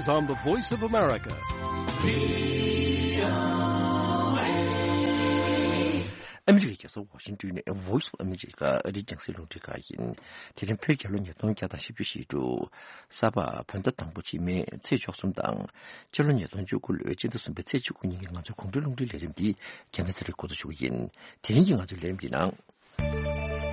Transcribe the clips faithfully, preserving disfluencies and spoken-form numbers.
On the Voice of America. ཨ་མི་རི་ཀའི་རྒྱལ་ས་ཝ་ཤིང་ཏོན་ནས་Voice of America ཨ་རིའི་རྒྱང་སྲིང་རླུང་འཕྲིན་ཁང་ཡིན། དེ་རིང་བོད་རྒྱལ་ལོ་ཉིས་སྟོང་བརྒྱ་དང་བཞི་བཅུ་ཞེ་དྲུག་གཟའ་པ་བོད་ཟླ་དང་པོ་ཕྱི་མའི་ཚེས་བཅུ་གསུམ་དང་། སྤྱི་ལོ་ཉིས་སྟོང་བཅུ་དགུ་ལོའི་སྤྱི་ཟླ་གསུམ་པའི་ཚེས་བཅུ་དགུ་ཉིན་གྱི་ང་ཚོའི་གོང་འཕེལ་རླུང་འཕྲིན་ལས་རིམ་འདི་རྒྱལ་མཚན་ཚེ་རིང་འགོ་འཛུགས་ཞུ་གི་ཡིན། དེ་རིང་གི་ང་ཚོའི་ལས་རིམ་འདི་ནང་།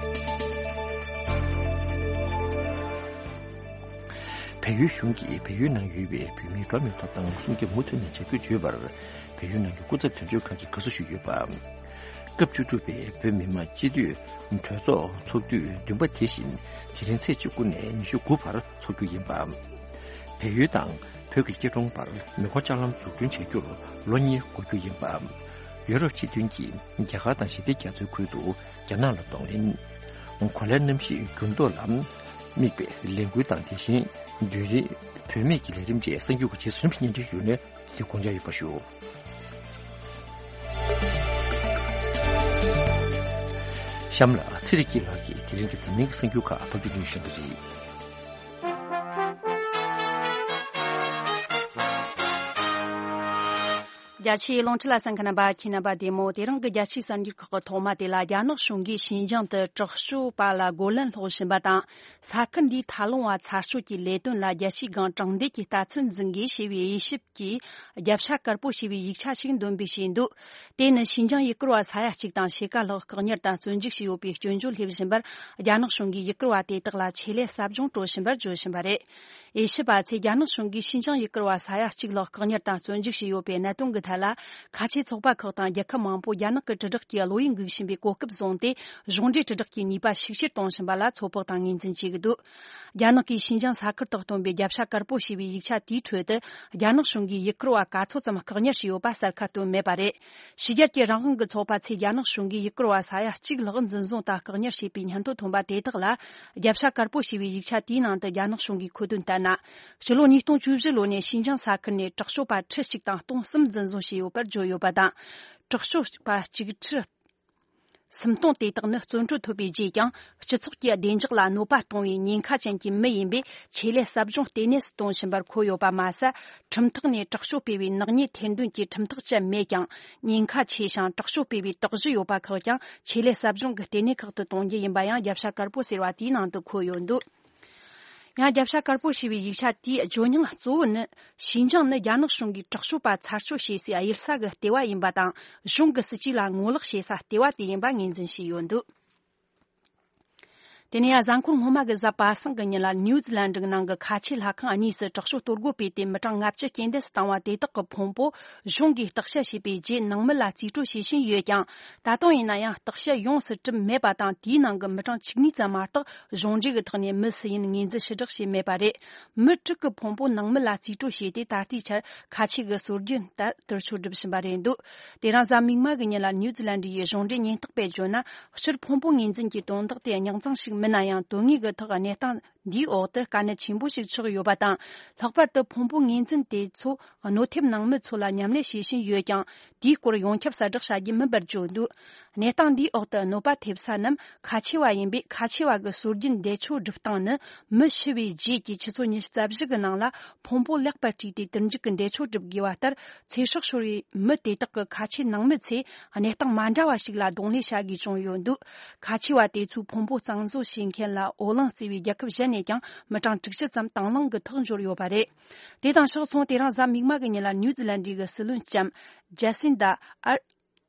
བལ་ཡུལ་གཞུང་གིས་བལ་ཡུལ་ནང་ཡོད་པའི་བོད་མིའི་འགྲོ་བ་མིའི་ཐོབ་ཐང་སྲུང་སྐྱོབ་མུ་མཐུད་ནས་བྱ་རྒྱུར་བརྗོད་པར། བལ་ཡུལ་ནང་གི་སྐུ་ཚབ་དོན་གཅོད་ཁང་གིས་དགའ་བསུ་ཞུས་ཡོད་པ། སྐབས་བཅུ་དྲུག་པའི་བོད་མི་མང་སྤྱི་འཐུས་གྲོས་ཚོགས་ཚོགས་དུས་བདུན་པ་དེ་བཞིན་དེ་རིང་ཚེས་བཅུ་དགུ་ནས་ཉི་ཤུ་དགུ་བར་འཚོགས་རྒྱུ་ཡིན་པ། བལ་ཡུལ་དང་བོད་ཀྱི་སྐྱིད་གྲོང་བར་མེ་འཁོར་ལྕགས་ལམ་འཛུགས་སྐྲུན་བྱ་རྒྱུར་ལོ་གཉིས་འགོར་རྒྱུ་ཡིན་པ། ཡོ་རོབ་སྤྱི་མཐུན་གྱིས་རྒྱ་གར་དང་ཞི་བདེ་རྒྱ་མཚོའི་ཁུལ་དུ་རྒྱ་ནག་ལ་གདོང་ལེན། གོ་ལའི་གནམ་གཤིས་འགྱུར་ལྡོག་ལ་དམིགས་པའི་ལས་འགུལ་དང་། དེ་བཞིན་མདུན་རིང་བུད་མེད་ཀྱི་ལས་རིམ་བཅས་གསར་འགྱུར་གྱི་རྗེས་སུ་རིམ་བཞིན་སྙན་སྒྲོན་ཞུས་ནས། དེ་དགོངས་འཇགས་ཡོད་པ་ཞུ། གཤམ་ལ་ཚེ་རིང་སྐྱིད་ལགས་ཀྱིས་དེ་རིང་གི་འཛམ་གླིང་གི་གསར་འགྱུར་ཁག་ཕབ་སྒྱུར་གནང་བཞིན་པ་རེད། རྒྱ་ཆེའི་རླུང་འཕྲིན་ལ་གསན་མཁན་རྣམ་པ། ཁྱེད་རྣམ་པ་བདེ་མོ། དེ་རིང་གི་རྒྱལ་སྤྱིའི་གསར་འགྱུར་ཁག་གི་ཐོག་མ་དེ་ལ། རྒྱ་ནག་གཞུང་གིས་ཤིན་ཅང་དུ་དྲག་སྤྱོད་པ་ལ་རྒོལ་ལན་སློག་བཞིན་པ་དང་། ས་ཁུལ་འདིའི་མཐའ་ལུང་བ་ཚར་གཅོད་ཀྱི་ལས་དོན་ལ་རྒྱལ་སྤྱིའི་སྒང་དྲང་བདེན་གྱི་ལྟ་ཚུལ་འཛིན་དགོས་ཞེས་པའི་དབྱེ་ཞིབ་ཀྱི་རྒྱབ་ཤ་དཀར་པོ་ཞེས་པའི་ཡིག་ཆ་ཞིག་འདོན་སྤེལ་བྱས་འདུག་དེ་ནི་ཤིན་ཅང་ཡུལ་སྐོར་བ་ས་ཡ་གཅིག་དང་ཕྱེད་ཀ་ལྷག་བཀག་ཉར་དང་བཙོན་འཇུག་བྱས་ཡོད་པའི་སྐྱོན་བརྗོད་སླེབས་བཞིན་པར། རྒྱ་ནག་གཞུང་གིས་ཡུལ་སྐོར་བ་དེ་དག་ལ་ཆེད་ལས་ཟབ་སྦྱོང་སྤྲོད་བཞིན་པར་བརྗོད་བཞིན་པ་རེད། དབྱེ་ཞིབ་པ་ཚོས་རྒྱ་ནག་གཞུང་གིས་ཤིན་ཅང་ཡུལ་སྐོར་བ་ས་ཡ་གཅིག་ལྷག་བཀག་ཉར་དང་བཙོན་འཇུག་བྱས་ཡོད་པའི་གནད་དོན་གྱི་ཐད་ལ། ཁ་ཆེའི་ཚོགས་པ་ཁག་དང་རྒྱལ་ཁབ་མང་པོ་རྒྱ་ནག་གི་དྲིལ་བསྒྲགས་ཀྱི་བློ་ཡིད་འགུག་བཞིན་པའི་གོ་སྐབས་བཟུང་སྟེ། གཞུང་འབྲེལ་དྲིལ་བསྒྲགས་ཀྱི་ནུས་པ་ཤུགས་ཆེར་གཏོང་བཞིན་པ་ལ་ཚོད་དཔག་དང་ངོས་འཛིན་བྱེད་ཀྱི་འདུག་རྒྱ་ནག་གིས་ཤིན་ཅང་ས་ཁུལ་དག་སྟོན་པའི་རྒྱབ་ཤ་དཀར་པོ་ཞེས་པའི་ཡིག་ཆ་དེའི་ཁྲོད་དུ། རྒྱ་ནག་གཞུང་གིས་ཡུལ་སྐོར་བ་ག་ཚོད་ཙམ་བཀག་ཉར་བྱས་ཡོད་པ་གསལ་ཁ་བཏོན་མེད་པ་རེད། ཕྱི་རྒྱལ་གྱི་རང་དབང་གི་ཚོགས་པ་ཚོས་རྒྱ་ནག་གཞུང་གིས་ཡུལ་སྐོར་བ་ས་ཡ་གཅིག་ལྷག་འཛིན་བཟུང་དང་བཀག་ཉར་བྱས་པའི་སྙན་ཐོ་ཐོན་པ་དེ་དག་ལ། རྒྱབ་ཤ་དཀར་པོ་ཞེས་པའི་ཡིག་ཆ་དེའི་ནང་དུ་རྒྱ་ནག་གཞུང་གིས་འཁོད་དོན་ལྟར་ན། ཕྱི་ལོ་ཉིས་སྟོང་བཅུ་བཞི་ལོ་ནས་ཤིན་ཅང་ས་ཁུལ་ནས་དྲག་སྤྱོད་པ་ཁྲི་གཅིག་དང་སྟོང་གསུམ་འཛིན་བཟུང་བྱས་ཡོད་པར་བརྗོད་ཡོད་པ་དང་། དྲག་སྤྱོད་པ་གཅིག་ཁྲི་སུམ་སྟོང་དེ་དག་ནི་བཙོན་གྲོལ་ཐོབ་པའི་རྗེས་ཀྱང་། སྤྱི་ཚོགས་ཀྱི་བདེ་འཇགས་ལ་གནོད་པ་གཏོང་བའི་ཉེན་ཁ་ཅན་གྱི་མི་ཡིན་པས། ཆེད་ལས་ཟབ་སྦྱོང་ལྟེ་གནས་སུ་གཏོང་བཞིན་པར་འཁོད་ཡོད་པ་མ་ཟད། ཁྲིམས་ཐོག་ནས་དྲག་སྤྱོད་སྤེལ་བའི་ནག་ཉེས་ཐེར་འདོན་གྱི་ཁྲིམས་ཐག་བཅད་མེད་ཀྱང་། ཉེན་ཁ་ཆེ་ཞིང་དྲག་སྤྱོད་སྤེལ་བའི་དོགས་གཞི་ཡོད་པ་ཁག་ཀྱང་། ཆེད་ལས་ཟབ་སྦྱོང་གི་ལྟེ་གནས་ཁག་ཏུ་གཏོང་རྒྱུ་ཡིན་པ་ཡང་རྒྱབ་ཤ་དཀར་པོ་ཟེར་བ་དེའི་ནང་དུ་འཁོད་ཡོད་འདུག་ཡང་རྒྱབ་ཤ་དཀར་པོ་ཞེས་པའི་ཡིག་ཆ་དེའི་ཇོ་སྙིང་གཙོ་བོ་ནི། ཤིན་ཅང་ནི་རྒྱ་ནག་གཞུང་གིས་དྲག་སྤྱོད་པ་ཚར་གཅོད་བྱེད་སའི་གཡུལ་ས་གི་ལྟེ་བ་ཡིན་པ་དང་། གཞུང་གི་སྲིད་ཇུས་ལ་ངོ་ལོག་བྱེད་ས་ལྟེ་བ་དེ་ཡིན་པ་ངོས་འཛིན་བྱས་ཡོད་འདུག་དེ་ནས་ཡང་གཟའ་འཁོར་སྔོན་མ་གི་གཟའ་པ་སངས་ཀྱི་ཉིན་ལ་ནིའུ་ཛི་ལན་ཌི་གི་ནང་གི་ཁ་ཆེ་ལྷ་ཁང་གཉིས་སུ་དྲག་སྤྱོད་གཏོར་རྒོལ་སྤེལ་ཏེ་མི་གྲངས་ལྔ་བཅུ་རྐྱེན་འདས་སུ་བཏང་བ་དེ་དག་གི་ཕུང་པོ་གཞུང་གིས་བརྟག་དཔྱད་བྱས་པའི་རྗེས་ནང་མི་ལ་རྩིས་སྤྲོད་བྱེད་བཞིན་ཡོད་ཀྱང་། ད་དུང་ཡིན་ན་ཡང་བརྟག་དཔྱད་ཡོངས་སུ་གྲུབ་མེད་པ་དང་། དེའི་ནང་གི་མི་གྲངས་བཅུ་གཉིས་ཙམ་མ་གཏོགས་གཞུང་འབྲེལ་གྱི་ཐོག་ནས་མི་སུ་ཡིན་ངོས་འཛིན་ཞུ་དག་བྱས་མེད་པ་རེད། མི་དྲུག་གི་ཕུང་པོ་ནང་མི་ལ་རྩིས་སྤྲོད་བྱས་ཏེ། ད་ལྟའི་ཆར་ཁ་ཆེ་གི་སྲོལ་རྒྱུན་ལྟར་དུར་མཆོད་སྒྲུབ་བཞིན་པ་རེད་འདུག་དེ་རིང་གཟའ་མིག་དམར་གྱི་ཉིན་ལ་ནིའུ་ཛི་ལན་ཌི་ཡི་གཞུང་འབྲེལ་ཉེན་རྟོག་པས་བརྗོད་ན། སྤྱིར་ཕུང་པོ་ངོས་འཛིན་གྱི་དོན་དག་དེ་རྙོག་འཛིང་ཞིག་མིན་ན་ཡང་། དོན་དངོས་ཀྱི་ཐོག་གནས་སྟངས་འདིའི་འོག་ཏུ་དཀའ་གནད་ཆེན་པོ་ཞིག་ཆགས་ཡོད་པ་དང་། ལྷག་པར་དུ་ཕུང་པོ་ངོས་འཛིན་དེ་ཚོ་གནོད་ཐེབས་ནང་མི་ཚོ་ལ་མཉམ་ལས་བྱེད་བཞིན་ཡོད་ཀྱང་། དེའི་སྐོར་ཡོངས་ཁྱབ་གསལ་བསྒྲགས་བྱ་རྒྱུ་མིན་པར་བརྗོད་འདུག་གནས་སྟངས་འདིའི་འོག་ཏུ་གནོད་པ་ཐེབས་ས་རྣམས་ཁ་ཆེ་བ་ཡིན་པས། ཁ་ཆེ་བ་གི་སྲོལ་རྒྱུན་འདས་མཆོད་སྒྲུབ་སྟངས་ནི། མི་ཤི་བའི་རྗེས་ཀྱི་ཆུ་ཚོད་ཉི་ཤུ་རྩ་བཞི་གི་ནང་ལ་ཕུང་པོ་ལེགས་པར་བཀྲུས་ཏེ་དུར་འཇུག་གི་འདས་མཆོད་སྒྲུབ་དགོས་པ་ལྟར། ཚེ་སྲོག་ཤོར་བའི་མི་དེ་དག་གི་ཁ་ཆེ་ནང་མི་ཚོས་གནས་སྟངས་མ་འདྲ་བ་ཞིག་ལ་གདོང་ལེན་བྱ་དགོས་བྱུང་ཡོད་འདུག་ཁ་ཆེ་བ་དེ་ཚོའི་ཕུང་པོ་གཙང་བཟོ་བྱེད་མཁན་ལ་འོ་རླུང་བརྩེ་བའི་རྒྱལ་ཁབ་གཞན་ནས་ཀྱང་མི་གྲངས་དྲུག་ཅུ་ཙམ་དང་བླངས་ཀྱིས་ཐག་འཇོར་ཡོད་པ་རེད། དེ་དང་ཕྱོགས་མཚུངས། དེ་རིང་གཟའ་མིག་དམར་གྱི་ཉིན་ལ་ནིའུ་ཛི་ལན་ཌི་གི་སྲིད་བློན་ལྕམ་ཇེ་སིན་ཌ་ཨར་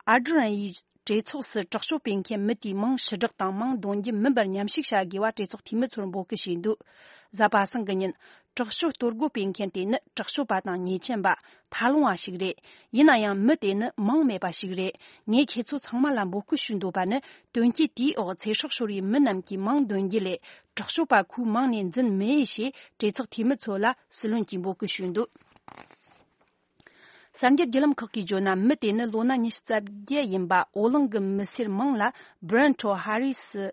ཨར་ཌི་རན་ཡིས་གྲོས་ཚོགས་སུ་དྲག་སྤྱོད་སྤེལ་མཁན་མི་དེའི་མིང་ཕྱིར་བསྒྲགས་དང་མིང་འདོན་རྒྱུ་མིན་པར་མཉམ་ཞུགས་བྱ་དགོས་པ་གྲོས་ཚོགས་འཐུས་མི་ཚོར་འབོད་སྐུལ་བྱས་འདུག་གཟའ་པ་སངས་ཀྱི་ཉིན། དྲག་སྤྱོད་གཏོར་རྒོལ་སྤེལ་མཁན་དེ་ནི་དྲག་སྤྱོད་པ་དང་ཉེས་ཅན་པ། མཐའ་ལྷུང་བ་ཞིག་རེད། ཡིན་ན་ཡང་མི་དེ་ནི་མིང་མེད་པ་ཞིག་རེད། ངས་ཁྱེད་ཚོ་ཚང་མ་ལ་འབོད་སྐུལ་ཞུ་འདོད་པ་ནི། དོན་རྐྱེན་དེའི་འོག་ཚེ་སྲོག་ཤོར་བའི་མི་རྣམས་ཀྱི་མིང་འདོན་རྒྱུ་ལས། དྲག་སྤྱོད་པ་ཁོའི་མིང་ནས་འཛིན་མི་འོས་ཞེས་གྲོས་ཚོགས་འཐུས་མི་ཚོ་ལ་སྲིད་བློན་གྱིས་འབོད་སྐུལ་ཞུས་འདུག་གསར་འགྱུར་བརྒྱུད་ལམ་ཁག་གིས་བརྗོད་ན། མི་དེ་ནི་ལོ་ན་ཉི་ཤུ་རྩ་བརྒྱད་ཡིན་པ། འོ་གླིང་གི་མི་སེར་མིང་ལ་བྷི་རན་ཊོ་ཧ་རི་སི་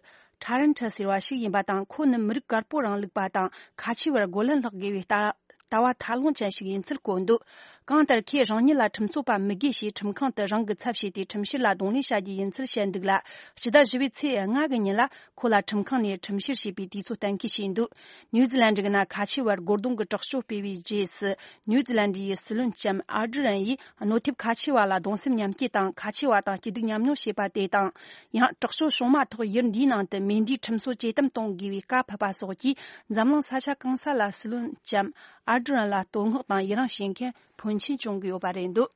ཁྲ་རན་ཁྲ་ཟེར་བ་ཞིག་ཡིན་པ་དང་། ཁོ་ནི་མི་རིགས་དཀར་པོ་རིང་ལུགས་པ་དང་ཁ་ཆེ་བར་རྒོལ་ལན་སློག་དགོས་པའི་ལྟ་ ལྟ་བ་ཐབས་ལམ་ཅན་ཞིག་ཡིན་ཚུལ་བཀོད་འདུག། གང་ལྟར་ཁོས་རང་ཉིད་ལ་ཁྲིམས་རྩོད་པ་མི་དགོས་ཞེས་ཁྲིམས་ཁང་དུ་རང་གི་ཚབ་བྱས་ཏེ་ཁྲིམས་བཤེར་ལ་གདོང་ལེན་བྱ་རྒྱུ་ཡིན་ཚུལ་བཤད་འདུག་ལ། ཕྱི་ཟླ་བཞི་པའི་ཚེས་ལྔ་གི་ཉིན་ལ་ཁོ་ལ་ཁྲིམས་ཁང་ནས་ཁྲིམས་བཤེར་བྱས་པའི་དུས་ཚོད་གཏན་འཁེལ་བྱས་འདུག། ནིའུ་ཛི་ལན་ཌི་གི་ན་ཁ་ཆེ་བར་སྒོར་རྡུང་གི་དྲག་སྤྱོད་སྤེལ་བའི་རྗེས་སུ། ནིའུ་ཛི་ལན་ཌི་ཡི་སྲིད་བློན་ལྕམ་ཨར་ཌི་རན་ཡིས་གནོད་ཐེབས་ཁ་ཆེ་བ་ལ་གདུང་སེམས་མཉམ་སྐྱེད་དང་། ཁ་ཆེ་བ་དང་སྐྱིད་སྡུག་མཉམ་མྱོང་བྱེད་པ་དེ་དང་། ཡང་དྲག་སྤྱོད་བྱུང་མ་ཐག་ཡུལ་འདིའི་ནང་དུ་མེ་མདའི་ཁྲིམས་སྲོལ་ཇེ་དམ་གཏོང་དགོས་པའི་བཀའ་ཕབ་པ་སོགས་ཀྱིས། འཛམ་གླིང་ས་ཆ་གང་ས་ལ་སྲིད་བློན་ལྕམ་ཨར་ཌི་རན་ལ་བསྟོད་བསྔགས་དང་ཡི་རངས་བྱེད་མཁན་ཕོན་ཆེན་བྱུང་གི་ཡོད་པ་རེད་འདུག།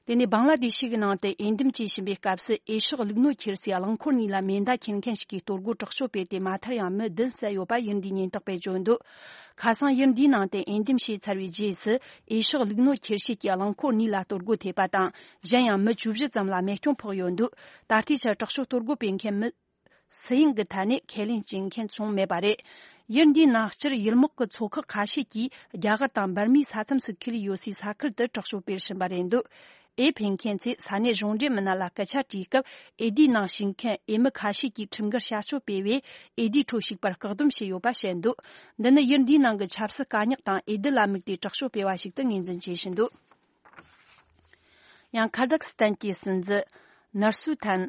དེ་ནས་བང་ལ་དེ་ཤི་གི་ནང་དུ་འོས་འདེམས་བྱེད་བཞིན་པའི་སྐབས་སུ། འོས་ཤོག་བླུགས་ནོར་ཁྱེར་སའི་རླངས་འཁོར་གཉིས་ལ་མེ་མདའ་འཁྱེར་མཁན་ཞིག་གིས་གཏོར་རྒོལ་དྲག་སྤྱོད་སྤེལ་ཏེ། མ་མཐར་ཡང་མི་བདུན་བསད་ཡོད་པ་ཡུལ་འདིའི་ཉེན་རྟོག་པས་བརྗོད་འདུག། ཁ་སང་ཡུལ་འདིའི་ནང་དུ་འོས་འདེམས་བྱས་ཚར་བའི་རྗེས་སུ། འོས་ཤོག་བླུགས་ནོར་ཁྱེར་བྱེད་ཀྱི་རླངས་འཁོར་གཉིས་ལ་གཏོར་རྒོལ་ཐེབས་པ་དང་། གཞན་ཡང་མི་བཅུ་བཞི་ཙམ་ལ་རྨས་སྐྱོན་ཕོག་ཡོད་འདུག། ད་ལྟའི་ཆར་དྲག་སྤྱོད་གཏོར་རྒོལ་སྤེལ་མཁན་མི་སུ་ཡིན་གྱི་ཐད་ནས་ཁས་ལེན་བྱེད་མཁན་བྱུང་མེད་པ་རེད། ཡུལ་འདིའི་ནང་སྤྱིར་ཡུལ་དམག་གི་ཚོ་ཁག་ཁ་ཤས་ཀྱིས་རྒྱ་གར་དང་འབར་མའི་ས་མཚམས་སུ་འཁེལ་ཡོད་སའི་ས་ཁུལ་དུ་དྲག་སྤྱོད་སྤེལ་བཞིན་པ་རེད་འདུག། འོས་འཕེན་མཁན་ཚོས་ས་གནས་གཞུང་འབྲེལ་མི་སྣ་ལ་སྐད་ཆ་དྲིས་སྐབས། འོས་བསྡུའི་ནང་ཞུགས་མཁན་འོས་མི་ཁ་ཤས་ཀྱིས་ཁྲིམས་འགལ་བྱ་སྤྱོད་སྤེལ་བས། འོས་བསྡུའི་ཁྲོད་ཞུགས་པར་བཀག་སྡོམ་བྱས་ཡོད་པ་བཤད་འདུག། འདི་ནི་ཡུལ་འདིའི་ནང་གི་ཆབ་སྲིད་དཀའ་རྙོག་དང་འོས་བསྡུ་ལ་དམིགས་ཏེ་དྲག་སྤྱོད་སྤེལ་བ་ཞིག་ཏུ་ངོས་འཛིན་བྱེད་བཞིན་འདུག། ཡང་། ཁ་ཛག་སི་ཐན་གྱི་སྲིད་འཛིན་ནུར་སུལ་ཐན་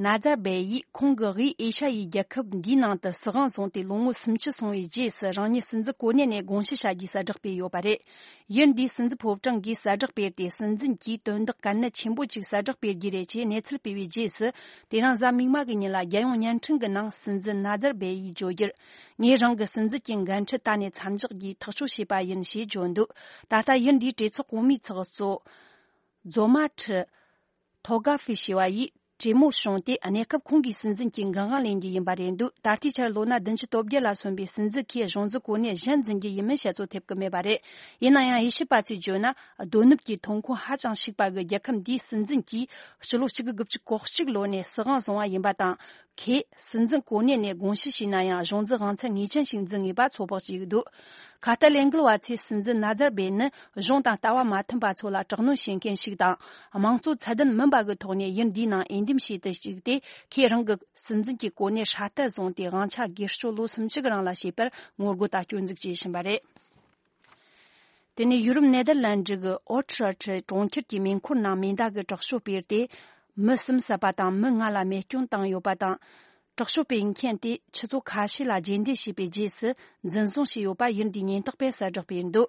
ནཱ་ཛར་བེ་ཡིས། ཁོང་གིས་དབུས་ཨེ་ཤ་ཡའི་རྒྱལ་ཁབ་འདིའི་ནང་དུ་སྲིད་དབང་བཟུང་སྟེ་ལོ་ངོ་སུམ་ཅུ་སོང་བའི་རྗེས་སུ། རང་ཉིད་སྲིད་འཛིན་གོ་གནས་ནས་དགོངས་ཞི་བྱ་རྒྱུའི་གསལ་བསྒྲགས་སྤེལ་ཡོད་པ་རེད། ཡུལ་འདིའི་སྲིད་འཛིན་ཕོ་བྲང་གིས་གསལ་བསྒྲགས་སྤེལ་ཏེ། སྲིད་འཛིན་གྱིས་དོན་དག་གལ་གནད་ཆེན་པོ་གཅིག་གསལ་བསྒྲགས་སྤེལ་རྒྱུ་རེད་ཅེས་གནས་ཚུལ་སྤེལ་བའི་རྗེས་སུ། དེ་རིང་གཟའ་མིག་དམར་གྱི་ཉིན་ལ་རྒྱལ་ཡོངས་བརྙན་འཕྲིན་གྱི་ནང་སྲིད་འཛིན་ནཱ་ཛར་བེ་ཡིས་བརྗོད་རྒྱུར། ངས་རང་གི་སྲིད་འཛིན་གྱི་འགན་འཁྲི་ད་ནས་མཚམས་འཇོག་གིས་ཐག་གཅོད་བྱས་པ་ཡིན་ཞེས་བརྗོད་འདུག། ད་ལྟ་ཡུལ་འདིའི་གྲོས་ཚོགས་གོང་མའི་ཚོགས་གཙོ་ཛོ་མ་ཁྲི་ཐོ་ག་ཧྥི་ཞེས་པ་ཡིས་གྲོས་མོལ་བྱུང་སྟེ། གནས་སྐབས་ཁོང་གིས་སྲིད་འཛིན་གྱི་འགན་དབང་ལེན་རྒྱུ་ཡིན་པ་རེད་འདུག། ད་ལྟའི་ཆར་ལོ་ན་བདུན་ཅུ་དོན་བརྒྱད་ལ་སོན་པའི་སྲིད་འཛིན་ཁོས་གཞུང་འཛིན་གོ་གནས་གཞན་འཛིན་རྒྱུ་ཡིན་མིན་བཤད་ཚོད་ཐེབས་ཀྱི་མེད་པ་རེད། ཡིན་ན་ཡང་། དབྱེ་ཞིབ་པ་ཚོས་བརྗོད་ན། རྡོ་ནུབ་ཀྱི་ཐོན་ཁུངས་ཧ་ཅང་ཕྱུག་པ་གི་རྒྱལ་ཁབ་འདིའི་སྲིད་འཛིན་གྱིས་ཕྱི་ལོ་གཅིག་དགུ་དགུ་བཅུ་གོ་གཅིག་ལོ་ནས་སྲིད་དབང་བཟུང་བ་ཡིན་པ་དང་། ཁོས་སྲིད་འཛིན་གོ་གནས་ནས་དགོངས་ཞི་བྱས་ན་ཡང་། གཞུང་འཛིན་དབང་ཚད་ངེས་ཅན་ཞིག་འཛིན་ངེས་པ་ཚོད་དཔག་བྱས་ཡོད་འདུག། ཁ་གཏད་ལས་འགུལ་བ་ཚོས་སྲིད་འཛིན་ནཱ་ཛར་བེ་ནི་གཞུང་དང་ལྟ་བ་མ་མཐུན་པ་ཚོ་ལ་དྲག་གནོན་བྱེད་མཁན་ཞིག་དང་། དམངས་གཙོ་ཚད་ལྡན་མིན་པ་གི་ཐོག་ནས་ཡུལ་འདིའི་ནང་འོས་འདེམས་བྱས་ཏེ་བཅུག་སྟེ། ཁོས་རང་གི་སྲིད་འཛིན་གྱི་གོ་གནས་སྲ་བརྟན་བཟུང་སྟེ། དབང་ཆ་སྒེར་གཅོད་ལོ་སུམ་ཅུ་གི་རིང་ལ་བྱེད་པར་ངོ་རྒོལ་དང་སྐྱོན་འཛུགས་བྱེད་བཞིན་པ་རེད། དེ་ནས་ཡུ་རོབ་ནེ་དར་ལན་ཌི་གི་ཨོ་ཁྲི་ཨར་ཁྲི་གྲོང་ཁྱེར་གྱི་མེ་འཁོར་ནང་མེ་མདའ་གི་དྲག་སྤྱོད་སྤེལ་ཏེ། མི་གསུམ་བསད་པ་དང་མི་ལྔ་ལ་རྨས་སྐྱོན་བཏང་ཡོད་པ་དང་། དྲག་སྤྱོད་སྤེལ་མཁན་དེས་ཆུ་ཚོད་ཁ་ཤས་ལ་རྗེས་འདེད་བྱས་པའི་རྗེས་སུ་འཛིན་བཟུང་བྱས་ཡོད་པ་ཡུལ་འདིའི་ཉེན་རྟོག་པས་གསལ་བསྒྲགས་སྤེལ་འདུག།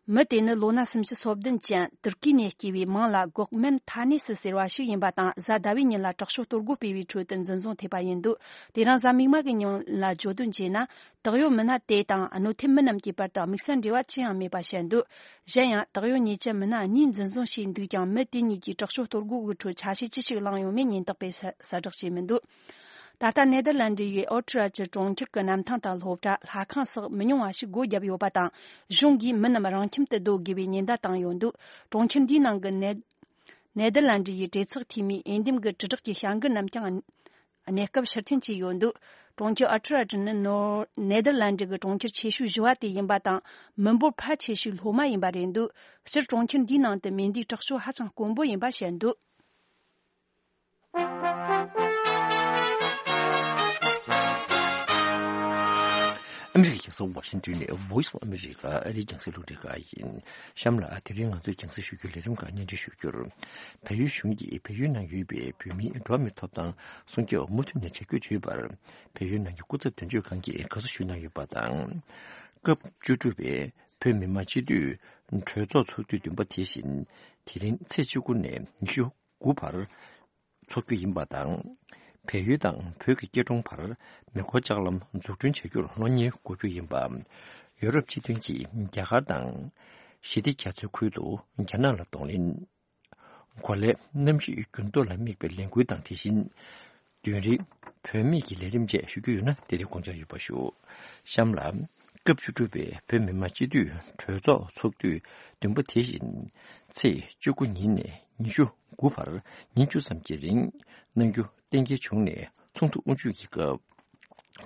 མི་དེ་ནི་ལོ་ན་སུམ་ཅུ་སོ་བདུན་ཅན་ཏུར་ཀི་ནས་སྐྱེས་པའི་མིང་ལ་གོག་མན་ཐ་ནེ་སི་ཟེར་བ་ཞིག་ཡིན་པ་དང་། གཟའ་ཟླ་བའི་ཉིན་ལ་དྲག་སྤྱོད་གཏོར་རྒོལ་སྤེལ་བའི་ཁྲོད་དུ་འཛིན་བཟུང་ཐེབས་པ་ཡིན་འདུག། དེ་རིང་གཟའ་མིག་དམར་གྱི་ཉིན་ལ་བརྗོད་དོན་བྱས་ན། དག་ཡོད་མི་སྣ་དེ་དང་གནོད་ཐེབས་མི་རྣམས་ཀྱི་བར་དུ་དམིགས་བསལ་འབྲེལ་བ་ཅི་ཡང་མེད་པ་བཤད་འདུག། གཞན་ཡང་། དག་ཡོད་ཉེས་ཅན་མི་སྣ་གཉིས་འཛིན་བཟུང་བྱས་འདུག་ཀྱང་། མི་དེ་གཉིས་ཀྱིས་དྲག་སྤྱོད་གཏོར་རྒོལ་གྱི་ཁྲོད་ཆ་ཤས་ཅི་ཞིག་བླངས་ཡོད་མེད་ཉེན་རྟོག་པས་གསལ་བསྒྲགས་བྱས་མི་འདུག། ད་ལྟ་ནེ་དར་ལན་ཌི་ཡི་ཨོ་ཁྲི་ཨར་ཁྲི་གྲོང་ཁྱེར་གྱི་གནམ་ཐང་དང་སློབ་གྲྭ། ལྷ་ཁང་སོགས་མི་ཉུང་བ་ཞིག་སྒོ་བརྒྱབ་ཡོད་པ་དང་། གཞུང་གིས་མི་རྣམས་རང་ཁྱིམ་དུ་སྡོད་དགོས་པའི་ཉེན་བརྡ་བཏང་ཡོད་འདུག། གྲོང་ཁྱེར་འདིའི་ནང་གི་ནེ་ནེ་དར་ལན་ཌི་ཡི་གྲོས་ཚོགས་འཐུས་མིའི་འོས་འདེམས་ཀྱི་དྲིལ་བསྒྲགས་ཀྱི་བྱ་འགུལ་རྣམས་ཀྱང་གནས་སྐབས་ཕྱིར་འཐེན་བྱས་ཡོད་འདུག། གྲོང་ཁྱེར་ཨ་ཁྲི་ཨ་ཁྲི་ནི་ནོ་ནེ་དར་ལན་ཌི་གི་གྲོང་ཁྱེར་ཆེ་ཤོས་བཞི་བ་དེ་ཡིན་པ་དང་། མི་འབོར་ཕལ་ཆེ་ཤོས་སློབ་མ་ཡིན་པ་རེད་འདུག། སྤྱིར་གྲོང་ཁྱེར་འདིའི་ནང་དུ་མེ་མདའི་དྲག་སྤྱོད་ཧ་ཅང་དཀོན་པོ་ཡིན་པ་བཤད་འདུག། ཨ་མི་རི་ཀའི་རྒྱལ་ས་ཝ་ཤིང་ཏོན་ནས་Voice of America ཨ་རིའི་རྒྱང་སྲིང་རླུང་འཕྲིན་ཁང་ཡིན། གཤམ་ལ་དེ་རིང་ང་ཚོས་རྒྱང་སྲིང་ཞུ་རྒྱུའི་ལས་རིམ་ཁག་སྙན་སྒྲོན་ཞུ་རྒྱུར། བལ་ཡུལ་གཞུང་གིས་བལ་ཡུལ་ནང་ཡོད་པའི་བོད་མིའི་འགྲོ་བ་མིའི་ཐོབ་ཐང་སྲུང་སྐྱོབ་མུ་མཐུད་ནས་བྱ་རྒྱུར་བརྗོད་པར། བལ་ཡུལ་ནང་གི་སྐུ་ཚབ་དོན་གཅོད་ཁང་གིས་དགའ་བསུ་ཞུས་གནང་ཡོད་པ་དང་། སྐབས་བཅུ་དྲུག་པའི་བོད་མི་མང་སྤྱི་འཐུས་གྲོས་ཚོགས་ཚོགས་དུས་བདུན་པ་དེ་བཞིན་དེ་རིང་ཚེས་བཅུ་དགུ་ནས་ཉི་ཤུ་དགུ་བར་འཚོགས་རྒྱུ་ཡིན་པ་དང་། བལ་ཡུལ་དང་བོད་ཀྱི་སྐྱིད་གྲོང་བར་མེ་འཁོར་ལྕགས་ལམ་འཛུགས་སྐྲུན་བྱ་རྒྱུར་སློབ་གཉེར་དགོས་རྒྱུ་ཡིན་པ། ཡོ་རོབ་སྤྱི་མཐུན་གྱིས་རྒྱ་གར་དང་ཞི་བདེ་རྒྱ་མཚོའི་ཁུལ་དུ་རྒྱ་ནག་ལ་གདོང་ལེན། གོ་ལའི་གནམ་གཤིས་འགྱུར་ལྡོག་ལ་དམིགས་པའི་ལས་འགུལ་དང་། དེ་བཞིན་དུས་རིང་བོད་མིའི་གི་ལས་རིམ་བཅས་ཞུ་རྒྱུ་ཡོད་ན། དེ་རིང་དགོངས་འཆར་ཡོད་པ་ཞུ། གཤམ་ལ་སྐབས་བཅུ་དྲུག་པའི་བོད་མི་མང་སྤྱི་འཐུས་གྲོས་ཚོགས་ཚོགས་དུས་བདུན་པ་དེ་བཞིན་ཚེས་བཅུ་དགུ་ཉིན་ནས་ཉི་ཤུ་དགུ་བར་ཉིན་བཅུ་ཙམ་གྱི་རིང་གནང་རྒྱུ་གཏན་འཁེལ་བྱུང་ནས། ཚོགས་འདུ་དབུ་འཛུགས་ཀྱི་སྐབས།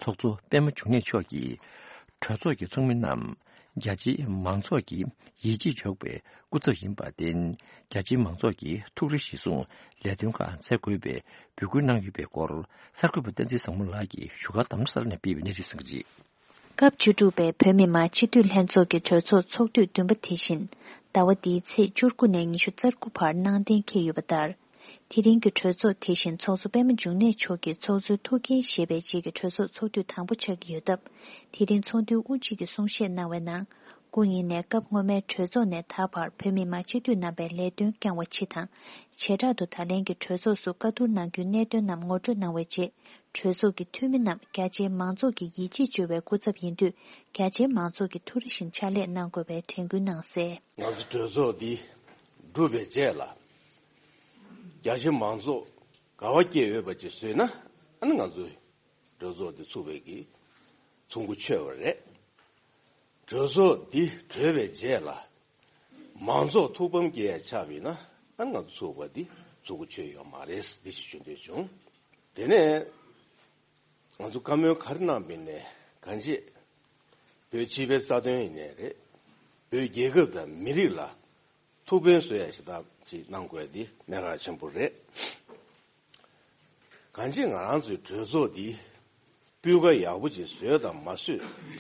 ཚོགས་གཙོ་པད་མ་འབྱུང་གནས་མཆོག་གིས་གྲོས་ཚོགས་ཀྱི་ཚོགས་མི་རྣམས་རྒྱ་ཆེའི་མང་ཚོགས་ཀྱི་ཡིད་ཆེས་འཇོག་པའི་སྐུ་ཚབ་ཡིན་པར་བརྟེན། རྒྱ་ཆེའི་མང་ཚོགས་ཀྱི་ཐུགས་རེ་གཞིར་བཟུང་ལས་དོན་ཁག་མཛད་དགོས་པའི་འབོད་སྐུལ་གནང་ཡོད་པའི་སྐོར། གསར་འགོད་པ་བསྟན་འཛིན་བཟང་མོ་ལགས་ཀྱིས་བཞུགས་སྒར་རྡ་རམ་ས་ལ་ནས་སྤེལ་བའི་གནས་རིམ་གསན་གྱི་རེད། སྐབས་བཅུ་དྲུག་པའི་བོད་མི་མང་སྤྱི་འཐུས་ལྷན་ཚོགས་ཀྱི་གྲོས་ཚོགས་ཚོགས་དུས་བདུན་པ་དེ་བཞིན། ཟླ་བ་འདིའི་ཚེས་བཅུ་དགུ་ནས་ཉི་ཤུ་རྩ་དགུ་བར་གནང་གཏན་འཁེལ་ཡོད་པ་ལྟར། དེ་རིང་གི་གྲོས་ཚོགས་དེ་བཞིན་ཚོགས་གཙོ་པད་མ་འབྱུང་གནས་མཆོག་གིས་ཚོགས་གཙོའི་ཐུགས་འགན་བཞེས་པའི་རྗེས་ཀྱི་གྲོས་ཚོགས་ཚོགས་དུས་དང་པོ་ཆགས་ཀྱི་ཡོད་སྟབས། དེ་རིང་ཚོགས་འདུའི་དབུ་འབྱེད་ཀྱི་གསུང་བཤད་གནང་བའི་ནང་། སྐུ་ཉིད་ནས་སྐབས་སྔོན་མའི་གྲོས་ཚོགས་ནས་ད་བར་བོད་མི་མང་སྤྱི་འཐུས་རྣམ་པའི་ལས་དོན་བསྐྱངས་པ་སྤྱི་དང་། བྱེ་བྲག་ཏུ་ད་ལན་གྱི་གྲོས་ཚོགས་སུ་བཀའ་བསྡུར་གནང་རྒྱུའི་གནད་དོན་རྣམས་ངོ་སྤྲོད་གནང་བའི་རྗེས། གྲོས་ཚོགས་ཀྱི་འཐུས་མི་རྣམས་རྒྱ་ཆེའི་མང་ཚོགས་ཀྱི་ཡིད་ཆེས་བཅོལ་བའི་སྐུ་ཚབ་ཡིན་དུས། རྒྱ་ཆེའི་མང་ཚོགས་ཀྱིས་ཐུགས་རེ་བཞིན་ཕྱག་ལས་གནང་དགོས་པའི་དྲན་སྐུལ་གནང་གསལ། ང་ཚོ་གྲོས་ཚོགས་འདི་གྲུབ་པའི་རྗེས་ལ། རྒྱ་ཆེ་མང་ཚོགས་དགའ་བ་སྐྱེ་འོས་པ་ཅིག་བཟོས་ན། ཨ་ནི་ང་ཚོས་གྲོས་ཚོགས་འདི་ཚུགས་པའི་གི་ཚོགས་འགོ་ཆོད་པ་རེད། གྲོས་ཚོགས་འདི་གྲོལ་བའི་རྗེས་ལ། མང་ཚོགས་ཐུགས་ཕམ་སྐྱེ་ཡ་ཆགས་པ་ཡིན་ན། ཨ་ནི་ང་ཚོ་ཚུགས་པ་འདི་ཚོགས་འགོ་ཆོད་ཡོད་མ་རེད། འདི་ཞིག་ཞུ་འདོད་བྱུང་། དེ་ནས་ང་ཚོ་བཀའ་མོལ་ག་རེ་གནང་པ་ཡིན་ནའི་གང་ཅི། བོད་སྤྱི་པའི་རྩ་དོན་ཡིན་ནའི་རེད། བོད་རྒྱལ་ཁབ་དང་མི་རིགས་ལ་ཐུགས་ཕན་གསོས་ཡ་ཞིག་ད་ཅིག་གནང་དགོས་འདི་གནད་འགག་ཆེན་པོ་རེད། གང་ཅི་ང་རང་ཚོའི་གྲོས་ཚོགས་འདི་སྤུས་ཀ་ཡག་པོ་ཅིག་བཟོས་དང་མ་བཟོས་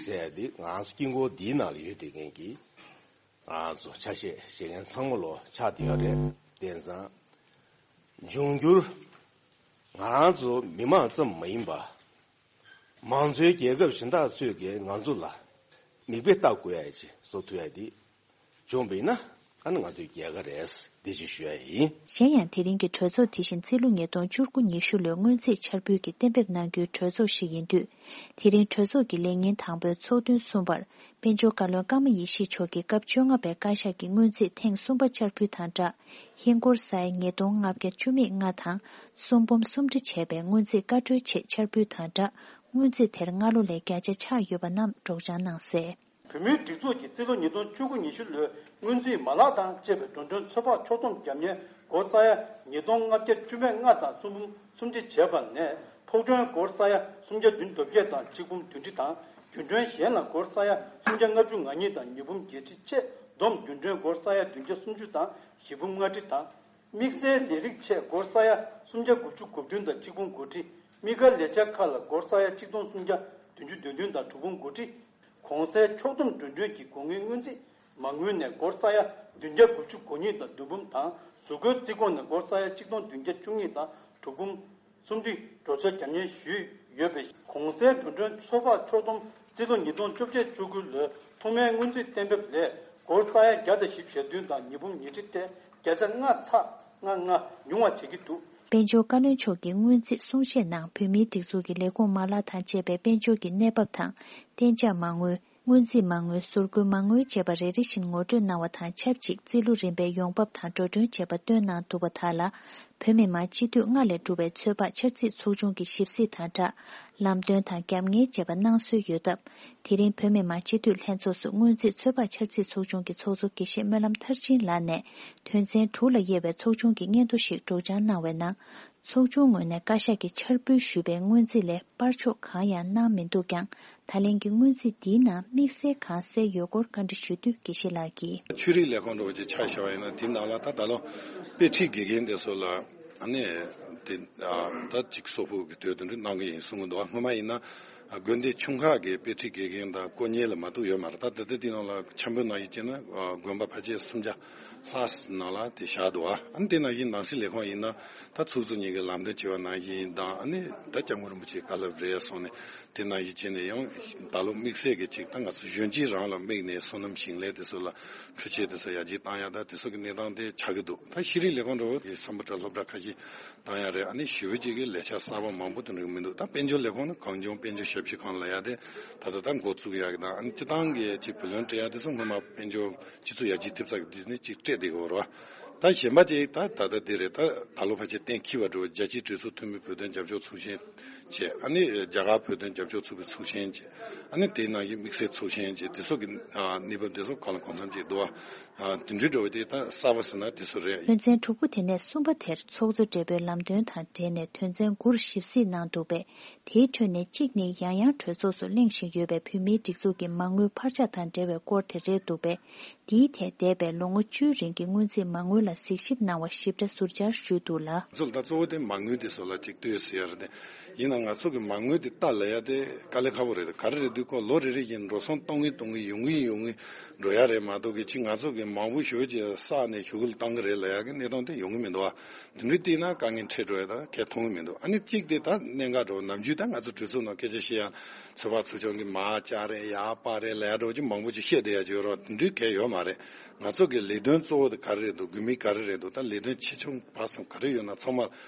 ཟེར་ཡ་འདི་ང་རང་ཚོ་དཀྱིལ་འཁོར་འདིའི་ནང་ལ་ཡོད་བསྡད་མཁན་གྱི་ང་རང་ཚོ་ཆ་ཤས་བཞེས་མཁན་ཚང་མ་ལོ་ཆགས་བསྡད་ཡོད་རེད། དེ་ཙང་། འབྱུང་འགྱུར་ང་རང་ཚོ་མི་མང་ཙམ་མ་ཡིན་པ། མང་གཙོའི་རྒྱལ་ཁབ་གཞན་དག་ཚོས་ཀྱིས་ང་ཚོ་ལ་མིག་དཔེ་ལྟ་དགོས་ཡ་ཅིག་བཟོ་ཐུབ་ཡ་འདི་བྱུང་བ་ཡིན་ན། ཨ་ནི་ང་ཚོའི་རྒྱལ་ཁ་རེད། འདི་ཅིག་ཞུ་ཡ་ཡིན། གཞན་ཡང་། དེ་རིང་གི་གྲོས་ཚོགས་དེ་བཞིན་རྩིས་ལོ་ཉིས་སྟོང་བཅུ་དགུ་ཉི་ཤུ་ལོའི་སྔོན་རྩིས་འཆར་འབུལ་གྱི་གཏན་འབེབས་གནང་རྒྱུའི་གྲོས་ཚོགས་ཤིག་ཡིན་དུས། དེ་རིང་གྲོས་ཚོགས་ཀྱི་ལས་ཉིན་དང་པོའི་ཚོགས་ཐུན་གསུམ་པར། དཔལ་འབྱོར་བཀའ་བློན་ཀརྨ་ཡེ་ཤེས་མཆོག་གིས་སྐབས་བཅོ་ལྔ་པའི་བཀའ་ཤག་གི་སྔོན་རྩིས་ཐེངས་གསུམ་པ་འཆར་འབུལ་དང་སྦྲགས། ཧིན་སྒོར་ས་ཡ་ཉིས་སྟོང་ལྔ་བརྒྱ་བཅུ་མེད་ལྔ་དང་། གསུམ་འབུམ་སུམ་ཁྲི་བྱས་པའི་སྔོན་རྩིས་བཀའ་འཁྲོལ་ཆེད་འཆར་འབུལ་དང་སྦྲགས། སྔོན་རྩིས་དེར་སྔ་ལོ་ལས་བརྒྱ་ཆ་ཆག་ཡོད་པ་རྣམས་སྒྲོག་སྦྱང་གནང་གསལ། བོད་མིའི་སྒྲིག་འཛུགས་ཀྱི་རྩིས་ལོ་ཉིས་སྟོང་བཅུ་དགུ་ཉི་ཤུ་ལོའི་སྔོན་རྩིས་མ་ལག་དང་བཅས་པའི་འགྲོ་གྲོན་ཚོད་དཔག་ཕྱོགས་བསྡོམས་བརྒྱབ་ཉེན་སྒོར་ས་ཡ་ཉིས་སྟོང་ལྔ་བརྒྱ་བཅུ་མེད་ལྔ་དང་གསུམ་འབུམ་སུམ་ཁྲི་བྱས་པ་ནས། ཕོགས་གྲོན་སྒོར་ས་ཡ་སུམ་བརྒྱ་བདུན་དོན་བརྒྱད་དང་གཅིག་འབུམ་བདུན་ཁྲི་དང་། རྒྱུན་གྲོན་གཞན་ལ་སྒོར་ས་ཡ་སུམ་བརྒྱ་ལྔ་བཅུ་ང་གཉིས་དང་ཉིས་འབུམ་བརྒྱད་ཁྲི་ཆེད་བསྡོམས་རྒྱུན་གྲོན་སྒོར་ས་ཡ་བདུན་བརྒྱ་སུམ་ཅུ་དང་བཞི་འབུམ་ལྔ་ཁྲི་དང་། དམིགས་བསལ་ལས་རིགས་ཆེད་སྒོར་ས་ཡ་སུམ་བརྒྱ་དགུ་བཅུ་གོ་བདུན་དང་གཅིག་འབུམ་དགུ་ཁྲི། དམིགས་བཀར་ལས་འཆར་ཁག་ལ་སྒོར་ས་ཡ་གཅིག་སྟོང་སུམ་བརྒྱ་བདུན་ཅུ་དོན་བདུན་དང་དྲུག་འབུམ་དགུ་ཁྲི། གོང་གསལ་ཕྱོགས་བསྡོམས་འགྲོ་གྲོན་གྱི་སྒོ་དངུལ་སྔོན་རྩིས་མ་དངུལ་ནས་སྒོར་ས་ཡ་བདུན་བརྒྱ་དགུ་བཅུ་གོ་གཉིས་དང་བདུན་འབུམ་དང་། གཟུགས་སྐུའི་རྩིས་ཁོངས་ནས་སྒོར་ས་ཡ་གཅིག་སྟོང་བདུན་བརྒྱ་བཅུ་གཉིས་དང་དྲུག་འབུམ་སུམ་ཁྲི་འགྲོ་འཆར་བརྒྱབ་ཉེན་ཞུས་ཡོད་པས། གོང་གསལ་འགྲོ་གྲོན་ཚོད་དཔག་ཕྱོགས་བསྡོམས་རྩིས་ལོ་ཉིས་སྟོང་བཅོ་བརྒྱད་བཅུ་དགུ་ལོའི་ཐོག་མའི་སྔོན་རྩིས་གཏན་འབེབས་ལས་སྒོར་ས་ཡ་བརྒྱ་དང་བཞི་བཅུ་ཞེ་བདུན་དང་ཉིས་འབུམ་ཉི་ཁྲི་སྟེ། བརྒྱ་ཆ་ལྔ་ཚེག་ལྔ་ལྔ་ཉུང་བ་བྱེད་ཀྱི་འདུག། དཔལ་འབྱོར་བཀའ་བློན་མཆོག་གིས་སྔོན་རྩིས་གསུང་བཤད་ནང་བོད་མིའི་སྒྲིག་འཛུགས་ཀྱི་ལས་ཁུངས་མ་ལག་དང་བཅས་པའི་དཔལ་འབྱོར་གྱི་གནས་བབ་དང་། གཏན་འཇགས་མ་དངུལ། སྔོན་རྩིས་མ་དངུལ། ཟུར་བཀོལ་མ་དངུལ་བཅས་པ་རེ་རེ་བཞིན་ངོ་སྤྲོད་གནང་བ་དང་ཆབས་ཅིག་རྩིས་ལོ་རིམ་པའི་ཡོང་འབབ་དང་འགྲོ་གྲོན་བཅས་པ་བཏོན་གནང་འདུག་པ་དག་ལ། བོད་མི་མང་སྤྱི་འཐུས་ལྔ་ལས་གྲུབ་པའི་ཚོད་དཔག་འཆར་རྩིས་ཚོགས་ཆུང་གི་ཞིབ་གཟིགས་དང་སྦྲགས། ལམ་སྟོན་དང་རྒྱབ་གཉེར་བཅས་པ་གནང་སྲོལ་ཡོད་སྟབས། དེ་རིང་བོད་མི་མང་སྤྱི་འཐུས་ལྷན་ཚོགས་སུ་སྔོན་རྩིས་ཚོད་དཔག་འཆར་རྩིས་ཚོགས་ཆུང་གི་ཚོགས་གཙོ་དགེ་བཤེས་སྨོན་ལམ་མཐར་ཕྱིན་ལགས་ནས། དོན་ཚན་དྲུག་ལ་དབྱེ་བའི་ཚོགས་ཆུང་གི་སྙན་ཐོ་ཞིག་སྒྲོག་སྦྱང་གནང་བའི་ནང་། ཚོགས་ཆུང་ངོས་ནས་བཀའ་ཤག་གིས་འཆར་འབུལ་ཞུས་པའི་སྔོན་རྩིས་ལས་སྤར་ཕྱོགས་གང་ཡང་གནང་མི་འདུག་ཀྱང་། ད་ལན་གྱི་སྔོན་རྩིས་འདིའི་ནང་དམིགས་བསལ་གང་གསལ་ཡོད་སྐོར་བཀའ་འདྲི་ཞུ་དུས་དགེ་བཤེས་ལགས་ཀྱིས། ཆོས་རིག་ལས་ཁུངས་འདྲ་བོ་ཅིག་ཆ་བཞག་པ་ཡིན་ན། དེའི་ནང་ལ་ད་ད་ལོ་དཔེ་ཁྲིད་དགེ་རྒན་དེ་ཚོ་ལ་ཨ་ནི་དེ་ད་ཅིག་གསོག་ཕོགས་ཀྱི་དོད་དེ་འདྲ་གནང་གི་ཡིན་གསུང་གི་འདུག། སྔོན་མ་ཡིན་ན་དགོན་སྡེ་ཆུང་ཁག་གི་དཔེ་ཁྲིད་དགེ་རྒན་དང་དཀོན་གཉེར་ལ་མ་གཏོགས་ཡོད་མ་རེད། ད་ད་ལྟ་དེའི་ནང་ལ་འཆར་འབུལ་ནང་བཞིན་བྱས་ན་དགོན་པ་ཕལ་ཆེར་སུམ་བརྒྱ་ལྷག་ནང་ལ་དེ་བཞག་འདུག། ཨ་ནི་དེ་ནང་བཞིན་ནང་སྲིད་ལས་ཁུངས་ཡིན་ན་ད་ཚོགས་གཙོ་གཉིས་ཀྱིས་ལམ་སྟོན་བྱས་པ་ནང་བཞིན་དང་། ཨ་ནི་ད་སྐྱབས་མགོན་རིན་པོ་ཆེའི་བཀའ་སློབ་རེད་སོང་ནས་དེ་ནང་བཞིན་བྱས་ནས་ཡང་ད་ལོ་དམིགས་བསལ་གྱི་ཅིག་ད་ང་ཚོ་གཞོན་སྐྱེས་རང་ལ་དམིགས་ནས་སོ་ནམ་ཞིང་ལས་དེ་ཚོ་ལ་འཕྲུལ་ཆས་དེ་ཚོ་ཡར་རྒྱས་བཏང་ཡ་ད་དེ་ཚོ་གི་གནས་སྟངས་དེ་ཆགས་ཀྱི་འདུག། ད་ཤེས་རིག་ལས་ཁུངས་འདྲ་བོ་དེ་སམ་བྷོ་ཊ་སློབ་གྲྭ་ཁ་ཤས་བཏང་ཡ་རེད། ཨ་ནི་ཞེ་པོ་ཅིག་གི་ལས་འཆར་གསར་པ་མང་པོ་དེ་འདྲ་མི་འདུག། ད་དཔལ་འབྱོར་ལས་ཁུངས་ནི་གངས་ལྗོངས་དཔལ་འབྱོར་ཞབས་ཞུ་ཁང་ལབ་ཡ་དེ་ད་ལྟ་ད་འགོ་བཙུགས་ཡ་གི་དང་། ཨ་ནི་སྤྱི་བཏང་གི་ཅིག་བུ་ལོན་སྤྲད་ཡ་དེ་ཚོ་སྔོན་མ་དཔལ་འབྱོར་སྤྱི་ཚོགས་ཡར་རྒྱས་ཐེབས་རྩ་གི་དུས་ནས་ཅིག་སྤྲད་བསྡད་ཡོད་རེད་བ། ད་གཞན་པ་ཅིག་ད་ད་ལྟ་དེ་རེད། ད་ད་ལོ་ཕལ་ཆེར་གཏན་འཁེལ་བ་འགྲོ་བའི་རྒྱལ་སྤྱིའི་གྲོས་ཚོགས་འཐུས་མི་བོད་དོན་རྒྱབ་སྐྱོར་ཚོགས་ཆེན་བྱས། ཨ་ནི་རྒྱ་གར་བོད་དོན་རྒྱབ་སྐྱོར་ཚོགས་པའི་ཚོགས་ཆེན་བྱས། ཨ་ནི་དེའི་ནང་བཞིན་དམིགས་བསལ་ཚོགས་ཆེན་བྱས། དེ་ཚོ་གི་ཨ་གནས་བབ་དེ་ཚོ་གང་ལ་གང་འཚམ་ཅིག་འདུག་བ། ཨ་དེ་འདྲའི་འགྲོ་བ་དེ་ད་གསར་པ་ཟེར་ན་དེ་ཚོ་རེད། དོན་ཚན་དྲུག་པོ་དེ་ནས་གསུམ་པ་དེར་ཚོགས་གཙོ་སྦྲེལ་པོའི་ལམ་སྟོན་དང་འབྲེལ་ནས་དོན་ཚན་དགུར་ཞིབ་གཟིགས་གནང་འདུག་པས། དེའི་ཁྲོད་ནས་གཅིག་ནི་ཡང་ཡང་གྲོས་ཚོགས་སུ་གླེང་བཞིན་ཡོད་པའི་བོད་མིའི་སྒྲིག་འཛུགས་ཀྱི་མ་དངུལ་འཕར་ཆག་དང་འབྲེལ་བའི་སྐོར་དེ་རེད་འདུག་པས། འདིའི་ཐད་འདས་པའི་ལོ་ངོ་བཅུའི་རིང་གི་སྔོན་རྩིས་མ་དངུལ་ལ་གཟིགས་ཞིབ་གནང་བ་ཞིབ་ཕྲ་ཟུར་བཅར་ཞུས་འདུག་ལ། ཚོ་ལ་ད་གཙོ་བོ་དེ་མ་དངུལ་དེ་ཚོ་ལ་ཅིག་ལྟོས་ཟེར་ཡ་རེད་དེ། ཡིན་ ང་ཚོ་གི་མ་དངུལ་དེ་ལྟ་ལ་ཡ་དེ་དཀའ་ལས་ཁག་པོ་རེད། ག་རེ་རེད་དུས་ཁོ་ལོ་རེ་རེ་བཞིན་འགྲོ་སོང་གཏོང་གིན་གཏོང་གིན་ཡོང་གིན་ཡོང་གིན་འགྲོ་ཡ་རེད་མ་གཏོགས་གི་ཅིག་ང་ཚོ་གི་མང་པོ་ཞེ་པོ་ཅིག་བསགས་ནས་ཞུ་གུ་ལ་བཏང་གི་རེད་ལ་ཡ་གི་གནས་སྟངས་དེ་ཡོང་གི་མི་འདུག་བ། དེ་འདྲའི་བལྟས་ན་དཀའ་ངལ་འཕྲད་འགྲོ་ཡ་ད་གས་མཐོང་གི་མི་འདུག་ཨ་ནི་གཅིག་དེ་ད་གནད་འགག་འགྲོ་ནམ་རྒྱུན་ད་ང་ཚོ་གྲོས་ཚོགས་ནང་སྐད་ཆ་བཤད་ཡ་ཚོད་དཔག་ཚོགས་ཆུང་གི་མར་བཅག་རེད་ཡར་སྤར་རེད་ལ་ཡ་འགྲོ་ཅིག་མང་པོ་ཅིག་བཤད་བསྡད་ཡ་ཅིག་ཡོད་རོགས་དེ་འདྲའི་གས་ཡོད་མ་རེད། ང་ཚོ་གི་ལས་དོན་གཙོ་བོ་དེ་ག་རེ་རེད་འདུག་དགོས་དམིགས་ག་རེ་རེད་འདུག་ད་ལས་དོན་ཆེ་ཆུང་བར་གསུམ་ག་རེ་ཡོད་ན་ཚང་མ་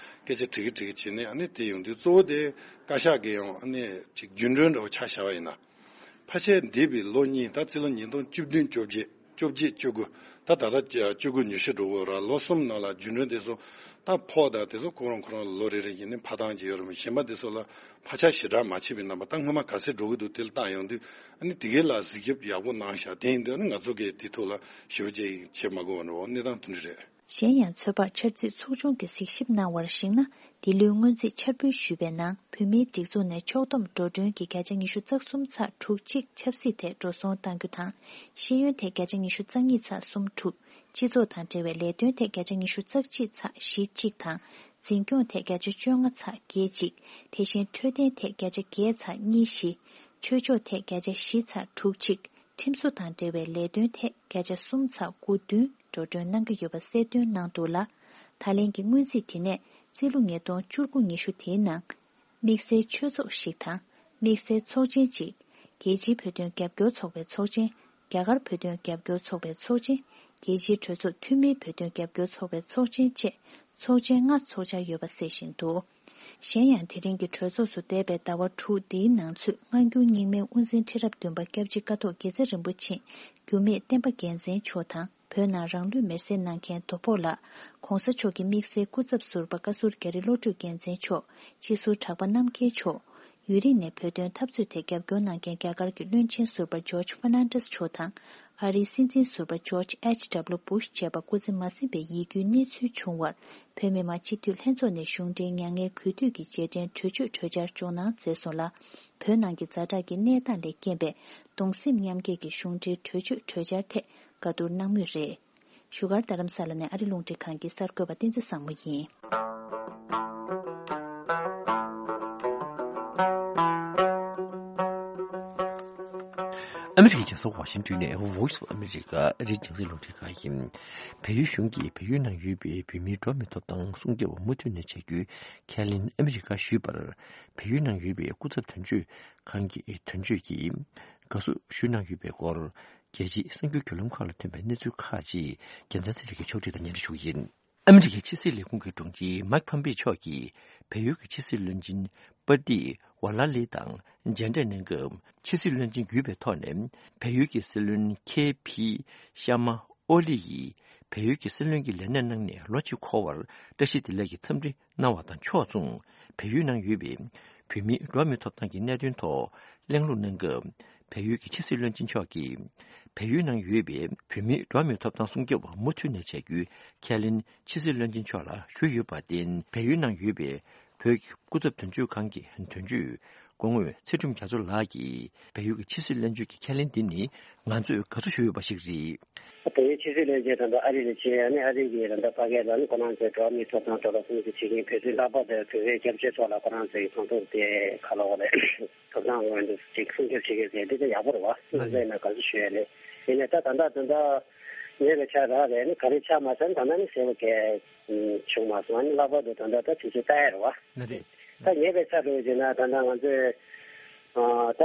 སྐད་ཆ་དྲི་གི་དྲི་གི་བྱས་ནས་ཨ་ནི་དེ་ཡོང་དུས་གཙོ་བོ་དེ་བཀའ་ཤག་གི་ཡང་ཨ་ནི་ཅིག་རྒྱུན་གྲོན་འདྲ་བོ་ཆ་བཞག་པ་ཡིན་ན། ཕལ་ཆེར་འདས་པའི་ལོ་གཉིས་ད་རྩིས་ལོ་ཉིས་སྟོང་བཅུ་བདུན་བཅོ་བརྒྱད་བཅོ་བརྒྱད་བཅུ་དགུ་ད་ད་ལྟ་བཅུ་དགུ་ཉི་ཤུ་འགྲོ་གི་ཡོད་ར། ལོ་གསུམ་ནང་ལ་རྒྱུན་གྲོན་དེ་ཚོ་ད་ཕོགས་དང་དེ་ཚོ་ཁོ་རང་ཁོ་རང་ལོ་རེ་རེ་བཞིན་ནས་འཕར་སྟངས་ཀྱི་ཡོད་ར། མི་གཞན་པ་དེ་ཚོ་ལ་ཕར་ཆག་ཞེ་དྲག་མ་བྱས་པའི་རྣམ་པ་ད་སྔོན་མ་ག་ཚད་འགྲོ་གི་འདུག་དེ་ལ་བལྟ་ཡོང་དུས་ཨ་ནི་དེ་གའི་ལ་གཟིགས་ཞིབ་ཡག་པོ་གནང་ཤག་དེ་ཡིན་དུས་ཨ་ནི་ང་ཚོ་གིས་དེ་ཐོག་ལ་ཞུ་བྱེད་བྱེད་མ་དགོས་པ་འགྲོ་གནས་སྟངས་དེ་འདྲ་རེད། གཞན་ཡང་ཚོད་དཔག་འཆར་རྩིས་ཚོགས་ཆུང་གིས་གཟིགས་ཞིབ་གནང་བར་གཞིགས་ན། འདི་ལོའི་སྔོན་རྩིས་འཆར་འབུལ་ཞུས་པའི་ནང་བོད་མིའི་སྒྲིག་འཛུགས་ནས་ཕྱོགས་བསྡོམས་འགྲོ་གྲོན་གྱི་བརྒྱ་ཆ་ཉི་ཤུ་རྩ་གསུམ་ཚེག་དྲུག་གཅིག་ཆབ་སྲིད་ཐད་འགྲོ་སོང་གཏང་རྒྱུ་དང་། ཤེས་ཡོན་ཐད་བརྒྱ་ཆ་ཉི་ཤུ་རྩ་གཉིས་ཚེག་གསུམ་དྲུག་སྤྱི་ཚོགས་དང་འབྲེལ་བའི་ལས་དོན་ཐད་བརྒྱ་ཆ་ཉི་ཤུ་རྩ་གཅིག་ཚེག་བཞི་གཅིག་དང་། འཛིན་སྐྱོང་ཐད་བརྒྱ་ཆ་བཅོ་ལྔ་ཚེག་བརྒྱད་གཅིག་དེ་བཞིན་འཕྲོད་བསྟེན་ཐད་བརྒྱ་ཆ་བརྒྱད་ཚེག་གཉིས་བཞི། ཆོས་ཕྱོགས་ཐད་བརྒྱ་ཆ་བཞི་ཚེག་དྲུག་གཅིག་ཁྲིམས་བཟོ་དང་འབྲེལ་བའི་ལས་དོན་ཐད་བརྒྱ་ཆ་གསུམ་ཚེག་དགུ་བདུན་འགྲོ་གྲོན་གནང་གི་ཡོད་པ་གསལ་སྟོན་གནང་འདུག་ལ། ད་ལན་གྱི་སྔོན་རྩིས་དེ་ནས་རྩིས་ལོ་ཉིས་སྟོང་བཅུ་དགུ་ཉི་ཤུ་དེའི་ནང་དམིགས་བསལ་ཆོས་ཚོགས་ཤིག་དང་། དམིགས་བསལ་ཚོགས་ཆེན་གཅིག་རྒྱལ་སྤྱིའི་བོད་དོན་རྒྱབ་སྐྱོར་ཚོགས་པའི་ཚོགས་ཆེན། རྒྱ་གར་བོད་དོན་རྒྱབ་སྐྱོར་ཚོགས་པའི་ཚོགས་ཆེན། རྒྱལ་སྤྱིའི་གྲོས་ཚོགས་འཐུས་མིའི་བོད་དོན་རྒྱབ་སྐྱོར་ཚོགས་པའི་ཚོགས་ཆེན་བཅས་ཚོགས་ཆེན་ལྔ་འཚོགས་འཆར་ཡོད་པ་གསལ་བཞིན་འདུག་གཞན་ཡང་དེ་རིང་གི་གྲོས་ཚོགས་སུ་འདས་པའི་ཟླ་བ་དྲུག་འདིའི་ནང་ཚུད་སྔ་འགྱུར་རྙིང་མའི་དབུ་འཛིན་ཁྲི་རབས་བདུན་པ་སྐྱབས་རྗེ་ཀཿཐོག་དགེ་རྩེ་རིན་པོ་ཆེ་འགྱུར་མེད་བསྟན་པ་རྒྱལ་མཚན་མཆོག་དང་། བོད་ནང་རང་ལུས་མེར་སྲེག་གནང་མཁན་དོ་ཕོག་ལགས། ༸གོང་ས་མཆོག་གི་དམིགས་བསལ་སྐུ་ཚབ་ཟུར་པ་བཀའ་ཟུར་རྒྱ་རི་བློ་གྲོས་རྒྱལ་མཚན་མཆོག་སྤྱི་ཟུར་གྲགས་པ་རྣམ་རྒྱལ་མཆོག་ཡུན་རིང་ནས་བོད་དོན་འཐབ་རྩོད་ཐད་རྒྱབ་སྐྱོར་གནང་མཁན་རྒྱ་གར་གྱི་བློན་ཆེན་ཟུར་པ་ཇོརྗ་ཧྥར་ནན་ཌེས་མཆོག་དང་། ཨ་རིའི་སྲིད་འཛིན་ཟུར་པ་ཇོརྗ་ཨེཆ་ཌབ་ལུ་བུཤ་བཅས་པ་སྐུ་ཚེ་མ་ཟིན་པའི་ཡིད་སྐྱོའི་གནས་ཚུལ་བྱུང་བར། བོད་མི་མང་སྤྱི་འཐུས་ལྷན་ཚོགས་ནས་གཞུང་འབྲེལ་མྱ་ངན་གུས་འདུད་ཀྱི་རྗེས་དྲན་གྲོས་ཆོད་གྲོས་འཆར་སྦྱོང་གནང་མཛད་སོང་ལ། བོད་ནང་གི་ཛ་དྲག་གི་གནས་སྟངས་ལས་རྐྱེན་པས། གདུང་སེམས་མཉམ་སྐྱེད་ཀྱི་གཞུང་འབྲེལ་གྲོས་ཆོད་གྲོས་འཆར་ཐད་བཀའ་བསྡུར་གནང་མུས་རེད། བཞུགས་སྒར་རྡ་རམ་ས་ལ་ནས་ཨ་རི་རླུང་འཕྲིན་ཁང་གི་གསར་འགོད་པ་བསྟན་འཛིན་བཟང་མོ་ཡིན། ཨ་མི་རི་ཀའི་རྒྱལ་ས་ཝ་ཤིང་ཏོན་ནས་Voice of America ཨ་རིའི་རྒྱང་སྲིང་རླུང་འཕྲིན་ཁང་ཡིན། བལ་ཡུལ་གཞུང་གིས་བལ་ཡུལ་ནང་ཡོད་པའི་བོད་མིའི་འགྲོ་བ་མིའི་ཐོབ་ཐང་སྲུང་སྐྱོབ་མུ་མཐུད་ནས་བྱ་རྒྱུའི་ཁས་ལེན་ཨ་མི་རི་ཀར་ཞུས་པར། བལ་ཡུལ་ནང་ཡོད་པའི་སྐུ་ཚབ་དོན་གཅོད་ཁང་གི་དོན་གཅོད་ཀྱིས་དགའ་བསུ་ཞུས་གནང་ཡོད་པའི་སྐོར། རྒྱལ་སྤྱིའི་གསར་འགྱུར་བརྒྱུད་ལམ་ཁག་ལ་ཐོན་པའི་གནས་ཚུལ་ཁག་ཅིག་རྒྱལ་མཚན་ཚེ་རིང་གིས་ཕྱོགས་སྒྲིག་དང་སྙན་སྒྲོན་ཞུ་གི་ཡིན། ཨ་མི་རི་ཀའི་ཕྱི་སྲིད་ལས་ཁུངས་ཀྱི་དྲུང་ཆེ་མཱིག་ཕམ་པེ་མཆོག་གིས་བལ་ཡུལ་གྱི་ཕྱི་སྲིད་བློན་ཆེན་པ་ཏི་ཝ་ལ་ལི་དང་མཇལ་འཕྲད་གནང་སྐབས། ཕྱི་སྲིད་བློན་ཆེན་བརྒྱུད་པའི་ཐོག་ནས་བལ་ཡུལ་གྱི་སྲིད་བློན་ཁེ་ཕི་ཤ་མ་ཨོ་ལི་ཡིས་བལ་ཡུལ་གྱི་སྲིད་བློན་གྱི་ལས་གནས་གནང་ནས་ལོ་གཅིག་འཁོར་བར་བཀྲ་ཤིས་བདེ་ལེགས་ཀྱི་འཚམས་འདྲི་གནང་བ་དང་ཕྱོགས་མཚུངས། བལ་ཡུལ་ནང་ཡོད་པའི་བོད་མིའི་འགྲོ་བ་མིའི་ཐོབ་ཐང་གི་གནད་དོན་ཐོག་གླེང་སློང་གནང་སྐབས། བལ་ཡུལ་གྱི་ཕྱི་སྲིད་བློན་ཆེན་མཆོག་གིས་བལ་ཡུལ་ནང་ཡོད་པའི་བོད་མིའི་འགྲོ་བ་མིའི་ཐོབ་ཐང་སྲུང་སྐྱོབ་པ་མུ་མཐུད་ནས་བྱ་རྒྱུའི་ཁས་ལེན་ཕྱི་སྲིད་བློན་ཆེན་མཆོག་ལ་ཞུས་ཡོད་པར་བརྟེན། བལ་ཡུལ་ནང་ཡོད་པའི་བོད་ཀྱི་སྐུ་ཚབ་དོན་གཅོད་ཁང་གི་དོན་གཅོད་སྐུ་ངོ་ཚེ་སྒྲོལ་མ་རྒྱ་མཚོ་ལགས་ཀྱིས། བལ་ཡུལ་གྱི་ཕྱི་སྲིད་བློན་ཆེན་གྱི་ཁས་ལེན་འདི་ནི་ང་ཚོས་དགའ་བསུ་ཞུ་འོས་པ་ཞིག་རེད། བལ་ཡུལ་ཕྱི་སྲིད་བློན་ཆེན་དང་ཨ་རི་ལས་བྱེད་ཨ་ནི་ཨ་རི་གི་རང་ད་ཕ་གིར་ཨ་ནི་ཁོ་རང་ཚོའི་འགྲོ་བ་མིའི་ཐོབ་ཐང་ཐོག་ལ་སྲུང་བརྩི་བྱེད་མཁན་བོད་དོན་ལྷག་པར་དུ་བོད་པའི་སྐྱབས་བཅོལ་ཐོག་ལ་ཁོ་རང་ཚོའི་གང་ཐུབ་དེ་ག་ལ་བ་རེད། ཐོབ་ཐང་དབང་དུ་ཅིག་སྲུང་སྐྱོབ་བྱེད་མཁན་ཟེར་འདི་ཚོ་ཡག་པོ་རེད་བ། ང་ཚོ་ཡིན་ན་དགའ་བསུ་ཞུ་ཡ་རེད། ཡིན་ནའི་ད་ད་ལྟ་དོན་དག་ཉེ་བའི་ཆར་རག་རེད་ནི་ག་རེ་ཆགས་མ་སོང་ད་ལྟ་ནི་གསལ་པོ་གས་བྱུང་མ་སོང་ཨ་ནི་ལྷག་པར་དུ་ད་ལྟ་ད་དུས་ཚོད་ལྟ་ཡ་རེད་བ། ད་ཉེ་བའི་ཆར་འགྲོ་བྱས་ན་ད་ལྟ་ང་ཚོས་ད་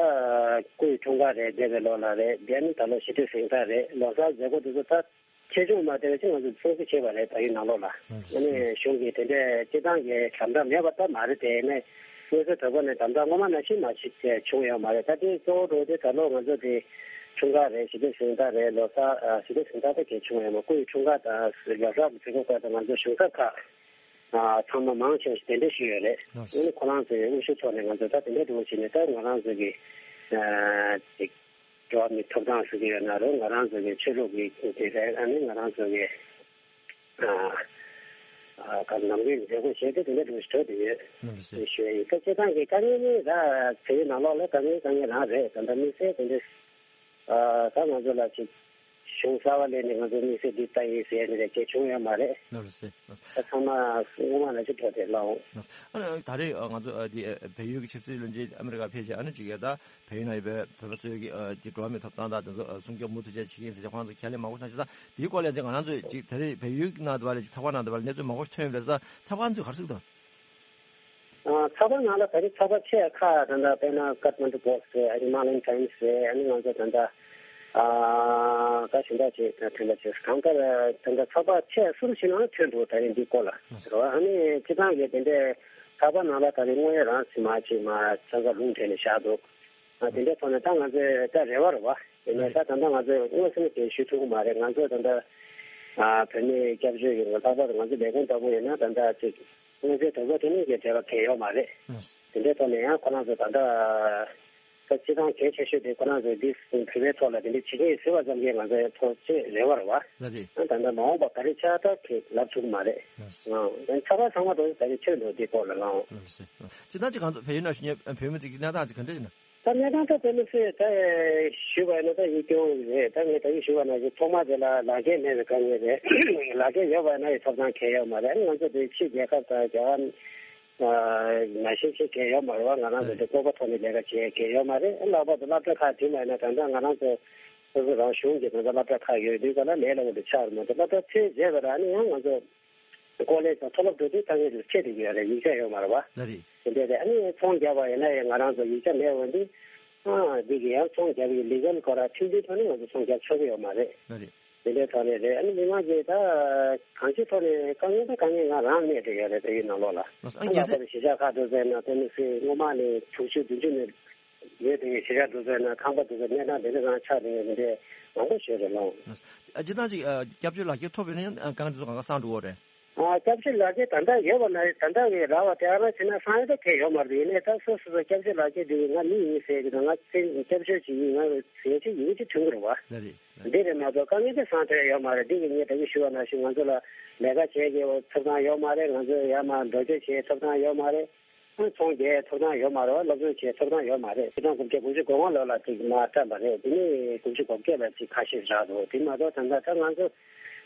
སྐུ་ཡི་འཁྲུངས་སྐར་རེད་འདས་པའི་ལོ་ལ་རེད་འདས་ནི་ད་ལོ་ཞི་བདེ་གཟེངས་རྟགས་རེད་ལོ་གསར་མཛད་སྒོ་དེ་ཚོ་ད། ཆེ་ཆུང་མ་བལྟས་པའི་ཕྱིར་ང་ཚོས་སྲུང་བརྩི་བྱས་པ་རེད། ད་ཡུལ་ནང་ལོགས་ལ་ཨ་ནི་གཞུང་གིས་དེ་འདྲའི་སྤྱི་བཏང་གི་དམ་དྲག་མེད་པ་ད་མ་རེད་དེ་ནས་དངོས་སུ་དོ་ཁོ་ནས་དམ་དྲག་སྔོན་མ་ནང་བཞིན་མ་ཞིག་བྱུང་ཡོད་མ་རེད། ད་དེ་གཙོ་བོ་འགྲོ་དེ་ད་ལོ་ང་ཚོ་དེ་འཁྲུངས་སྐར་རེད་ཞི་བདེ་གཟེངས་རྟགས་རེད་ལོ་གསར་ཞི་བདེ་གཟེངས་རྟགས་ད་གས་བྱུང་ཡོད་མ་སྐུ་ཡི་འཁྲུངས་སྐར་དང་ལོ་གསར་གྱི་མཛད་སྒོ་སྐབས་དུ་ང་ཚོ་གཞུང་ཚབ་ཁག་ཚང་མ་མང་ཆེ་བ་ཞིག་གདན་འདྲེན་ཞུས་ཡོད་རེད། ཨ་ནི་ཁོ་རང་ཚོའི་དབུ་བཞུགས་ཐོག་ནས་ང་ཚོ་ད་དེ་འདྲའི་འགྲོ་བྱས་ནས་ད་ང་རང་ཚོ་གི་འགྲོ་བ་མིའི་ཐོབ་ཐང་ཟེར་གྱི་ཡོད་ན་རུང་ང་རང་ཚོ་གི་ཆོས་ལུགས་ཀྱི་དེ་རེད། ཨ་ནི་ང་རང་ཚོ་གི་ཨ་ཨ་ག་ནམ་རྒྱུན་མཛད་སྒོ་བྱས་ཏེ་དེ་འདྲ་འགྲོ་བཞིན་འགྲོ་བསྡད་ཡོད་ཞུ་ཡ་ཡིན། ད་སྤྱིར་བཏང་གི་དཀའ་ངལ་ནི་ད་བོད་ནང་ལོགས་ལ་དཀའ་ངལ་དཀའ་ངལ་རང་རེད། ད་ལྟ་དམིགས་བསལ་དེ་འདྲ་ཨ་ད་ང་ཚོ་ལ་ཅིག་ གཞུང་གསར་པ་ལས་ནས་ང་ཚོ་དམིགས་བསལ་འདི་ལྟ་ཡིན་ཟེར་ནས་གལ་བྱུང་ཡོད་མ་རེད། ལགས་རེད་ཟེར། ལགས། ད་ཚང་མ་སྔོན་མ་ནང་བཞིན་འགྲོ་བསྡད་ལགས། ལགས། ཨ་ནི་ད་རེས་ང་ཚོ་འདི་བལ་ཡུལ་གྱི་ཕྱི་སྲིད་བློན་ཆེན་ཨ་མི་རི་ཀ་ཕེབས་རྗེས་ཨ་ནི་ཅིག་ཡ་ད་བལ་ཡུལ་ནང་ཡོད་པའི་བོད་པ་ཚོའི་གི་འདི་འགྲོ་བ་མིའི་ཐོབ་ཐང་དང་དེ་ཚོ་སྲུང་སྐྱོབ་མུ་མཐུད་བྱས་བྱེད་ཀྱི་ཡིན་ཟེར་ཁོང་ཚོ་ཁས་ལེན་མང་པོ་གནང་ཞིག་ད་འདིའི་སྐོར་ལ་ཅིག་ང་རང་ཚོས་ཅིག་ད་རེས་བལ་ཡུལ་ནང་དུ་བ་ལ་ཅིག་ཚགས་པར་ནང་དུ་བ་ལ་གནས་ཚུལ་མང་པོ་ཐོན་ཡོད་པ་རེད་ས། ཚགས་པར་ཚོས་ག་རེ་གསུངས་འདུག་ཨ། ཚགས་པར་ནང་ལ་ད་རེས་ཚགས་པར་ཆེ་ཁག་ད་ལྟ་དཔེར་ན་ཀཐ་མན་ཌུ་པོ་སི་ཊི་རེད། ཨ་ནི་ཧི་མ་ལ་ཡན་ཊའིམ་སི་རེད། ཨ་ནི་ང་ཚོ་ད་ལྟ་ཨ་ཀ་ཞིག་འདྲ་ཅིག་ད་ཐོན་པ་ཅིག་གང་ལྟར་ད་ལྟ་ཚགས་པར་ཆེ་སུ་རུ་ཞིག་ནང་ཐོན་འདུག་ད་རེས་འདི་སྐོར་ལ་རེད་བ། ཨ་ནི་སྤྱི་བཏང་གི་དེ་འདྲའི་ཚགས་པར་ནང་ལ་ད་རེས་དངོས་ཡོད་རང་སེམས་མ་ཅིག་མ་ཚང་ཀ་ལུང་དྲན་ནས་བཞག་འདུག་ཨ་དེ་འདྲའི་ཐོག་ནས་ད་ང་ཚོས་ད་རེ་བ་རེད་བ། ཡིན་ནའི་ད་ད་ལྟ་ང་ཚོས་མངོན་སུམ་དེ་ཞུ་ཐུབ་ཀྱི་མ་རེད། ང་ཚོས་ད་ལྟ་ཨ་བོད་མིའི་སྐྱབས་བཅོལ་གྱི་ལྷག་པར་དུ་ང་ཚོ་ལས་ཁུངས་ལྟ་བུ་ཡིན་ན་ད་ལྟ་ཅིག་མངོན་གསལ་དོད་པོ་དེ་ནས་ཀྱི་འབྲེལ་བ་གལ་ཡོད་མ་རེད། ཨ། དེ་འདྲའི་ཐོག་ནས་ཡང་ཁོ་རང་ཚོ་ད་ལྟ་ད་སྤྱི་བཏང་གལ་ཆེ་ཤོས་དེ་ཁོ་རང་ཚོས་འདི་བོད་པའི་ཐོག་ལ་དེ་འདྲའི་བྱེད་ཀྱི་ཡིན་ཟེར་བ་ཙམ་གྱིས་ང་ཚོའི་ཐོག་ཅིག་རེ་བ་རེད་བ། ལགས་རེད། ད་ལྟ་མ་འོངས་པ་ག་རེ་ཆགས་ད་ཁེ་ལབ་ཐུབ་ཀྱི་མ་རེད། ལགས། ཨང་། ད་ཚགས་པར་ཚང་མ་དེ་ད་རེས་ཐོན་འདུག་འདི་སྐོར་ལ་ལགས། ལགས་སོ། སྤྱིར་བཏང་ཅིག་ང་ཚོ་བལ་ཡུལ་ནང་བཞུགས་མཁན་བོད་མི་ཚོ་གི་གནས་སྟངས་ཅིག་ག་འདྲ་ཡིན་ན། ད་གནས་སྟངས་ད་དཔེ་མི་སྲིད་ད་ཞུས་པ་ཡིན་ན་ད་ཡིད་སྐྱོ་བོ་རེད། ད་ངས་ད་གིན་ཞུས་པ་ནང་བཞིན་ཐོག་མ་དེ་ལ་ལག་འཁྱེར་མེད་པའི་དཀའ་ངལ་རེད། ལག་འཁྱེར་ཡོད་པ་ཡིན་ན་ཡང་ཐོབ་ཐང་གང་ཡང་ཡོད་མ་རེད། ཨ་ནི་ང་ཚོ་དེ་ཕྱི་རྒྱལ་ཁབ་དང་རྒྱ་གར་ནང་བཞིན་ཅིག་གང་ཡང་ཡོད་མ་རེད་བ། ང་རང་ཚོ་དེ་ལྐོག་པ་ཐོག་ནས་ལས་ཀ་བྱེད་ཡ་གང་ཡང་ཡོད་མ་རེད། ཨ་ལྷག་པར་དུ་སློབ་གྲྭ་ཁག་དེ་མ་ཡིན་ན་ད་ལྟ་ང་རང་ཚོ་སོ་སོ་རང་གཞུང་གི་ད་ལྟ་སློབ་གྲྭ་ཁག་ཡོད་དུས་ག་ལ་ལས་སླ་པོ་དེ་ཆགས་རེད་མ་གཏོགས་སློབ་གྲྭ་ཚར་རྗེས་ལ་ར་ཨ་ནི་ཡང་ང་ཚོ་ཀོ་ལེཇ་དང་མཐོ་སློབ་འགྲོ་དུས་དཀའ་ངལ་དེ་འཕྲད་བསྡད་ཀྱི་ཡོད་རེད། ཡིག་ཆ་ཡོད་མ་རེད་བ། ལགས་རེད། དེ་འདྲ་རེད། ཨ་ནི་ཚོང་རྒྱག་པ་ཡིན་ན་ཡང་ང་རང་ཚོ་ཡིག་ཆ་མེད་འོན་ཏེ། ཨ་འདི་གི་ཡང་ཚོང་རྒྱག་པའི་ལི་གལ་སྐོར་ལ་ཁྲིམས་མཐུན་ཐོག་ནས་ང་ཚོ་ཚོང་རྒྱག་ཆོག་གི་ཡོད་མ་རེད། ལགས་རེད། དེ་འདྲའི་ཐོག་ནས་རེད། ཨ་ནི་མི་མང་གིས་ད་གང་ཅིའི་ཐོག་ནས་དཀའ་ངལ་ད་དཀའ་ངལ་ང་རང་གནས་བསྡད་ཡོད་རེད། བལ་ཡུལ་ནང་ལོགས་ལ། ལགས་སོ། ཨ་ཨ་ལྷག་གལ་སྲིད་པར་གཞིས་ཆགས་ཁག་འགྲོ་ཟེར་ན་དཔེ་མི་སྲིད་སྔོན་མ་ནས་དྲུག་ཅུ་བདུན་ཅུ་ནས་ཡོད་དེ་གཞིས་ཆགས་འགྲོ་ཟེར་ན་ཁང་པ་འགྲོ་ཟེར་གནས་སྟངས་དེ་འདྲ་རང་ཆགས་བསྡད་ཡོད་མི་འདྲ་མང་པོ་ཞིག་རེད་ལགས། ལགས་སོ། ཨ་སྤྱིར་བཏང་ཅིག་ཨ་སྐྱབས་བཅོལ་ལག་འཁྱེར་ཐོབ་ཡོད་ན་ཡང་ཨ་དཀའ་ངལ་དེ་ཚོ་གང་ག་སངས་འགྲོ་གི་རེད། ཨ་སྐྱབས་བཅོལ་ལག་འཁྱེར་ད་ལྟ་ཡོད་པ་ན་ད་ལྟ་གི་རག་པ་དེ་ཨ་རང་བྱས་ན་སངས་ཡོད་ད་གལ་ཡོད་མ་རེད། ཡིན་ནའི་ད་སོ་སོ་སོ་སྐྱབས་བཅོལ་ལག་འཁྱེར་དེ་ང་མི་ཡིན་ཟེར་གྱི་དང་ང་སྐྱབས་བཅོལ་ཅིག་ཡིན། ང་ཟེར་ཅིག་ཡིན་གྱི་ཐོན་གྱི་རེད་བ། ལགས་རེད། ལགས་རེད། འདི་རེད་མ་གཏོགས་དཀའ་ངལ་དེ་སངས་ཐོན་ཡོད་མ་རེད། འདི་གི་ངས་ད་གིན་ཞུ་བ་ནང་བཞིན་ང་ཚོ་ལ་ལས་ཀ་བྱེད་ཀྱི་ཐོབ་ཐང་ཡོད་མ་རེད། ང་ཚོ་ཡར་མར་འགྲོ་སྐྱོད་བྱེད་ཐོབ་ཐང་ཡོད་མ་རེད། ཚོང་རྒྱག་ཐོབ་ཐང་ཡོད་མ་རེད་བ། སློབ་སྦྱོང་བྱེད་ཐོབ་ཐང་ཡོད་མ་རེད། ཕྱི་ཟླ་དགུ་བརྒྱ་དགུ་བཅུ་གོ་ལྔ་ལོ་ལ་ཅིག་མར་བཀྲམ་པ་རེད། དེ་ནས་དགུ་བཅུ་གོ་བརྒྱད་ལ་ཅིག་ཁ་ཤས་རག་འདུག་དེ་མ་གཏོགས་ད་ལྟ་ད་ང་ཚོ་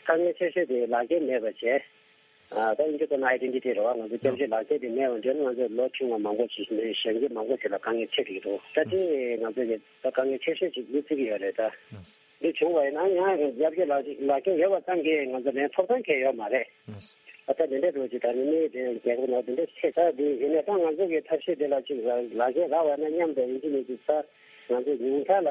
དཀའ་ངལ་ཆེ་ཤོས་དེ་ལག་འཁྱེར་མེད་པ་བྱས། ཨ་ད་ཨིན་ཇི་སྐད་ནང་ཨའི་ཌེན་ཊི་ཊི་རེད་བ། ང་ཚོ་སྐྱབས་བཅོལ་ལག་འཁྱེར་དེ་མེད་པ་འདྲ་ན་ང་ཚོ་ལོ་ཆུང་བ་མང་པོ་ཞིག་ནས་གཞོན་སྐྱེས་མང་པོ་ཞིག་ལ་དཀའ་ངལ་འཕྲད་ཀྱི་འདུག་ད་དེ་ང་ཚོ་གི་ད་དཀའ་ངལ་ཆེ་ཤོས་ཅིག་མི་བརྩི་གི་ཡོད་རེད་ད། འདི་བྱུང་བ་ཡིན་ན་ཡང་སྐྱབས་བཅོལ་ལག་ལག་འཁྱེར་ཡོད་པ་ཙམ་གྱིས་ང་ཚོ་ལན་ཐོབ་ཐང་གང་ཡང་ཡོད་མ་རེད། ཨ་ད་དེ་འདྲའི་འགྲོ་ཅིག་ད་ནི་མི་དེ་རྒྱལ་ཁབ་ནང་དེ་འདྲ་ཆེ་ས་དེ་ཡིན་ནའི་ད་ང་ཚོ་གི་ཐབས་ཤེས་དེ་ལ་ཅིག་ལག་ལག་འཁྱེར་རག་པ་ན་མཉམ་དུ་ཡིན་གྱི་མེད་ཀྱི་ས་ང་ཚོ་ཉུང་མཐའ་ལ་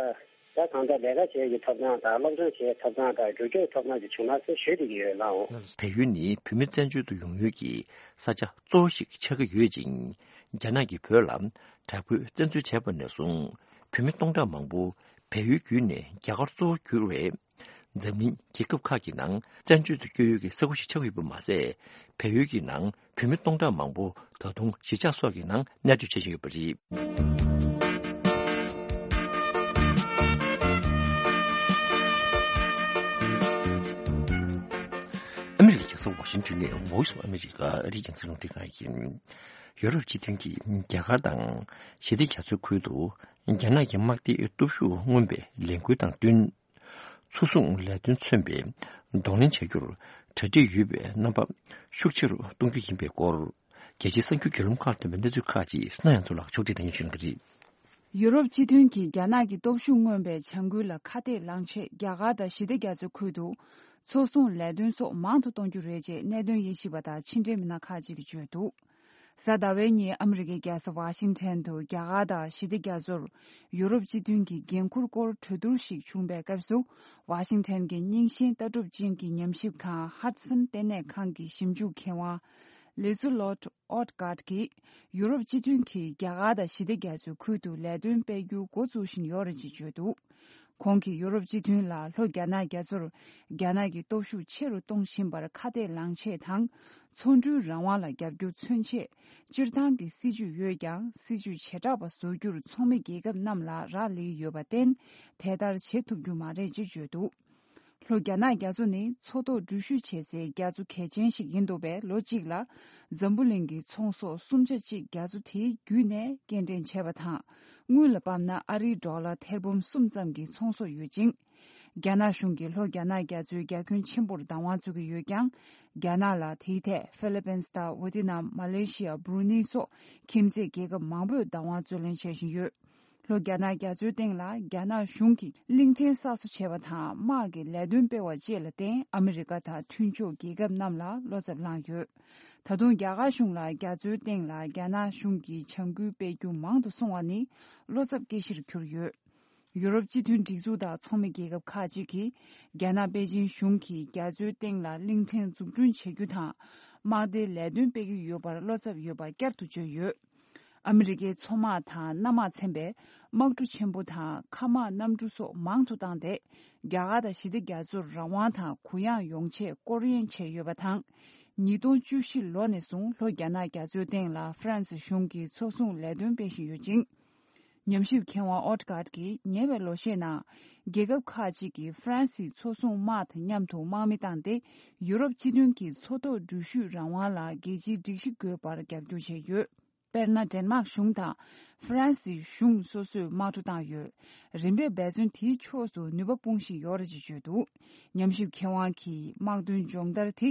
ད་གང་ལྟར་ལས་ཀ་བྱེད་ཀྱི་ཐོབ་ཐང་དང་སློབ་སྦྱོང་བྱེད་ཐོབ་ཐང་དང་འགྲོ་སྐྱོད་ཐོབ་ཐང་ཅིག་བྱུང་ན་ཟེར་ཞུ་བསྡད་ཀྱི་ཡོད་ལགས། བལ་ཡུལ་ནི་བོད་མི་བཙན་བྱོལ་དུ་ཡོང་ཡུལ་གྱི་ས་ཆ་གཙོ་བོ་ཞིག་ཆགས་ཀྱི་ཡོད་ཅིང་། རྒྱ་ནག་གིས་བོད་ལ་དྲག་པོའི་བཙན་འཛུལ་བྱས་པ་ནས་བཟུང་བོད་མི་སྟོང་ཕྲག་མང་པོ་བལ་ཡུལ་བརྒྱུད་ནས་རྒྱ་གར་གཙོ་བོར་གྱུར་བས། འཛམ་གླིང་རྒྱལ་ཁབ་ཁག་གི་ནང་བཙན་བྱོལ་དུ་བསྐྱོད་ཡུལ་གྱི་ས་ཁུལ་ཞིག་ཆགས་ཡོད་པ་མ་ཟད། བལ་ཡུལ་གྱི་ནང་བོད་མི་སྟོང་ཕྲག་མང་པོ་ད་དུང་གཞིས་ཆགས་སོགས་ཀྱི་ནང་གནས་སྡོད་བྱེད་བཞིན་ཡོད་པ་རེད། ཨ་མི་རི་ཀའི་རྒྱལ་ས་ཝ་ཤིང་ཊོན་ནས་Voice of America ཨ་རིའི་རྒྱང་སྲིང་རླུང་འཕྲིན་ཁང་ཡིན། ཡོ་རོབ་སྤྱི་མཐུན་གྱིས་རྒྱ་གར་དང་ཞི་བདེ་རྒྱ་མཚོའི་ཁུལ་དུ་རྒྱ་ནག་གི་དམག་སྡེའི་སྟོབས་ཤུགས་མངོན་པའི་ལས་འགུལ་དང་བསྟུན། མཚོ་སྲུང་ལས་དོན་མཚོན་པའི་གདོང་ལེན་བྱ་རྒྱུར་གྲ་སྒྲིག་ཡོད་པའི་རྣམ་པ་ཤུགས་ཆེ་རུ་གཏོང་རྒྱུ་ཡིན་པའི་སྐོར། རྒྱལ་སྤྱིའི་གསར་འགྱུར་བརྒྱུད་ལམ་ཁག་ལ་ཐོན་པའི་གནས་ཚུལ་ཁག་ཅིག་གསན་ཡོང་ཚུལ་ལ་ཕྱོགས་སྒྲིག་དང་ཉན་ཞུ་གནང་གི་རེད། ཡུ་རོབ་སྤྱི་མཐུན་གྱིས་རྒྱ་ནག་གི་སྟོབས་ཤུགས་མངོན་པའི་བྱ་འགུལ་ལ་ཁ་གཏད་ལངས་ཆེད་རྒྱ་གར་དང་ཞི་བདེ་རྒྱ་མཚོའི་ཁུལ་དུ་མཚོ་སྲུང་ལས་དོན་སོགས་མང་དུ་གཏོང་རྒྱུ་རེད་ཅེས་གནད་དོན་དབྱེ་ཞིབ་པ་དང་ཕྱི་འབྲེལ་མི་སྣ་ཁག་ཅིག་གིས་བརྗོད་འདུག་གཟའ་ཟླ་བའི་ཉིན་ཨ་མི་རི་ཀའི་རྒྱལ་ས་ཝ་ཤིང་ཊོན་དུ་རྒྱ་གར་དང་ཞི་བདེ་རྒྱ་མཚོར་ཡུ་རོབ་སྤྱི་མཐུན་གྱི་འགན་འཁུར་སྐོར་གྲོས་བསྡུར་ཞིག་བྱུང་པའི་སྐབས་སུ། ཝ་ཤིང་ཊོན་གྱི་རྙིང་ཞེན་ལྟ་གྲུབ་ཅན་གྱི་ཉམས་ཞིབ་ཁང་ཧ་ཌི་སན་ལྟེ་གནས་ཁང་གི་ཞིབ་འཇུག་མཁས་དབང་ལི་ཛུ་ལོཊ་ཨོ་ཀཱར་གྱིས། ཡུ་རོབ་སྤྱི་མཐུན་གྱིས་རྒྱ་གར་དང་ཞི་བདེ་རྒྱ་མཚོའི་ཁུལ་དུ་ལས་དོན་སྤེལ་རྒྱུ་འགོ་བཙུགས་བཞིན་ཡོད་རེད་ཅེས་བརྗོད་འདུག་ཁོང་གིས་ཡུ་རོབ་སྤྱི་མཐུན་ལ་ལྷོ་རྒྱ་ནག་རྒྱ་མཚོར་རྒྱ་ནག་གི་སྟོབས་ཤུགས་ཆེ་རུ་གཏོང་བཞིན་པར་ཁ་གཏད་ལངས་ཆེད་དང་། མཚོ་འགྲུལ་རང་དབང་ལ་རྒྱབ་སྐྱོར་མཚོན་ཆེད། སྤྱིར་བཏང་གི་སྲིད་ཇུས་ཡོད་ཀྱང་། སྲིད་ཇུས་བྱེ་བྲག་པ་བཟོ་རྒྱུར་ཚོགས་མི་རྒྱལ་ཁབ་རྣམས་ལ་རག་ལས་ཡོད་པར་བརྟེན། དེ་ལྟར་བྱེད་ཐུབ་རྒྱུ་མ་རེད་ཅེས་བརྗོད་འདུག་ལྷོ་རྒྱ་ནག་རྒྱ་མཚོ་ནི་མཚོ་ཐོག་འགྲུལ་བཞུད་བྱེད་སའི་རྒྱ་མཚོ་གལ་ཆེན་ཞིག་ཡིན་འདུག་པས། ལོ་གཅིག་ལ་འཛམ་བུ་གླིང་གི་ཚོང་ཟོག་གསུམ་ཆ་གཅིག་རྒྱ་མཚོ་དེའི་བརྒྱུད་ནས་སྐྱེལ་འདྲེན་བྱས་པ་དང་། དངུལ་ལ་དཔག་ན་ཨ་རིའི་ཌོ་ལར་ཐེར་འབུམ་གསུམ་ཙམ་གྱི་ཚོང་ཟོག་ཡོད་ཅིང་། རྒྱ་ནག་གཞུང་གིས་ལྷོ་རྒྱ་ནག་རྒྱ་མཚོའི་རྒྱ་ཁྱོན་ཆེན་པོར་བདག་དབང་བཙུགས་ཀྱི་ཡོད་ཀྱང་། རྒྱ་ནག་ལ་དེའི་ཐད་ཧྥི་ལི་པིན་དང་ཝེ་ཏི་ནམ། མ་ལེ་ཤི་ཡ། བྷུ་རུ་ནེ་སོགས་ཁྱིམ་མཚེས་རྒྱལ་ཁབ་མང་པོས་བདག་དབང་རྩོད་ལེན་བྱེད་བཞིན་ཡོད། ལྷོ་རྒྱ་ནག་རྒྱ་མཚོའི་སྟེང་ལ་རྒྱ་ནག་གཞུང་གིས་གླིང་ཕྲན་གསར་བཟོ་བྱས་པ་དང་། དམག་གི་ལས་དོན་སྤེལ་བ་བཅས་ལ་བརྟེན། ཨ་མི་རི་ཀ་དང་མཐུན་ཕྱོགས་རྒྱལ་ཁབ་རྣམས་ལ་བློ་འཚབ་ལངས་ཡོད། ད་དུང་རྒྱ་གར་གཞུང་ལ་རྒྱ་མཚོའི་སྟེང་ལ་རྒྱ་ནག་གཞུང་གིས་བྱ་འགུལ་སྤེལ་རྒྱུ་མང་དུ་སོང་བ་ནི་བློ་འཚབ་སྐྱེ་གཞིར་གྱུར་ཡོད། ཡུ་རོབ་སྤྱི་མཐུན་སྒྲིག་འཛུགས་དང་ཚོགས་མི་རྒྱལ་ཁབ་ཁག་ཅིག་གིས་རྒྱ་ནག་པེ་ཅིན་གཞུང་གིས་རྒྱ་མཚོའི་སྟེང་ལ་གླིང་ཕྲན་འཛུགས་སྐྲུན་བྱེད་རྒྱུ་དང་། དམག་སྡེའི་ལས་དོན་སྤེལ་གྱི་ཡོད་པར་བློ་འཚབ་ཡོད་པ་བསྐྱར་དུ་བརྗོད་ཡོད། ཨ་མི་རི་ཀའི་མཚོ་དམག་དང་གནམ་དམག་ཚན་པས་དམག་གྲུ་ཆེན་པོ་དང་མཁའ་དམག་གནམ་གྲུ་སོགས་མང་དུ་བཏང་སྟེ། རྒྱ་གར་དང་ཞི་བདེ་རྒྱ་མཚོར་རང་དབང་དང་གུ་ཡངས་ཡོང་ཆེད་སྐོར་གཡེང་བྱས་ཡོད་པ་དང་། ཉིས་སྟོང་བཅུ་བཞི་ལོ་ནས་བཟུང་ལྷོ་རྒྱ་ནག་རྒྱ་མཚོའི་སྟེང་ལ་ཧྥ་རན་སི་གཞུང་གིས་མཚོ་སྲུང་ལས་དོན་སྤེལ་བཞིན་ཡོད་ཅིང་། ཉམས་ཞིབ་མཁས་དབང་ཨོ་ཏི་ཀཱད་ཀྱིས་ཉེ་བའི་ལོ་ཤས་ནང་རྒྱལ་ཁབ་ཁག་ཅིག་གིས་ཧྥ་རན་སིའི་མཚོ་སྲུང་དམག་དང་མཉམ་དུ་དམག་མི་བཏང་སྟེ། ཡུ་རོབ་སྤྱི་མཐུན་གྱི་མཚོ་ཐོག་འགྲུལ་བཞུད་རང་དབང་ལ་རྒྱལ་སྤྱིའི་སྒྲིག་གཞི་དགོས་པར་རྒྱབ་སྐྱོར་བྱས་ཡོད། དཔེར་ན། ཌེན་མཱག་གཞུང་དང་ཧྥ་རན་སིའི་གཞུང་སོ་སོས་དམག་གྲུ་བཏང་ཡོད། རིམ་པས་འབད་བརྩོན་དེའི་ཕྱོགས་སུ་ནུས་པ་སྤུངས་བཞིན་ཡོད་རེད་ཅེས་བརྗོད་འདུག། ཉམས་ཞིབ་མཁས་དབང་གིས་དམག་དོན་སྦྱོང་བརྡར་དེ་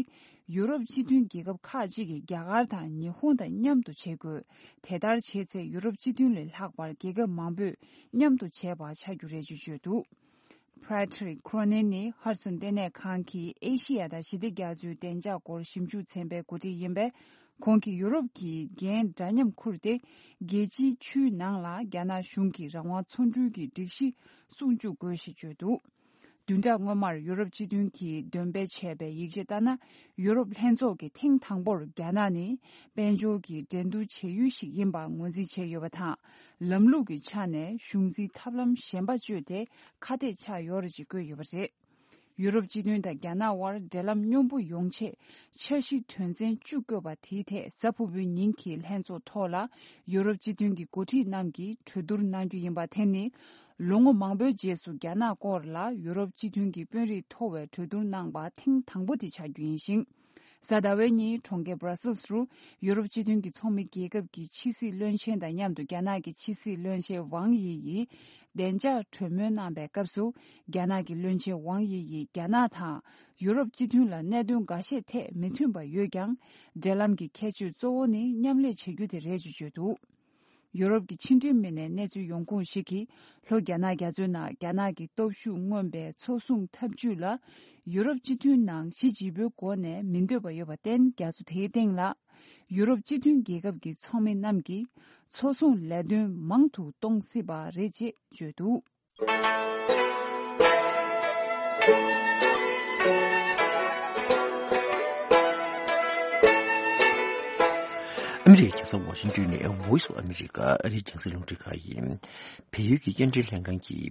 ཡུ་རོབ་སྤྱི་མཐུན་རྒྱལ་ཁབ་ཁག་ཅིག་གིས་རྒྱ་གར་དང་ཉི་ཧོང་དང་མཉམ་དུ་བྱེད་དགོས། དེ་ལྟར་བྱས་ཚེ་ཡུ་རོབ་སྤྱི་མཐུན་ལས་ལྷག་པར་རྒྱལ་ཁབ་མང་པོས་མཉམ་དུ་བྱས་པ་ཆགས་རྒྱུ་རེད་ཅེས་བརྗོད་འདུག། Patrick Cronin ནི་ཧར་སོན་ལྟེ་གནས་ཁང་གི་ཨེ་ཤི་ཡ་དང་ཞི་བདེ་རྒྱ་མཚོའི་བདེ་འཇགས་སྐོར་ཞིབ་འཇུག་ཚན་པའི་འགོ་ཁྲིད་ཡིན་པས། ཁོང་གིས་ཡུ་རོབ་ཀྱི་འགན་འདྲ་མཉམ་འཁུར་ཏེ། རྒྱལ་སྤྱིའི་ཆུའི་ནང་ལ་རྒྱ་ནག་གཞུང་གིས་རང་དབང་མཚོ་འགྲུལ་གྱི་སྒྲིག་གཞི་སྲུང་བཅུག་དགོས་ཞེས་བརྗོད་འདུག། བདུན་ཕྲག་སྔོན་མར་ཡུ་རོབ་སྤྱི་མཐུན་གྱིས་འདོན་སྤེལ་བྱས་པའི་ཡིག་ཆ་ལྟར་ན། ཡུ་རོབ་ལྷན་ཚོགས་ཀྱིས་ཐེངས་དང་པོར་རྒྱ་ནག་ནི་དཔལ་འབྱོར་གྱི་འགྲན་བསྡུར་བྱེད་ཡུལ་ཞིག་ཡིན་པ་ངོས་འཛིན་བྱས་ཡོད་པ་དང་། ལམ་ལུགས་ཀྱི་ཆ་ནས་གཞུང་འཛིན་ཐབས་ལམ་གཞན་པ་སྤྱོད་དེ་ཁ་གཏད་ཆགས་ཡོད་རེད་ཅེས་བཀོད་ཡོད་པ་རེད། ཡུ་རོབ་སྤྱི་མཐུན་དང་རྒྱ་ནག་དབར་འབྲེལ་ལམ་སྙོམས་པོ་ཡོང་ཆེད་འཆར་གཞི་དོན་ཚན་བཅུ་བཀོད་པ་དེའི་ཐད་གཟའ་ཕུར་བུའི་ཉིན་གྱི་ལྷན་ཚོགས་ཐོག་ལ་ཡུ་རོབ་སྤྱི་མཐུན་གྱི་འགོ་ཁྲིད་རྣམས་ཀྱིས་གྲོས་བསྡུར་གནང་རྒྱུ་ཡིན་པ་དེ་ནི། ལོ་ངོ་མང་པོའི་རྗེས་སུ་རྒྱ་ནག་སྐོར་ལ་ཡུ་རོབ་སྤྱི་མཐུན་གྱི་དཔོན་རིགས་མཐོ་བའི་གྲོས་བསྡུར་གནང་པ་ཐེངས་དང་པོ་དེ་ཆགས་རྒྱུ་ཡིན་ཞིང་། གཟའ་ཟླ་བའི་ཉིན་གྲོང་ཁྱེར་Brussels རུ་ཡུ་རོབ་སྤྱི་མཐུན་གྱི་ཚོགས་མི་རྒྱལ་ཁབ་ཀྱི་ཕྱི་སྲིད་བློན་ཆེན་དང་མཉམ་དུ་རྒྱ་ནག་གི་ཕྱི་སྲིད་བློན་ཆེན་ཝང་དབྱི་ཡིས་བདེ་འཇགས་གྲོས་མོལ་གནང་པའི་སྐབས་སུ། རྒྱ་ནག་གི་བློན་ཆེན་ཝང་དབྱི་ཡིས་རྒྱ་ནག་དང་ཡུ་རོབ་སྤྱི་མཐུན་ལ་གནད་དོན་འགའ་ཤས་ཐད་མི་མཐུན་པ་ཡོད་ཀྱང་། འབྲེལ་ལམ་གྱི་ཁྱད་ཆོས་གཙོ་བོ་ནི་མཉམ་ལས་བྱེད་རྒྱུ་དེ་རེད་ཅེས་བརྗོད་འདུག། ཡུ་རོབ་ཀྱི་ཕྱི་འབྲེལ་མི་སྣའི་གནས་ཚུལ་ཡོང་ཁུངས་ཤིག་གིས། ལྷོ་རྒྱ་ནག་རྒྱ་མཚོའི་ནང་རྒྱ་ནག་གི་སྟོབས་ཤུགས་མངོན་པའི་མཚོ་སྲུང་འཐབ་ཇུས་ལ། ཡུ་རོབ་སྤྱི་མཐུན་ནང་གཞི་བརྗིད་པོའི་སྒོ་ནས་མི་འདོད་པ་ཡོད་པར་བརྟེན། རྒྱ་མཚོ་དེའི་སྟེང་ལ། ཡུ་རོབ་སྤྱི་མཐུན་རྒྱལ་ཁབ་ཀྱི་ཚོགས་མི་རྣམས་ཀྱིས། མཚོ་སྲུང་ལས་དོན་མང་དུ་གཏོང་སྲིད་པ་རེད་ཅེས་བརྗོད་འདུག། ཨ་མི་རི་ཀའི་རྒྱལ་ས་ཝ་ཤིང་ཏོན་ནས་Voice of America ཨ་རིའི་རྒྱང་སྲིང་རླུང་འཕྲིན་ཁང་ཡིན། བལ་ཡུལ་གྱི་སྐྱེལ་འདྲེན་ལྷན་ཁང་གིས་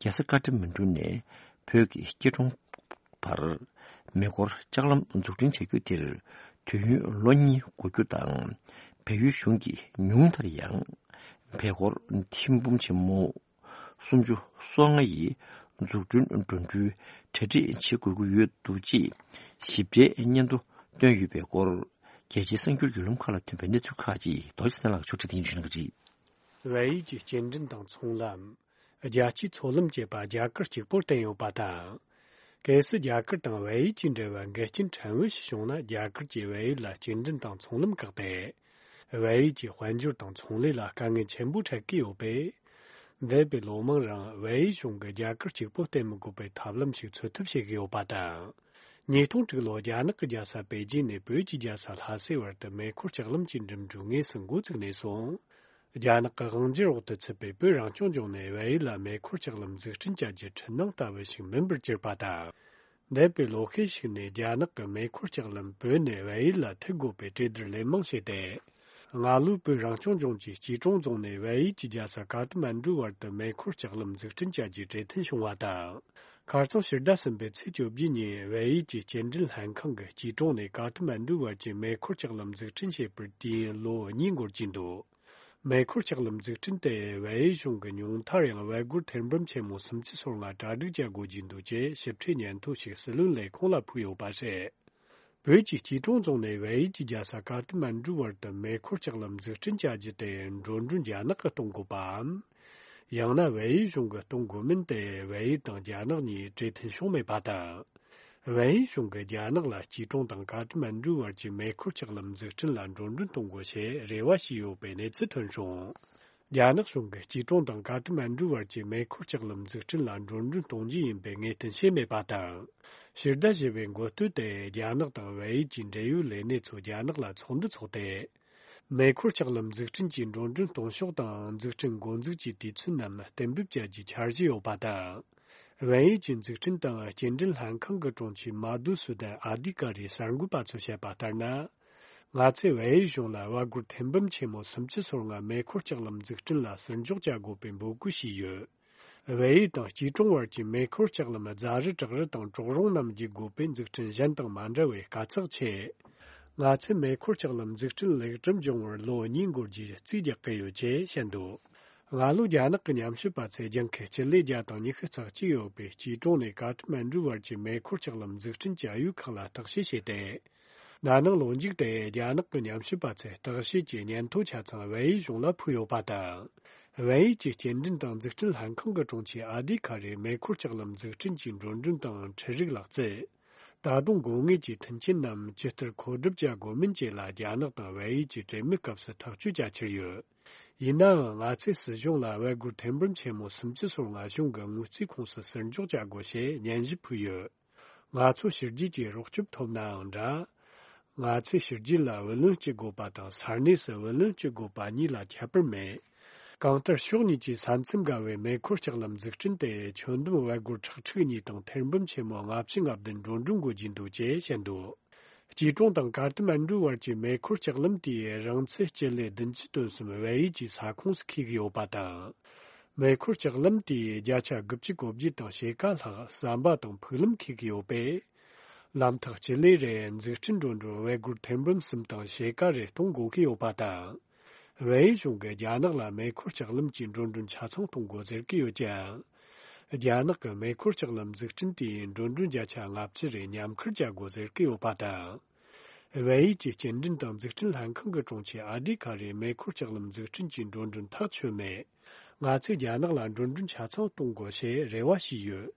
རྒྱལ་ས་ཀ་ཏ་མན་གྲུ་ནས་བོད་ཀྱི་སྐྱིད་གྲོང་བར་མེ་འཁོར་ལྕགས་ལམ་འཛུགས་སྐྲུན་བྱ་རྒྱུ་དེར་དུས་ཡུན་ལོ་གཉིས་འགོར་རྒྱུ་དང་། བལ་ཡུལ་གཞུང་གིས་ཉུང་མཐར་ཡང་བལ་འཁོར་ཐེར་འབུམ་ཆེན་མོ་སུམ་ཅུ་སོ་ལྔ་ཡི་འཛུགས་སྐྲུན་འགྲོ་གྲོན་གྲ་སྒྲིག་བྱེད་དགོས་ཀྱི་ཡོད་འདུག་ཅེས་ཞིབ་ཕྲའི་སྙན་ཐོ་བཏོན་ཡོད་པའི་སྐོར། རྒྱལ་སྤྱིའི་གསར་འགྱུར་བརྒྱུད་ལམ་ཁག་ལ་ཐོན་པའི་གནས་ཚུལ་ཁག་ཅིག་རྡོ་རྗེ་བསོད་ནམས་ལགས་ཕྱོགས་སྒྲིག་སྟེང་ཞུ་གནང་གི་རེད། བལ་ཡུལ་གྱི་སྐྱེལ་འདྲེན་དང་ཚོང་ལམ། རྒྱལ་སྤྱིའི་མཚོ་ལམ་བཅས་པ་རྒྱ་གར་གཅིག་པོར་བརྟེན་ཡོད་པ་དང་། གལ་སྲིད་རྒྱ་གར་དང་བལ་ཡུལ་གྱི་འབྲེལ་བ་འགལ་རྐྱེན་ཕྲན་བུ་ཞིག་བྱུང་ན། རྒྱ་གར་གྱིས་བལ་ཡུལ་ལ་སྐྱེལ་འདྲེན་དང་ཚོང་ལམ་བཀག་སྟེ། བལ་ཡུལ་གྱི་དཔལ་འབྱོར་དང་ཚོང་ལས་ལ་དཀའ་ངལ་ཆེན་པོ་འཕྲད་ཀྱི་ཡོད་པས། འདས་པའི་ལོ་མང་རིང་བལ་ཡུལ་གཞུང་གིས་རྒྱ་གར་གཅིག་པོ་བརྟེན་མི་དགོས་པའི་ཐབས་ལམ་ཞིག་འཚོལ་ཐབས་བྱེད་ཀྱི་ཡོད་པ་དང་། ཉིས་སྟོང་དྲུག་ལོར་རྒྱ་ནག་གི་རྒྱལ་ས་པེ་ཅིན་ནས་བོད་ཀྱི་རྒྱལ་ས་ལྷ་སའི་བར་དུ་མེ་འཁོར་ལྕགས་ལམ་གྱི་འགྲིམ་འགྲུལ་དངོས་སུ་འགོ་བཙུགས་ནས་བཟུང་། རྒྱ་ནག་གི་དབང་སྒྱུར་འོག་ཏུ་ཚུད་པའི་བོད་རང་སྐྱོང་ལྗོངས་ནས་བལ་ཡུལ་ལ་མེ་འཁོར་ལྕགས་ལམ་འཛུགས་སྐྲུན་བྱ་རྒྱུ་འཕྲུལ་སྣང་ལྟ་བུ་ཞིག་མིན་པར་གྱུར་པ་དང་། འདས་པའི་ལོ་ཤས་ཤིག་ནས་རྒྱ་ནག་གི་མེ་འཁོར་ལྕགས་ལམ་བོད་ནས་བལ་ཡུལ་ལ་མཐུད་དགོས་པའི་གྲོས་བསྡུར་ལན་མང་བྱས་ཏེ། སྔ་ལོའི་བོད་རང་སྐྱོང་ལྗོངས་ཀྱི་སྐྱིད་གྲོང་རྫོང་ནས་བལ་ཡུལ་གྱི་རྒྱལ་ས་ཀ་ཐ་མན་གྲུའི་བར་དུ་མེ་འཁོར་ལྕགས་ལམ་འཛུགས་སྐྲུན་བྱ་རྒྱུའི་གྲོས་མཐུན་བྱུང་བ་དང་། ཁ་རྩང་ཕྱི་ཟླ་གསུམ་པའི་ཚེས་བཅོ་བརྒྱད་ཉིན་བལ་ཡུལ་གྱི་སྐྱེལ་འདྲེན་ལྷན་ཁང་གིས་སྐྱིད་གྲོང་ནས་ཀ་ཐ་མན་གྲུའི་བར་གྱི་མེ་འཁོར་ལྕགས་ལམ་འཛུགས་སྐྲུན་བྱས་པར་དུས་ཡུན་ལོ་གཉིས་འགོར་གྱི་འདུག། མེ་འཁོར་ལྕགས་ལམ་འཛུགས་སྐྲུན་དེ་བལ་ཡུལ་གཞུང་གིས་ཉུང་མཐར་ཡང་བལ་སྒོར་ཐེར་འབུམ་ཆེན་མོ་སུམ་ཅུ་སོ་ལྔ་གྲ་སྒྲིག་བྱ་དགོས་ཀྱི་འདུག་ཅེས་ཞིབ་ཕྲའི་སྙན་ཐོ་ཞིག་སྲིད་བློན་ལས་ཁུངས་ལ་ཕུལ་ཡོད་པ་རེད། བོད་ཀྱི་སྐྱིད་གྲོང་རྫོང་ནས་བལ་ཡུལ་གྱི་རྒྱལ་ས་ཀ་ཐ་མན་གྲུའི་བར་དུ་མེ་འཁོར་ལྕགས་ལམ་འཛུགས་སྐྲུན་བྱ་རྒྱུ་དེ་འགྲོ་གྲོན་རྒྱ་ནག་གིས་གཏོང་དགོས་པའམ། ཡང་ན་བལ་ཡུལ་གཞུང་གིས་གཏོང་དགོས་མིན་དེ་བལ་ཡུལ་དང་རྒྱ་ནག་གཉིས་གྲོས་མཐུན་བྱུང་མེད་པ་དང་། བལ་ཡུལ་གཞུང་གིས་རྒྱ་ནག་ལ་སྐྱིད་གྲོང་དང་ཀ་ཐ་མན་གྲུ་བར་གྱི་མེ་འཁོར་ལྕགས་ལམ་འཛུགས་སྐྲུན་ལ་འགྲོ་གྲོན་གཏོང་དགོས་ཞེས་རེ་བ་བྱས་ཡོད་པའི་གནས་ཚུལ་ཐོན་བྱུང་། རྒྱ་ནག་གཞུང་གིས་སྐྱིད་གྲོང་དང་ཀ་ཐ་མན་གྲུ་བར་གྱི་མེ་འཁོར་ལྕགས་ལམ་འཛུགས་སྐྲུན་ལ་འགྲོ་གྲོན་གཏོང་རྒྱུ་ཡིན་པའི་ངེས་གཏན་བྱས་མེད་པ་དང་། ཕྱི་ཟླ་བཞི་པའི་འགོ་སྟོད་དེ་རྒྱ་ནག་དང་བལ་ཡུལ་གྱི་འབྲེལ་ཡོད་ལས་སྣེ་ཚོ་རྒྱ་ནག་ལ་ཚོགས་འདུ་འཚོགས་ཏེ། མེ་འཁོར་ལྕགས་ལམ་འཛུགས་སྐྲུན་གྱི་འགྲོ་གྲོན་གཏོང་ཕྱོགས་དང་འཛུགས་སྐྲུན་འགོ་འཛུགས་ཀྱི་དུས་ཚོད་རྣམས་གཏན་འབེབས་བྱ་རྒྱུའི་འཆར་གཞི་ཡོད་པ་དང་། བལ་ཡུལ་གྱི་འཛུགས་སྐྲུན་དང་སྐྱེལ་འདྲེན་ལྷན་ཁང་གི་དྲུང་ཆེ་མ་དུ་སུ་དན་ཨ་དི་ཀ་རིས་གསར་འགོད་པ་ཚོས་བཤད་པ་ལྟར་ན། ང་ཚོས་བལ་ཡུལ་གཞུང་ལ་བལ་སྒོར་ཐེར་འབུམ་ཆེན་མོ་སུམ་ཅུ་སོ་ལྔ་མེ་འཁོར་ལྕགས་ལམ་འཛུགས་སྐྲུན་ལ་ཟུར་འཇོག་བྱ་དགོས་པའི་འབོད་སྐུལ་བྱས་ཡོད། བལ་ཡུལ་དང་སྐྱིད་གྲོང་བར་གྱི་མེ་འཁོར་ལྕགས་ལམ་རྫ་རི་བྲག་རི་དང་གྲོག་རོང་རྣམས་བརྒྱུད་དགོས་པའི་འཛུགས་སྐྲུན་གཞན་དང་མ་འདྲ་བའི་དཀའ་ཚེགས་ཆེ། ང་ཚོས་མེ་འཁོར་ལྕགས་ལམ་འཛུགས་སྐྲུན་ལེགས་གྲུབ་འབྱུང་བར་ལོ་གཉིས་འགོར་རྒྱུའི་རྩིས་རྒྱག་གི་ཡོད་ཅེས་བཤད་འདུག་སྔ་ལོ་རྒྱ་ནག་གི་ཉམས་ཞིབ་པ་ཚོས་ལྗང་ཁུ་སྤྱི་ལེ་བརྒྱ་དང་ཉི་ཤུ་རྩ་གཅིག་ཡོད་པའི་སྐྱིད་གྲོང་ནས་ཀ་ཐ་མན་གྲུ་བར་གྱི་མེ་འཁོར་ལྕགས་ལམ་འཛུགས་སྐྲུན་གྱི་ཨུ་ཡོན་ཁག་ལ་བརྟག་དཔྱད་བྱས་ཏེ། ན་ནིང་ལོ་མཇུག་དེ་རྒྱ་ནག་གི་ཉམས་ཞིབ་པ་ཚོས་བརྟག་དཔྱད་ཀྱི་སྙན་ཐོ་ཆ་ཚང་བལ་ཡུལ་གཞུང་ལ་ཕུལ་ཡོད་པ་དང་། བལ་ཡུལ་གྱི་སྐྱེལ་འདྲེན་དང་འཛུགས་སྐྲུན་ལྷན་ཁང་གི་དྲུང་ཆེ་ཨ་དི་ཁ་རེས་མེ་འཁོར་ལྕགས་ལམ་འཛུགས་སྐྲུན་གྱི་འགྲོ་གྲོན་དང་འཕྲུལ་རིག་ལག་རྩལ། ད་དུང་དགོས་ངེས་ཀྱི་མཐུན་རྐྱེན་རྣམས་ཇི་ལྟར་མཁོ་སྒྲུབ་བྱ་དགོས་མིན་བཅས་ལ་རྒྱ་ནག་དང་བལ་ཡུལ་གྱི་གྲོས་མོལ་སྐབས་སུ་ཐག་གཅོད་བྱ་འཆར་ཡོད། ཡིན་ནའང་ང་ཚོས་སྲིད་གཞུང་ལ་བལ་སྒོར་ཐེར་འབུམ་ཆེན་མོ་སུམ་ཅུ་སོ་ལྔ་གཞུང་གི་དངུལ་རྩིས་ཁོངས་སུ་ཟུར་འཇོག་བྱ་དགོས་ཞེས་སྙན་ཞུ་ཕུལ་ཡོད། ང་ཚོ་ཕྱི་རྒྱལ་གྱི་རོགས་སྐྱོབ་ཐོབ་ནའང་འདྲ། ང་ཚོས་ཕྱི་རྒྱལ་ལ་བུ་ལོན་སྐྱེལ་དགོས་པ་དང་ས་གནས་སུ་བུ་ལོན་སྐྱེལ་དགོས་པ་གཉིས་ལ་ཁྱད་པར་མེད། གང་ལྟར་ཕྱོགས་གཉིས་ཀྱི་ས་མཚམས་བརྒལ་བའི་མེ་འཁོར་ལྕགས་ལམ་འཛུགས་སྐྲུན་དེ་ཁྱོན་བསྡོམས་བལ་སྒོར་ཁྲག་ཁྲིག་གཉིས་དང་ཐེར་འབུམ་ཆེན་མོ་ལྔ་བཅུ་ང་བདུན་འགྲོ་གྲོན་དགོས་ཀྱི་འདུག་ཅེས་བཤད་འདུག་སྐྱིད་གྲོང་དང་ཀ་ཐ་མན་གྲུ་བར་གྱི་མེ་འཁོར་ལྕགས་ལམ་དེའི་རིང་ཚད་སྤྱི་ལེ་བདུན་ཅུ་དོན་གསུམ་བལ་ཡུལ་གྱི་ས་ཁོངས་སུ་འཁེལ་གྱི་ཡོད་པ་དང་། མེ་འཁོར་ལྕགས་ལམ་དེའི་བརྒྱ་ཆ་དགུ་བཅུ་གོ་བརྒྱད་དང་ཕྱེད་ཀ་ལྷག་ཟམ་པ་དང་ཕུག་ལམ་འཁེལ་གྱི་ཡོད་པས། ལམ་ཐག་སྤྱི་ལེ་རེར་འཛུགས་སྐྲུན་འགྲོ་གྲོན་བལ་སྒོར་ཐེར་འབུམ་གསུམ་དང་ཕྱེད་ཀ་རེ་གཏོང་དགོས་ཀྱི་ཡོད་པ་དང་། བལ་ཡུལ་གཞུང་གིས་རྒྱ་ནག་ལ་མེ་འཁོར་ལྕགས་ལམ་གྱི་འགྲོ་གྲོན་ཆ་ཚང་གཏོང་དགོས་ཟེར་གྱི་ཡོད་ཀྱང་། རྒྱ་ནག་གི་མེ་འཁོར་ལྕགས་ལམ་འཛུགས་སྐྲུན་དེའི་འགྲོ་གྲོན་བརྒྱ་ཆ་ལྔ་བཅུ་རེ་མཉམ་འཁུར་བྱ་དགོས་ཟེར་གྱི་ཡོད་པ་དང་། བལ་ཡུལ་གྱི་སྐྱེལ་འདྲེན་དང་འཛུགས་སྐྲུན་ལྷན་ཁང་གི་དྲུང་ཆེ་ཨ་དི་ཁ་རེས་མེ་འཁོར་ལྕགས་ལམ་འཛུགས་སྐྲུན་གྱི་འགྲོ་གྲོན་ཐག་ཆོད་མེད། ང་ཚོས་རྒྱ་ནག་ལ་འགྲོ་གྲོན་ཆ་ཚང་གཏོང་དགོས་ཞེས་རེ་བ་བྱས་ཡོད།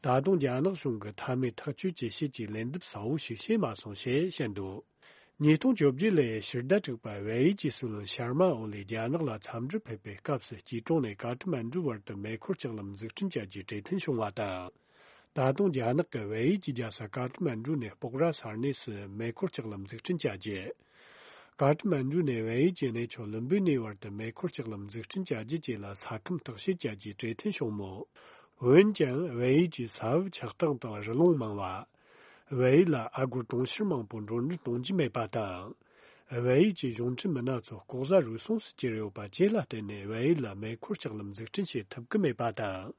ད་དུང་རྒྱ་ནག་གཞུང་གིས་མཐའ་མའི་ཐག་གཅོད་ཀྱི་ཆེད་ཀྱི་ལན་འདེབས་གསལ་བོ་ཞིག་བྱས་མ་སོང་ཞེས་བཤད་འདུག་ཉིས་སྟོང་བཅོ་བརྒྱད་ལོའི་ཕྱི་ཟླ་དྲུག་པར་བལ་ཡུལ་གྱི་སྲིད་བློན་ཤར་མ་ཨོ་ལི་རྒྱ་ནག་ལ་འཚམས་འདྲིར་ཕེབས་པའི་སྐབས་སུ་སྐྱིད་གྲོང་ནས་ཀ་ཐ་མན་གྲུ་བར་དུ་མེ་འཁོར་ལྕགས་ལམ་འཛུགས་སྐྲུན་བྱ་རྒྱུའི་གྲོས་མཐུན་བྱུང་བ་དང་། ད་དུང་རྒྱ་ནག་གིས་བལ་ཡུལ་གྱི་རྒྱལ་ས་ཀ་ཐ་མན་གྲུ་ནས་སྤོག་ར་ས་གནས་སུ་མེ་འཁོར་ལྕགས་ལམ་འཛུགས་སྐྲུན་བྱ་རྒྱུ། ཀ་ཐ་མན་གྲུ་ནས་བལ་ཡུལ་གྱི་གནས་མཆོག་ལུམ་བི་ནི་བར་དུ་མེ་འཁོར་ལྕགས་ལམ་འཛུགས་སྐྲུན་བྱ་རྒྱུ་བཅས་ལ་ས་ཁམས་བརྟག་དཔྱད་བྱ་རྒྱུའི་གྲོས་མཐུན་བྱུང་མོད། འོན་ཀྱང་བལ་ཡུལ་གྱི་ས་བབ་ཆགས་སྟངས་དང་རི་ཀླུང་མང་བ། བལ་ཡུལ་ལ་ཨ་སྒོར་གྲོང་ཁྱེར་མང་པོ་འགྲོ་གྲོན་གཏོང་རྒྱུ་མེད་པ་དང་། བལ་ཡུལ་གྱི་གཞུང་འབྲེལ་མི་སྣ་ཚོ་ལྐོག་ཟ་རུལ་སུངས་སུ་གྱུར་ཡོད་པ་བཅས་ལ་བརྟེན་ནས་བལ་ཡུལ་ལ་མེ་འཁོར་ལྕགས་ལམ་འཛུགས་སྐྲུན་བྱེད་ཐུབ་ཀྱི་མེད་པ་དང་།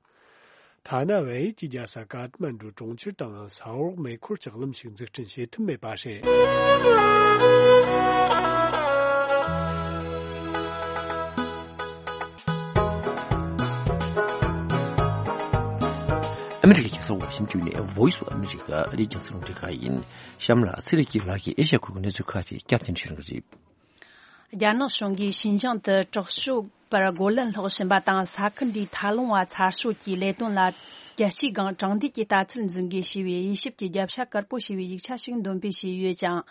ཐ་ན་བལ་ཡུལ་གྱི་རྒྱལ་ས་ཀ་ཐ་མན་གྲུ་གྲོང་ཁྱེར་དང་ས་འོག་མེ་འཁོར་ལྕགས་ལམ་ཞིག་འཛུགས་སྐྲུན་བྱེད་ཐུབ་མེད་པ་རེད། ཨ་མི་རི་ཀའི་རྒྱལ་ས་ཝ་ཤིང་ཏོན་ནས་Voice of America ཨ་རིའི་རྒྱང་སྲིང་རླུང་འཕྲིན་ཁང་ཡིན། གཤམ་ལ་ཚེ་རིང་སྐྱིད་ལགས་ཀྱིས་ཨེ་ཤ་ཡ་ཁུལ་གྱི་གནས་ཚུལ་ཁག་ཅིག་བསྐྱར་ཟློས་བྱེད་རོགས་གྱིས། རྒྱ་ནག་གཞུང་གིས་ཞིན་ཅང་དུ་དྲག་སྤྱོད་པར་རྒོལ་ལན་སློག་བཞིན་པ་དང་ས་ཁུལ་འདིའི་མཐའ་ལྷུང་བ་ཚར་གཅོད་ཀྱི་ལས་དོན་ལ་རྒྱལ་སྤྱིའི་སྒང་དྲང་བདེན་གྱི་ལྟ་ཚུལ་འཛིན་དགོས་ཞེས་པའི་དབྱེ་ཞིབ་ཀྱི་རྒྱབ་ཤ་དཀར་པོ་ཞེས་པའི་ཡིག་ཆ་ཞིག་འདོན་སྤེལ་བྱས་ཡོད་ཅིང་།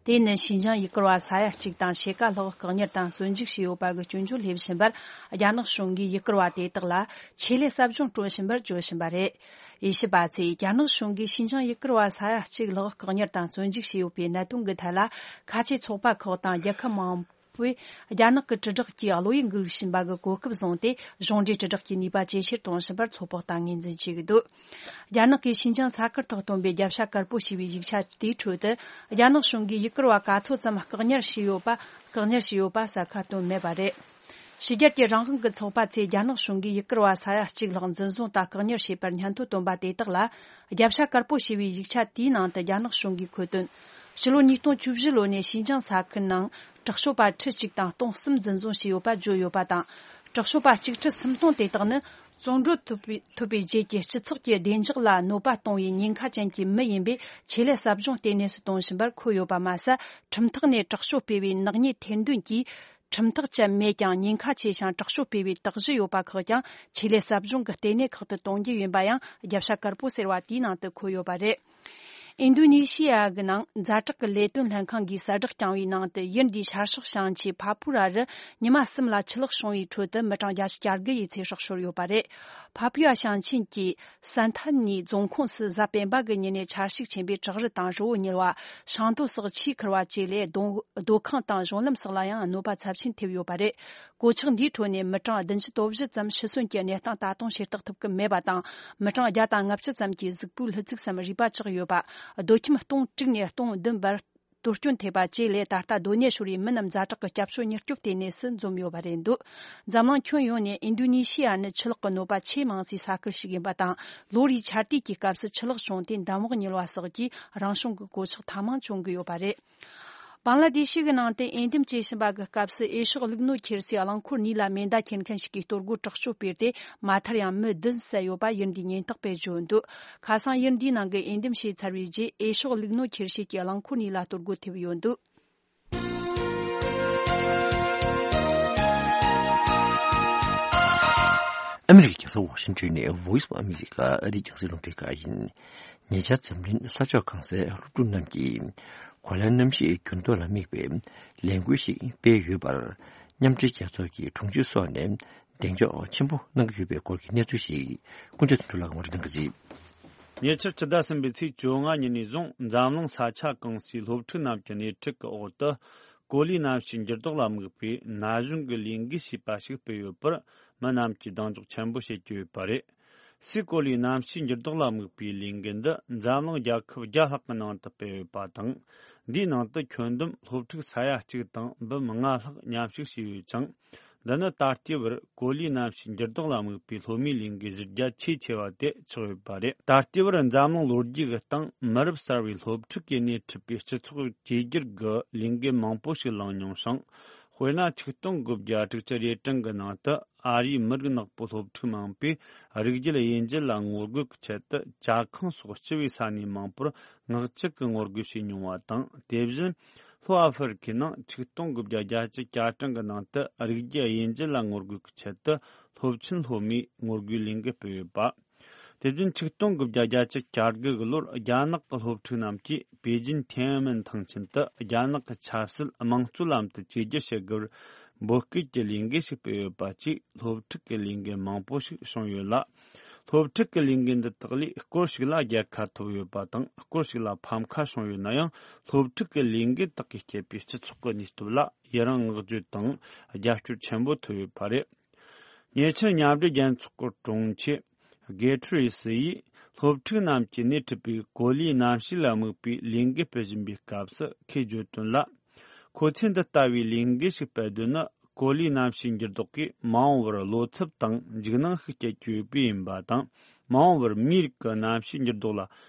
དེ་ནི་ཞིན་ཅང་ཡུལ་སྐོར་བ་ས་ཡ་གཅིག་དང་ཕྱེད་ཀ་ལྷག་བཀག་ཉར་དང་བཙོན་འཇུག་བྱས་ཡོད་པ་གི་སྐྱོན་བརྗོད་སླེབས་བཞིན་པར། རྒྱ་ནག་གཞུང་གིས་ཡུལ་སྐོར་བ་དེ་དག་ལ་ཆེད་ལས་ཟབ་སྦྱོང་སྤྲོད་བཞིན་པར་བརྗོད་བཞིན་པ་རེད། དབྱེ་ཞིབ་པ་ཚོས་རྒྱ་ནག་གཞུང་གིས་ཞིན་ཅང་ཡུལ་སྐོར་བ་ས་ཡ་གཅིག་ལྷག་བཀག་ཉར་དང་བཙོན་འཇུག་བྱས་ཡོད་པའི་གནད་དོན་གྱི་ཐད་ལ། ཁ་ཆེ་ཚོགས་པ་ཁག་དང་རྒྱལ་ཁབ་མང་པོས་རྒྱ་ནག་གི་དྲིལ་བསྒྲགས་ཀྱི་བློ་ཡིད་འགུག་བཞིན་པ་གི་གོ་སྐབས་བཟུང་སྟེ། གཞུང་འབྲེལ་དྲིལ་བསྒྲགས་ཀྱི་ནུས་པ་ཇེ་ཆེར་གཏོང་བཞིན་པར་ཚོད་དཔག་དང་ངོས་འཛིན་བྱེད་ཀྱི་འདུག་རྒྱ་ནག་གིས་ཞིན་ཅང་ས་ཁུལ་ཐོག་བཏོན་པའི་རྒྱབ་ཤ་དཀར་པོ་ཞེས་པའི་ཡིག་ཆ་དེའི་ཁྲོད་དུ། རྒྱ་ནག་གཞུང་གིས་ཡུལ་སྐོར་བ་ག་ཚོད་ཙམ་བཀག་ཉར་བྱས་ཡོད་པ། བཀག་ཉར་བྱས་ཡོད་པ་གསལ་ཁ་བཏོན་མེད་པ་རེད། ཕྱི་རྒྱལ་གྱི་རང་དབང་གི་ཚོགས་པ་ཚོས་རྒྱ་ནག་གཞུང་གིས་ཡུལ་སྐོར་བ་ས་ཡ་གཅིག་ལྷག་འཛིན་བཟུང་དང་བཀག་ཉར་བྱས་པར་སྙན་ཐོ་བཏོན་པ་དེ་དག་ལ། རྒྱབ་ཤ་དཀར་པོ་ཞེས་པའི་ཡིག་ཆ་དེའི་ནང་དུ་རྒྱ་ནག་གཞུང་གིས་འཁོད་དོན། ཕྱི་ལོ་ཉིས་སྟོང་བཅུ་བཞི་ལོ་ནས་ཞིན་ཅང་ས་ཁུལ་ནང་དྲག་སྤྱོད་པ་ཁྲི་གཅིག་དང་སྟོང་གསུམ་འཛིན་བཟུང་བྱས་ཡོད་པ་བརྗོད་ཡོད་པ་དང་། དྲག་སྤྱོད་པ་གཅིག་ཁྲི་སུམ་སྟོང་དེ་དག་ནི། བཙོན་གྲོལ་ཐོབ་པའི་ཐོབ་པའི་རྗེས་ཀྱི་སྤྱི་ཚོགས་ཀྱི་བདེ་འཇགས་ལ་གནོད་པ་གཏོང་བའི་ཉེན་ཁ་ཅན་གྱི་མི་ཡིན་པས། ཆེད་ལས་ཟབ་སྦྱོང་ལྟེ་གནས་སུ་གཏོང་བཞིན་པར་འཁོད་ཡོད་པ་མ་ཟད། ཁྲིམས་ཐོག་ནས་དྲག་སྤྱོད་སྤེལ་བའི་ནག་ཉེས་ཐེར་འདོན་གྱིས། ཁྲིམས་ཐག་བཅད་མེད་ཀྱང་ཉེན་ཁ་ཆེ་ཞིང་དྲག་སྤྱོད་སྤེལ་བའི་དག་གཞི་ཡོད་པ་ཁག་ཀྱང་ཆེད་ལས་ཟབ་སྦྱོང་གི་ལྟེ་གནས་ཁག་ཏུ་གཏོང་རྒྱུ་ཡིན་པ་ཡང་རྒྱབ་ཤ་དཀར་པོ་ཟེར་བ་དེའི་ནང་དུ་འཁོད་ཡོད་པ་རེད། ཨིན་རྡུ་ནི་ཤི་ཡ་གི་ནང་ཛ་དྲག་གི་ལས་དོན་ལྷན་ཁང་གིས་གསལ་བསྒྲགས་བསྐྱངས་པའི་ནང་དུ། ཡུལ་འདིའི་ཤར་ཕྱོགས་ཞིང་ཆེན་ཕ་པུ་ར་རུ་ཉི་མ་གསུམ་ལ་ཆུ་ལོག་བྱུང་བའི་ཁྲོད་དུ་མི་གྲངས་བརྒྱ་ཆ་གྱ་དགུ་ཡི་ཚེ་སྲོག་ཤོར་ཡོད་པ་རེད། ཕ་པུ་ཡ་ཞིང་ཆེན་གྱི་སན་ཐན་ནི་རྫོང་ཁོངས་སུ་གཟའ་སྤེན་པ་གི་ཉིན་ནས་ཆར་ཞིག་ཆེན་པོས་བྲག་རི་དང་རི་བོ་ཉིལ་བ། ཤིང་རྡོ་སོགས་ཆུས་ཁུར་བ་བཅས་ལས་སྡོད་སྡོད་ཁང་དང་གཞུང་ལམ་སོགས་ལ་ཡང་གནོད་པ་ཚབས་ཆེན་ཐེབས་ཡོད་པ་རེད། གོད་ཆག་འདིའི་ཁྲོད་ནས་མི་གྲངས་བདུན་ཅུ་དོན་བཞི་ཙམ་ཤི་གསོན་གྱི་གནས་སྟངས་ད་དུང་ཤེས་རྟོགས་ཐུབ་ཀྱི་མེད་པ་དང་། མི་གྲངས་བརྒྱ་དང་ལྔ་བཅུ་ཙམ་གྱི་གཟུགས་པོའི་ལྷུ་ཚིགས་སམ་རུས་པ་ཆག་ཡོད་པ། སྡོད་ཁྱིམ་སྟོང་དྲུག་ནས་སྟོང་བདུན་བར་གཏོར་སྐྱོན་ཐེབས་པ་བཅས་ལས། ད་ལྟ་སྡོད་གནས་ཤོར་བའི་མི་རྣམས་ཛ་དྲག་གི་སྐྱབས་བཅོལ་མྱུར་སྐྱོབ་ལྟེ་གནས་སུ་འཛོམས་ཡོད་པ་རེད་འདུག་འཛམ་གླིང་ཁྱོན་ཡོངས་ནས་ཨིན་རྡུ་ནི་ཤི་ཡ་ནི་ཆུ་ལོག་གི་གནོད་པ་ཆེས་མང་སའི་ས་ཁུལ་ཞིག་ཡིན་པ་དང་། ལོ་རེའི་ཆར་དུས་ཀྱི་སྐབས་སུ་ཆུ་ལོག་བྱུང་སྟེ་འདམ་འོག་ཉིལ་བ་སོགས་ཀྱིས་རང་བྱུང་གི་གོད་ཆག་ཐེངས་མང་བྱུང་གི་ཡོད་པ་རེད། བང་ལ་དེ་ཤི་གི་ནང་དུ་འོས་འདེམས་བྱེད་བཞིན་པ་གི་སྐབས་སུ་འོས་ཤོག་བླུགས་ནོར་ཁྱེར་སའི་རླངས་འཁོར་གཉིས་ལ་མེ་མདའ་འཁྱེར་མཁན་ཞིག་གིས་གཏོར་རྒོལ་དྲག་སྤྱོད་སྤེལ་ཏེ། མ་མཐར་ཡང་མི་བདུན་བསད་ཡོད་པ་ཡུལ་འདིའི་ཉེན་རྟོག་པས་བརྗོད་འདུག་ཁ་སང་ཡུལ་འདིའི་ནང་གི་འོས་འདེམས་བྱས་ཚར་བའི་རྗེས་འོས་ཤོག་བླུགས་ནོར་ཁྱེར་བྱེད་ཀྱི་རླངས་འཁོར་གཉིས་ལ་གཏོར་རྒོལ་ཐེབས་ཡོད་འདུག་ཨ་མི་རི་ཀའི་རྒྱལ་ས་ཝ་ཤིང་ཊོན་ནས་Voice of America ཨ་རིའི་རྒྱང་སྲིང་རླུང་འཕྲིན་ཁང་ཡིན། ཉེ་ཆར་འཛམ་གླིང་ས་ཕྱོགས་གང་སའི་སློབ་ཕྲུག་རྣམས་ཀྱིས་གོ་ལའི་གནམ་གཤིས་འགྱུར་ལྡོག་ལ་དམིགས་པའི་ལས་འགུལ་ཞིག་སྤེལ་ཡོད་པར། མཉམ་འབྲེལ་རྒྱལ་ཚོགས་ཀྱི་དྲུང་ཆེ་སོགས་ནས་གདེང་འཇོག་ཆེན་པོ་གནང་གི་ཡོད་པའི་སྐོར་གྱི་གནས་ཚུལ་ཞིག་ཀུན་སྤྱོད་དོན་གྲུབ་ལགས་ངོ་སྤྲོད་གནང་གི་རེད། ཉེ་ཆར་ཕྱི་ཟླ་གསུམ་པའི་ཚེས་བཅོ་ལྔ་ཉིན་ནས་བཟུང་འཛམ་གླིང་ས་ཆ་གང་སའི་སློབ་ཕྲུག་རྣམས་ཀྱི་སྣེ་ཁྲིད་ཀྱི་འོག་ཏུ། གོ་ལའི་གནམ་གཤིས་འགྱུར་ལྡོག་ལ་དམིགས་པའི་ན་གཞོན་གྱི་ལས་འགུལ་ཞེས་པ་ཞིག་སྤེལ་ཡོད་པར། མི་རྣམས་ཀྱིས་གདེང་འཇོག་ཆེན་པོ་བྱེད་ཀྱི་ཡོད་པ་རེད། སའི་གོ་ལའི་གནམ་གཤིས་འགྱུར་ལྡོག་ལ་དམིགས་པའི་ལས་འགུལ་འདི་འཛམ་གླིང་རྒྱལ་ཁབ་བརྒྱ་ལྷག་གི་ནང་དུ་སྤེལ་ཡོད་པ་དང་། འདིའི་ནང་དུ་ཁྱོན་བསྡོམས་སློབ་ཕྲུག་ས་ཡ་གཅིག་དང་འབུམ་ལྔ་ལྷག་མཉམ་ཞུགས་བྱས་ཡོད་ཅིང་། འདི་ནི་ད་ལྟའི་བར་གོ་ལའི་གནམ་གཤིས་འགྱུར་ལྡོག་ལ་དམིགས་པའི་སློབ་མའི་ལས་འགུལ་གཞི་རྒྱ་ཆེས་ཆེ་བ་དེ་ཆགས་ཡོད་པ་རེད། ད་ལྟའི་བར་འཛམ་གླིང་ལོ་རྒྱུས་ཀྱི་སྟེང་མི་རབས་གསར་བའི་སློབ་ཕྲུག་གིས་སྣེ་ཁྲིད་པའི་སྤྱི་ཚོགས་བཅོས་བསྒྱུར་གྱི་ལས་འགུལ་མང་པོ་ཞིག་བསླངས་མྱོང་ཞིང་། དཔེར་ན། ཆིག་སྟོང་དགུ་བརྒྱ་དྲུག་ཅུ་རེ་གྲངས་ཀྱི་ནང་དུ་ཨ་རིའི་མི་རིགས་ནག་པོ་སློབ་ཕྲུག་མང་པོས་རིགས་རྒྱུད་དབྱེ་འབྱེད་ལ་ངོ་རྒོལ་གྱི་ཆེད་དུ་ཇ་ཁང་སོགས་སྤྱི་པའི་ས་གནས་མང་པོར་ངག་ཆོས་ཀྱི་ངོ་རྒོལ་བྱས་མྱོང་བ་དང་། དེ་བཞིན་ལྷོ་ཨ་ཧྥེ་རི་ཁའི་ནང་ཆིག་སྟོང་དགུ་བརྒྱ་བརྒྱད་ཅུ་གྱ་གྲངས་ཀྱི་ནང་དུ་རིགས་རྒྱུད་དབྱེ་འབྱེད་ལ་ངོ་རྒོལ་གྱི་ཆེད་དུ་སློབ་ཆེན་སློབ་མའི་ངོ་རྒོལ་ལས་འགུལ་སྤེལ་ཡོད་པ། དེ་བཞིན་ཆིག་སྟོང་དགུ་བརྒྱ་བརྒྱད་ཅུ་གྱ་དགུ་གི་ལོར་རྒྱ་ནག་གི་སློབ་ཕྲུག་རྣམས་ཀྱིས་པེ་ཅིན་ཐེན་ཨན་མེན་ཐང་ཆེན་དུ་རྒྱ་ནག་གི་ཆབ་སྲིད་དམངས་གཙོའི་ལམ་དུ་བཅོས་བསྒྱུར་བྱེད་དགོས་པར་འབོད་སྐུལ་གྱི་ལས་འགུལ་ཞིག་སྤེལ་ཡོད་པ་བཅས་སློབ་ཕྲུག་གི་ལས་འགུལ་མང་པོ་ཞིག་བྱུང་ཡོད་ལ། སློབ་ཕྲུག་གི་ལས་འགུལ་འདི་དག་ལས་སྐོར་ཞིག་ལ་རྒྱལ་ཁ་ཐོབ་ཡོད་པ་དང་། སྐོར་ཞིག་ལ་ཕམ་ཁ་བྱུང་ཡོད་ན་ཡང་། སློབ་ཕྲུག་གི་ལས་འགུལ་དག་གིས་བསྐྱེད་པའི་སྤྱི་ཚོགས་ཀྱི་ནུས་སྟོབས་ལ་ཡི་རང་བསྔགས་བརྗོད་དང་རྒྱབ་སྐྱོར་ཆེན་པོ་ཐོབ་ཡོད་པ་རེད། ཉེ་ཆར་མཉམ་འབྲེལ་རྒྱལ་ཚོགས་ཀྱི་དྲུང་ཆེ་གེ་ཐུ་རེ་སི་ཡིས་སློབ་ཕྲུག་རྣམས་ཀྱིས་སྣེ་ཁྲིད་པའི་གོ་ལའི་གནམ་གཤིས་ལ་དམིགས་པའི་ལས་འགུལ་སྤེལ་བཞིན་པའི་སྐབས་སུ་ཁོས་བརྗོད་དོན་ལ། ཁོ་ཚོས་འདི་ལྟ་བུའི་ལས་འགུལ་ཞིག་སྤེལ་དོན་ནི། གོ་ལའི་གནམ་གཤིས་འགྱུར་ལྡོག་གིས་མ་འོངས་པར་བློ་འཚབ་དང་འཇིགས་སྣང་ཤུགས་སྐྱེད་ཀྱི་ཡོད་པས་ཡིན་པ་དང་། མ་འོངས་པར་མིའི་རིགས་ཀྱི་གནམ་གཤིས་འགྱུར་ལྡོག་ལ་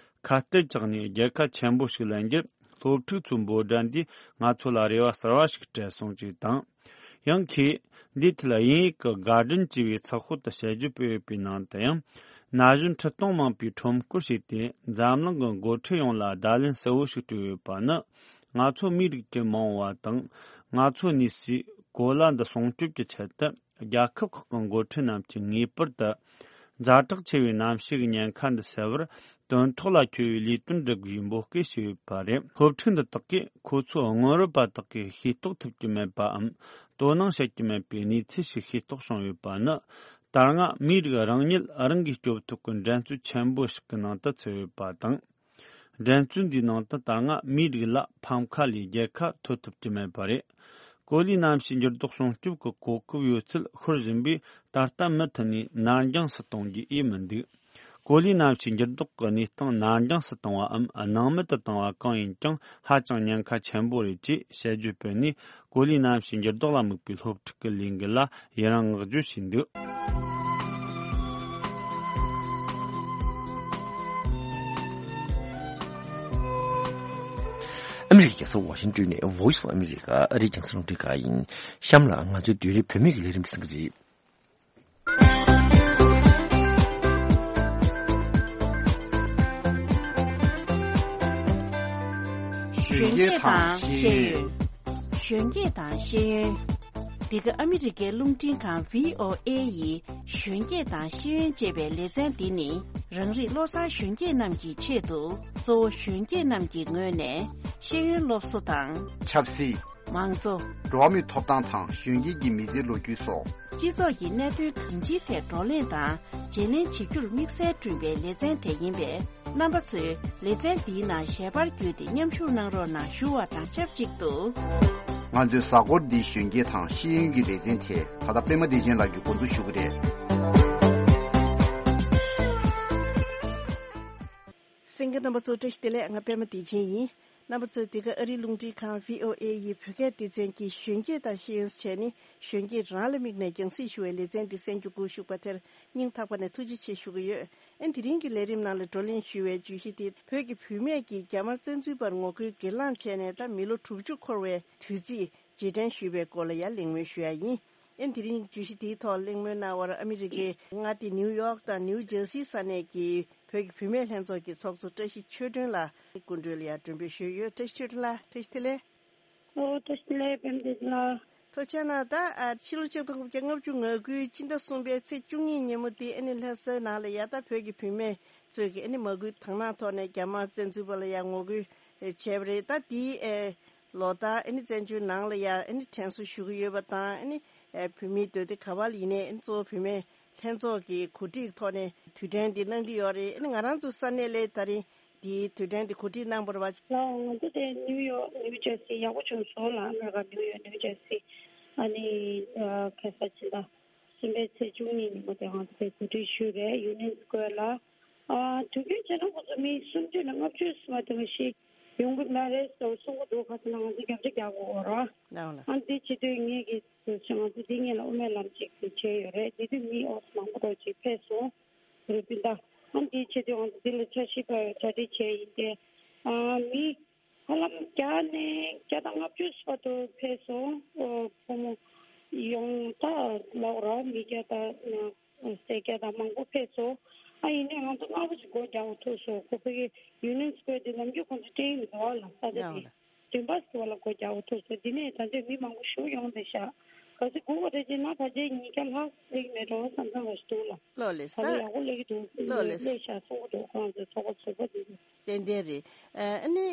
ཁ་གཏད་བཅག་ནས་རྒྱལ་ཁ་ཆེན་པོ་ཞིག་ལེན་རྒྱུར། སློབ་ཕྲུག་ཚོའི་འབོད་སྒྲ་འདིས་ང་ཚོ་ལ་རེ་བ་གསར་བ་ཞིག་སྤྲད་སོང་ཅེས་དང་། ཡང་ཁོས་འདིའི་ཐད་དབྱིན་ཡིག་གི་Guardian ཅེས་པའི་ཚགས་ཤོག་ཏུ་དཔྱད་བརྗོད་སྤེལ་ཡོད་པའི་ནང་དུ་ཡང་། ན་གཞོན་ཁྲི་སྟོང་མང་པོས་ཁྲོམ་སྐོར་བྱས་ཏེ། འཛམ་གླིང་གི་འགོ་ཁྲིད་ཡོངས་ལ་བརྡ་ལན་གསལ་བོ་ཞིག་སྤྲད་ཡོད་པ་ནི། ང་ཚོ་མིའི་རིགས་ཀྱི་མ་འོངས་པ་དང་། ང་ཚོ་གནས་སའི་གོ་ལ་འདི་སྲུང་སྐྱོབ་ཀྱི་ཆེད་དུ། རྒྱལ་ཁབ་ཁག་གི་འགོ་ཁྲིད་རྣམས་ཀྱིས་ངེས་པར་དུ། ཛ་དྲག་ཆེ་བའི་གནམ་གཤིས་ཀྱི་ཉེན་ཁ་འདི་སེལ་བར། དོན་ཐོག་ལ་འཁྱོལ་བའི་ལས་དོན་སྒྲུབ་དགོས་པའི་འབོད་སྐུལ་ཞུས་ཡོད་པ་རེད། སློབ་ཕྲུག་འདི་དག་གིས་ཁོ་ཚོའི་སྔོན་རོལ་པ་དག་གིས་ཤེས་རྟོགས་ཐུབ་ཀྱི་མེད་པའམ། དོ་སྣང་བྱེད་ཀྱི་མེད་པའི་གནས་ཚུལ་ཞིག་ཤེས་རྟོགས་བྱུང་ཡོད་པ་ནི། ད་སྔ་མིའི་རིགས་རང་ཉིད་རང་གིས་སྐྱོབ་ཐུབ་པའི་འགྲན་རྩོད་ཆེན་པོ་ཞིག་གི་ནང་དུ་ཚུད་ཡོད་པ་དང་། འགྲན་རྩོད་འདིའི་ནང་དུ་ད་སྔ་མིའི་རིགས་ལ་ཕམ་ཁ་ལས་རྒྱལ་ཁ་ཐོབ་ཐུབ་ཀྱི་མེད་པ་རེད། གོ་ལའི་གནམ་གཤིས་འགྱུར་ལྡོག་སྲུང་སྐྱོབ་ཀྱི་གོ་སྐབས་ཡོད་ཚད་ཤོར་བཞིན་པས། ད་ལྟ་མུ་མཐུད་ནས་ནར་འགྱངས་སུ་གཏོང་རྒྱུ་ཨེ་མི་འདུག་གོ་ལའི་གནམ་གཤིས་འགྱུར་ལྡོག་གི་གནས་སྟངས་ནར་འགྱངས་སུ་བཏང་བའམ་སྣང་མེད་དུ་བཏང་བ་གང་ཡིན་ཀྱང་ཧ་ཅང་ཉེན་ཁ་ཆེན་པོ་རེད་ཅེས་དཔྱད་བརྗོད་སྤེལ་ནས། གོ་ལའི་གནམ་གཤིས་འགྱུར་ལྡོག་ལ་དམིགས་པའི་སློབ་ཕྲུག་གི་ལས་འགུལ་ལ་ཡི་རང་བསྔགས་བརྗོད་བྱས་འདུག་ཨ་མི་རི་ཀའི་རྒྱལ་ས་ཝ་ཤིང་ཏོན་ནས་Voice of America ཨ་རིའི་རྒྱང་སྲིང་རླུང་འཕྲིན་ཁང་ཡིན། གཤམ་ལ་ང་ཚོའི་བསྡུས་རིམ་བོད་མིའི་ལས་རིམ་གསན་གྱི་རེད། གཞོན་སྐྱེས་དང་ཤེས་ཡོན། གཞོན་སྐྱེས་དང་ཤེས་ཡོན། འདི་ག་ཨ་མི་རི་ཀའི་རླུང་འཕྲིན་ཁང་བྷི་ཨོ་ཨེ་ཡི་གཞོན་སྐྱེས་དང་ཤེས་ཡོན་ཅེས་པའི་ལེ་ཚན་འདི་ནི། རང་རིགས་བློ་བཟང་གཞོན་སྐྱེས་རྣམས་ཀྱི་ཆེད་དུ། གཙོ་བོ་གཞོན་སྐྱེས་རྣམས་ཀྱི་ངོས་ནས་ཤེས་ཡོན་སློབ་གསོ་དང་། ཆབ་སྲིད། མང་གཙོ། འགྲོ་བ་མིའི་ཐོབ་ཐང་དང་གཞོན་སྐྱེས་ཀྱི་མི་ཚེའི་ལོ་རྒྱུས་སོགས། སྤྱི་ཚོགས་ཀྱི་གནད་དོན་གང་ཅིའི་ཐད་བགྲོ་གླེང་དང་བརྗེ་ལེན་བྱེད་རྒྱུར་དམིགས་བསལ་བསྐྲུན་པའི་ལེ་ཚན་དེ་ཡིན་པས། རྣམ་པ་ཚོས་ལེ་ཚན་འདིའི་ནང་ཞལ་པར་བརྒྱུད་དེ་མཉམ་ཞུགས་གནང་རོགས་གནང་ཞུ་བ་དང་ཆབས་ཅིག་ཏུ། ང་ཚོའི་གཟའ་འཁོར་འདིའི་གཞོན་སྐྱེས་དང་ཤེས་ཡོན་གྱི་ལེ་ཚན་དེ་ད་ལྟ་པད་མ་བདེ་ཆེན་ལགས་ཀྱིས་འགོ་འཛུགས་ཞུ་གི་རེད། གསན་མཁན་རྣམ་པ་ཚོ་བཀྲ་ཤིས་བདེ་ལེགས། ང་པད་མ་བདེ་ཆེན་ཡིན། རྣམ་པ་ཚོས་འདི་ག་ཨ་རིའི་རླུང་འཕྲིན་ཁང་བྷི་ཨོ་ཨེ་ཡི་བོད་སྐད་སྡེ་ཚན་གྱི་གཞོན་སྐྱེས་དང་ཤེས་ཡོན་བྱས་ནས་གཞོན་སྐྱེས་རང་ལ་དམིགས་ནས་རྒྱང་སྲིང་ཞུ་བའི་ལེ་ཚན་འདི་གསན་རྒྱུ་སྒུག་བཞུགས་པ་དེར་སྙིང་ཐག་པ་ནས་ཐུགས་རྗེ་ཆེ་ཞུ་གི་ཡོད། ཨན་དེ་རིང་གི་ལས་རིམ་ནང་ལ་བགྲོ་གླེང་ཞུ་བའི་བརྗོད་གཞི་དེ་བོད་ཀྱི་བུད་མེད་ཀྱིས་རྒྱ་དམར་བཙན་འཛུལ་པར་ངོ་རྒོལ་སྒེར་ལངས་བྱས་ནས་ད་མི་ལོ་དྲུག་ཅུ་འཁོར་བའི་དུས་ཚིགས་རྗེས་དྲན་ཞུས་པའི་སྐོར་ལ་ཡང་གླེང་མོལ་ཞུ་ཡ་ཡིན། ཨན་དེ་རིང་བརྗོད་གཞི་དེའི་ཐོག་གླེང་མོལ་གནང་བར་ཨ་མི་རི་ཀའི་མངའ་སྡེ་ནིའུ་ཡོག་དང་ནིའུ་ཇར་སི་ས་གནས་ཀྱི་བོད་ཀྱི་བུད་མེད་ལྷན་ཚོགས་ཀྱི་ཚོགས་གཙོ་བཀྲ་ཤིས་ཆོས་སྒྲོན་ལགས་སྐུ་མགྲོན་ལ་ཡང་མགྲོན་འབོད་ཞུས་ཡོད། བཀྲ་ཤིས་ཆོས་སྒྲོན་ལགས་བཀྲ་ཤིས་བདེ་ལེགས། ཨོ་བཀྲ་ཤིས་བདེ་ལེགས་པད་མ་བདེ་ཆེན་ལགས། ཐུགས་རྗེ་གནང་། ད་ཨ་ཕྱི་ལོ་ཆིག་སྟོང་དགུ་བརྒྱ་ལྔ་བཅུ་ང་དགུའི་སྤྱི་ཟླ་གསུམ་པའི་ཚེས་བཅུ་གཉིས་ཉིན་མོ་དེ་ཨ་ནི་ལྷ་ས་ནང་ལ་ཡ་ད་བོད་ཀྱི་བུད་མེད་ཚོས་ཀྱི་ཨ་ནི་མ་སྐུལ་དང་བླངས་ཐོག་ནས་རྒྱ་དམར་བཙན་འཛུལ་པ་ལ་ཡ་ངོ་རྒོལ་བྱས་པ་རེད། ད་དེའི་ཨེ་ལོ་ལྟར་ཨ་ནི་བཙན་བྱོལ་ནང་ལ་ཡ་ཨ་ནི་དྲན་གསོ་ཞུ་གི་ཡོད་པ་དང་། ཨ་ནི་ཨེ་བུད་མེད་འདོད་སྡེ་ག་བ་ལ་ཡིན་ནའི་ཨ་ནི་གཙོ་བོ་བུད་མེད་ལྷན་ཚོགས་ཀྱི་གོ་སྒྲིག་ཐོག་ནས་དུས་དྲན་འདི་གནང་གི་ཡོད་རེད། ཨ་ནི་ང་རང་ཚོ་ས་གནས་ལ་ད་རིང་འདིའི་དུས་དྲན་འདི་གོ་སྒྲིག་གནང་བར་བ། ལགས་འོང་། ང་ཚོ་དེ་ནིའུ་ཡོག་ནིའུ་ཇར་སི་ཡག་པོ་བྱུང་སོང་ལགས། ཨ་མེ་རི་ཀ་ནིའུ་ཡོག་ནིའུ་ཇར་སི། ཨ་ནི་ཨ་ཁ་ས་ཕྱི་ཟླ་གསུམ་པའི་ཚེས་བཅུ་གཉིས་ཉིན་མོ་དེ་ང་ཚོ་དེ་གོ་སྒྲིག་ཞུས་རེད། ཡུ་ནི་ཡན་སི་ཀོ་ཝེར་ལ། ཨ་དུས་རྒྱུན་བྱས་ན་ཁོ་ཚོ་མི་སུམ་ཅུ་ནས་ལྔ་བཅུ་ཙམ་དེ་འདྲ་ཞིག་ཡོང་གི་མ་རེད་ཟེར་གསུང་གི་འདུག་ཁ་སང་ང་ཚོ་རྒྱབ་ཆ་རྒྱག་དགོས་རེད། ལགས་འོང་ལགས། ཨ་འདི་བྱེད་དུས་ངེད་ཀྱིས་ང་ཚོ་འདི་སྔོན་ལ་དབུ་མའི་ལམ་ཅིག་བྱས་ཡོད་རེད། དེ་དུས་མི་ཨོ་མང་པོ་འདྲ་ཅིག་ཕེབས་སོང་། རུ་སྤུན་ཟླ། ཨ་འདི་བྱེད་དུས་ང་ཚོ་འདི་ལ་འཆར་གཞི་པ་གྲ་སྒྲིག་བྱས་ཡིན་ཏེ། ཨ་མི་ཧ་ལམ་བརྒྱ་ནས་བརྒྱ་དང་ལྔ་བཅུ་བར་དུ་ཕེབས་སོང་། ཨོ་ཕོ་མོ་ཡོང་ད་ལབ་ར་མི་བརྒྱ་དང་སེར་སྐྱ་དང་མང་པོ་ཕེབས་སོང་། ཨ་ཡིན་ནའི་ང་ཚོ་སྔ་པོ་ཞིག་སྒོ་རྒྱག་དགོས་ཐུག་སོང་། ཁོ་ཕ་གི་ཡུ་ནི་ཡན་སི་ཀོ་ཝེར་དེ་ནམ་རྒྱུན་ཁོང་ཚོ་སྤྲད་ཡིན་འདུག་ལ། ས་ཆ་དེ་ལགས་འོང་ལགས། བདུན་པ་ཟེར་བ་ལ་སྒོ་རྒྱག་དགོས་ཐུག་སོང་། འདི་ནས་ད་ཆ་མི་མང་པོ་ཞིག་ཡོང་བསྡད་ཤག་གལ་སྲིད་སྒུག་པ་རེད་ཅེ་ན་ཕལ་ཆེར་ཉིས་བརྒྱ་ལྷག་སླེབས་ཀྱི་མེད་འགྲོ་བསམ་བསམ་འདྲ་ཞིག་འདུག་ལ། ལགས་ལགས། ད་ལོ་ད་ཡག་པོ་སླེབས་ཀྱི་འདུག་ལགས་ལགས། སླེབས་ཤག་གསུང་གི་འདུག་ཁོང་ཚོའི་ཚོགས་པ་ཚོགས་པ་དེ་ཚོ། ཏན་ཏན་རེད། ཨ་ནི།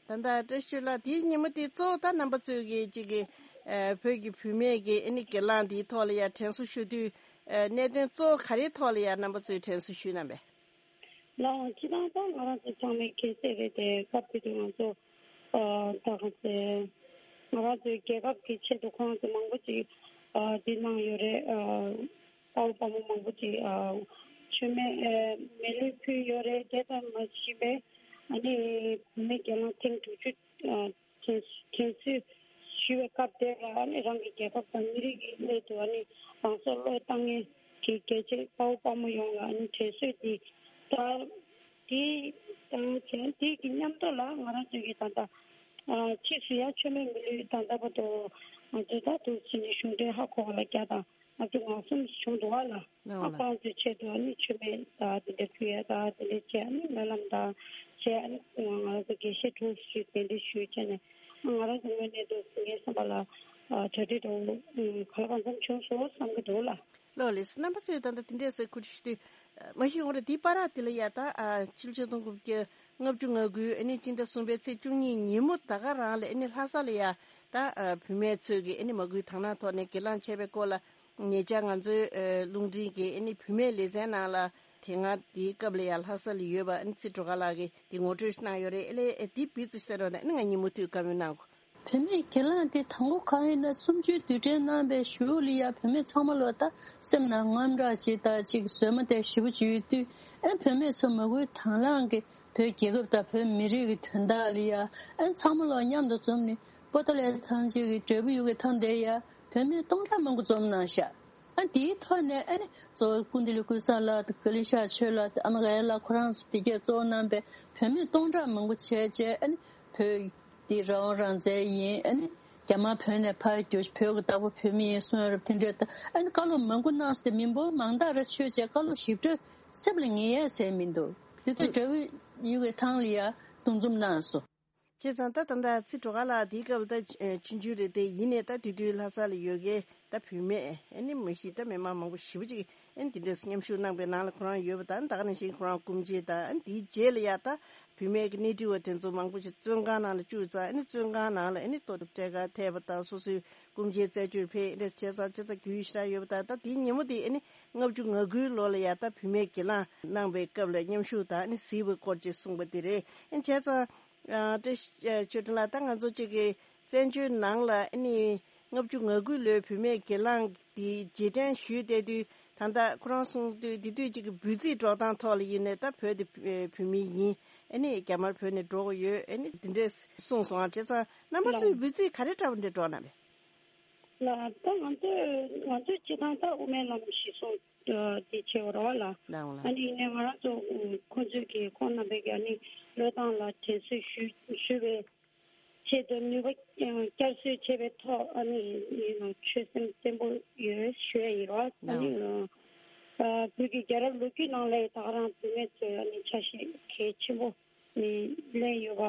ད་ལྟ་བཀྲ་ཤིས་ལགས་དེའི་ཉིན་མོ་དེ་གཙོ་བོ་ད་རྣམ་པ་ཚོས་ཀྱི་གཅིག་གི་ཨ་བོད་ཀྱི་བུད་མེད་ཀྱི་ཨ་ནི་སྒེར་ལངས་དེའི་ཐོག་ལ་ཡ་དྲན་གསོ་ཞུ་དུས། ཨ་གནད་དོན་གཙོ་བོ་ག་རེའི་ཐོག་ལ་ཡ་རྣམ་པ་ཚོས་དྲན་གསོ་ཞུས་གནང་བས། ལགས་འོང་། སྤྱིར་བཏང་ད་ང་རང་ཚོ་ཚང་མས་མཁྱེན་གསལ་རེད་དེ། སྐབས་དེ་དུས་ང་ཚོ་ཨ་ད་ག་ཚོད་ང་རང་ཚོའི་རྒྱལ་ཁབ་ཀྱི་ཆེད་དུ་ཁོང་ཚོ་མང་པོ་ཅིག་ཨ་འདི་གནང་ཡོད་རེད། ཨ་དཔའ་བོ་དཔའ་མོ་མང་པོ་ཅིག་ཨ་མཆོད་མེ་ཨ་མེ་ལུས་ཕུལ་ཡོད་རེད། དེ་ཙམ་མ་ཟད་པའི་ཨ་ནི་བུད་མེད་སྒེར་ལངས་ཐེངས་དྲུག་ཅུ་ཨ་དྲན་དྲན་གསོ་ཞུ་བའི་སྐབས་དེ་ལ་ཨ་ནི་རང་གི་རྒྱལ་ཁབ་དང་མི་རིགས་ཀྱི་སླད་དུ་ཨ་ནི་རང་སྲོག་བློས་བཏང་མཁན་གྱི་རྒྱལ་གཅེས་དཔའ་བོ་དཔའ་མོ་ཡོངས་ལ་ཨ་ནི་དྲན་གསོ་འདི་ད་དེ་དང་དེ་དེ་གི་མཉམ་དུ་ལ་ང་རང་ཚོ་གི་ད་ལྟ་ཨ་ཕྱིས་སུ་ཡང་མཆོད་མེ་མི་ལུས་ད་ལྟ་བར་དུ་ང་ཚོ་ད་དུ་ཕྱི་ནས་གཞུང་འབྲེལ་ཧ་གོ་བ་ལ་བརྒྱ་དང་ལྔ་བཅུ་ང་གསུམ་བྱུང་འདུག་བ་ལ། ཨ་ཁོང་ཚོའི་ཆེད་དུ་ཨ་ནི་མཆོད་མེ་དང་དེ་འདྲ་ཕུལ་ཡ་དང་དེ་འདྲ་བྱས། ཨ་ནི་སྨོན་ལམ་དང་བྱས། ཨ་ནི་ང་རང་ཚོ་དགེ་བཤེས་དྲུང་ཞུས་གདན་འདྲེན་ཞུས་བྱས་ནས་ང་རང་ཚོ་དངོས་གནས་དུ་ངའི་བསམ་པ་ལ་གྲ་སྒྲིག་འདྲ་བོ་ག་ལ་གང་འཚམ་བྱུང་སོང་བསམ་གྱི་འདུག་ལ། ལགས་ལགས། རྣམ་པ་ཚོས་ད་ལྟ་དེ་འདྲས་ཟེར་ཁུ་ཁྲིག་ཞུ་དུས། མ་གཞི་ཡོང་རེད། དེའི་བར་དེ་ལ་ཡ་ད་ཕྱི་ལོ་ཆིག་སྟོང་དགུ་བརྒྱ་ལྔ་བཅུ་ང་དགུའི་ཨ་ནི་སྤྱི་ཟླ་གསུམ་པའི་ཚེས་བཅུ་གཉིས་ཉིན་མོ་ད་ག་རང་ལ་ཨ་ནི་ལྷ་ས་ལ་ཡ་ད་བུད་མེད་ཚོས་ཀྱི་ཨ་ནི་མ་སྐུལ་དང་བླངས་ཐོག་ནས་སྒེར་ལངས་བྱས་པའི་སྐོར་ལ། ཉེ་ཆར་ང་ཚོའི་ཨ་རླུང་འཕྲིན་གྱི་ཨ་ནི་བུད་མེད་ལེ་ཚན་ནང་ལ་དེ་སྔ་དེའི་སྐབས་ལ་ཡ་ལྷ་ས་ལ་ཡོད་པ་ཨ་ནི་ཚེ་སྒྲོལ་དཀར་ལགས་ཀྱིས་དེ་ངོ་སྤྲོད་གནང་ཡོད་རེད། ཨེ་ལས་ཨེ་དེ་བི་ཙི་ཤེར་རོགས་གནང་། ཨ་ནི་ང་ཉིན་མོ་དུས་བཀའ་མོལ་གནང་གོ། བུད་མེད་སྒེར་ལངས་དེ་དང་པོ་གང་ཡིན་ན་གསུམ་བཅུའི་དུས་དྲན་གནང་པའི་གཞུག་ལ་ཡ་བུད་མེད་ཚང་མ་ལོ་ད་སེམས་ནང་དངངས་སྐྲག་ཅིག་དང་ཅིག་བཟོད་མ་བདེ་ཞེ་པོ་ཅིག་ཡོད་དུས། ཨེ་བུད་མེད་ཚོ་མ་སྐུལ་དང་བླངས་ཀྱི་བོད་རྒྱལ་ཁབ་དང་བོད་མི་རིགས་ཀྱི་དོན་དག་ལ་ཡ་ཨེ་ཚང་མ་ལོ་མཉམ་དུ་འཛོམས་ནས་པོ་ཏཱ་ལའི་ཐང་ཅིག་གི་འབྲས་བུ་ཡུལ་གྱི་ཐང་དེ་ཡ་བུད་མེད་སྟོང་ཕྲག་མང་པོ་འཛོམས་གནང་ཤག་ཨ་དེའི་ཐོག་ནས་ཨ་ནི་གཙོ་བོ་སྐུ་མདུན་ལ་ཀུན་བཟང་ལགས་དང་ཀ་ལི་ཤ་ཆོས་ལགས་དང་ཨ་མ་ག་ཡ་ལགས་ཁོ་རང་ཚོ་དེ་གས་གཙོ་བོ་གནང་པའི་བུད་མེད་སྟོང་ཕྲག་མང་པོ་བྱས་བྱས་ཨ་ནི་བོད་འདི་རང་དབང་རང་བཙན་ཡིན། ཨ་ནི་རྒྱ་དམར་བོད་ནས་ཕར་རྒྱུགས་བོད་ཀྱི་བདག་པོ་བོད་མི་ཡིན་གསུང་ཡ་རབས་དེ་འདྲས་དང་། ཨ་ནི་བཀའ་སློབ་མང་པོ་གནང་སོང་སྟེ་མི་འབོར་མང་དག་རེ་ཆོས་བྱས་བཀའ་སློབ་ཞིབ་ཕྲ་སེམས་ལ་ངེས་ཡ་ཟེར་མི་འདུག་དེ་ཚོ་འབྲས་བུ་ཡུལ་གྱི་ཐང་ལ་ཡ་འདུ་འཛོམས་གནང་སོང་། བྱས་ཙང་ད་ད་ལྟ་ཚེ་སྒྲོལ་དཀར་ལགས་དེའི་སྐབས་ད་ཆུང་ཆུང་རེད་དེ། ཡིན་ནའི་ད་དེ་དུས་ལྷ་ས་ལ་ཡོད་མཁན་ད་བུད་མེད་ཨ་ནི་མ་གཞི་ད་མི་མང་མང་པོ་ཞེ་པོ་ཅིག་ཨ་ནི་དེ་འདྲས་མཉམ་ཞུགས་གནང་པའི་ནང་ལ་ཁོ་རང་ཡོད་པ་དང་། ད་ག་ནང་བཞིན་ཁོ་རང་སྐུ་མཆེད་དང་། ཨ་ནི་དེའི་རྗེས་ལ་ཡ་ད་བུད་མེད་ཀྱི་གནས་འདྲི་བ་དེ་ཚོ་མང་པོ་ཞིག་བཙོན་ཁང་ནང་ལ་བཅུག་ཙང་། ཨ་ནི་བཙོན་ཁང་ནང་ལ་ཨ་ནི་ལྟོ་སྤྲད་གར་ཐད་པ་དང་། སོ་སོའི་སྐུ་མཆེད་རྩད་གཅོད་ཕེབས་འདྲ་བྱས་ཙང་། བྱས་ཙང་རྒྱུས་ཡོད་ཤ་ཡོད་པ་དང་། ད་དེའི་ཉིན་མོ་དེ་ཨ་ནི་ལྔ་བཅུ་ང་དགུའི་ལོ་ལ་ཡ་ད་བུད་མེད་སྒེར་ལངས་གནང་པའི་སྐབས་ལ་མཉམ་ཞུགས་དང་ཨ་ནི་གཟིགས་པའི་སྐོར་ཅིག་གསུངས་པ་དེ་རེད། ཨ་ནི་བྱས་ཙང་། ཨ་བཀྲ་ཤིས་ཆོས་སྒྲོན་ལགས། ད་ང་ཚོ་གཅིག་གི་བཙན་བྱོལ་ནང་ལ་ཨ་ནི་ལྔ་བཅུ་ང་དགུ་ལོའི་བུད་མེད་སྒེར་ལངས་དེ་རྗེས་དྲན་ཞུས་བསྡད་དུས། ད་ལྟ་ཁོ་རང་གསུངས་དུས་དེ་དུས་གཅིག་གི་འབོད་ཚིག་སྒྲོག་སྟངས་ཐོག་ལ་ཡིན་ནའི་ད་བོད་དེ་བོད་མི་ཡིན། ཨ་ནི་རྒྱ་དམར་བོད་ནས་འགྲོ་གི་ཡོད། ཨ་ནི་དེ་འདྲས་གསུངས་སོང་ཨ། བྱས་ཙང་རྣམ་པ་ཚོས་འབོད་ཚིག་ག་རེ་འདྲ་བོ་འདྲ་སྒྲོག་གནང་བས། ལགས། ད་ང་ཚོས་ང་ཚོས་སྤྱི་བཏང་ད་དབུ་མའི་ལམ་གཞི་བཟུང་འདི་བྱས་པ་རེད་བ་ལགས། ལགས་ལགས། ཨ་ནི་ཡིན་ནའི་ང་རང་ཚོ་ཁོང་ཚོས་ཀྱི་ཁོང་རྣམ་པས་ཀྱི་ཨ་ནི་བློས་བཏང་ལ་དྲན་གསོ་ཞུ་ཞུ་བའི་ཆེད་དུ་ནུས་པ་བསྐྱར་གསོ་བྱས་པའི་ཐོག་ཨ་ནི་ཡིན་ནོ་ཆོད་སེམས་བརྟན་པོ་ཡོད་ཞུ་ཡ་ཡིན་རོགས། ཨ་ནི་ལགས། ཨ་བོད་ཀྱི་རྒྱལ་རབས་ལོ་རྒྱུས་ནང་ལ་ད་ག་རང་བུད་མེད་ཚོས་ཨ་ནི་ཆ་ཤས་གལ་ཆེན་པོ་ནི་ལེན་ཡོད་པ་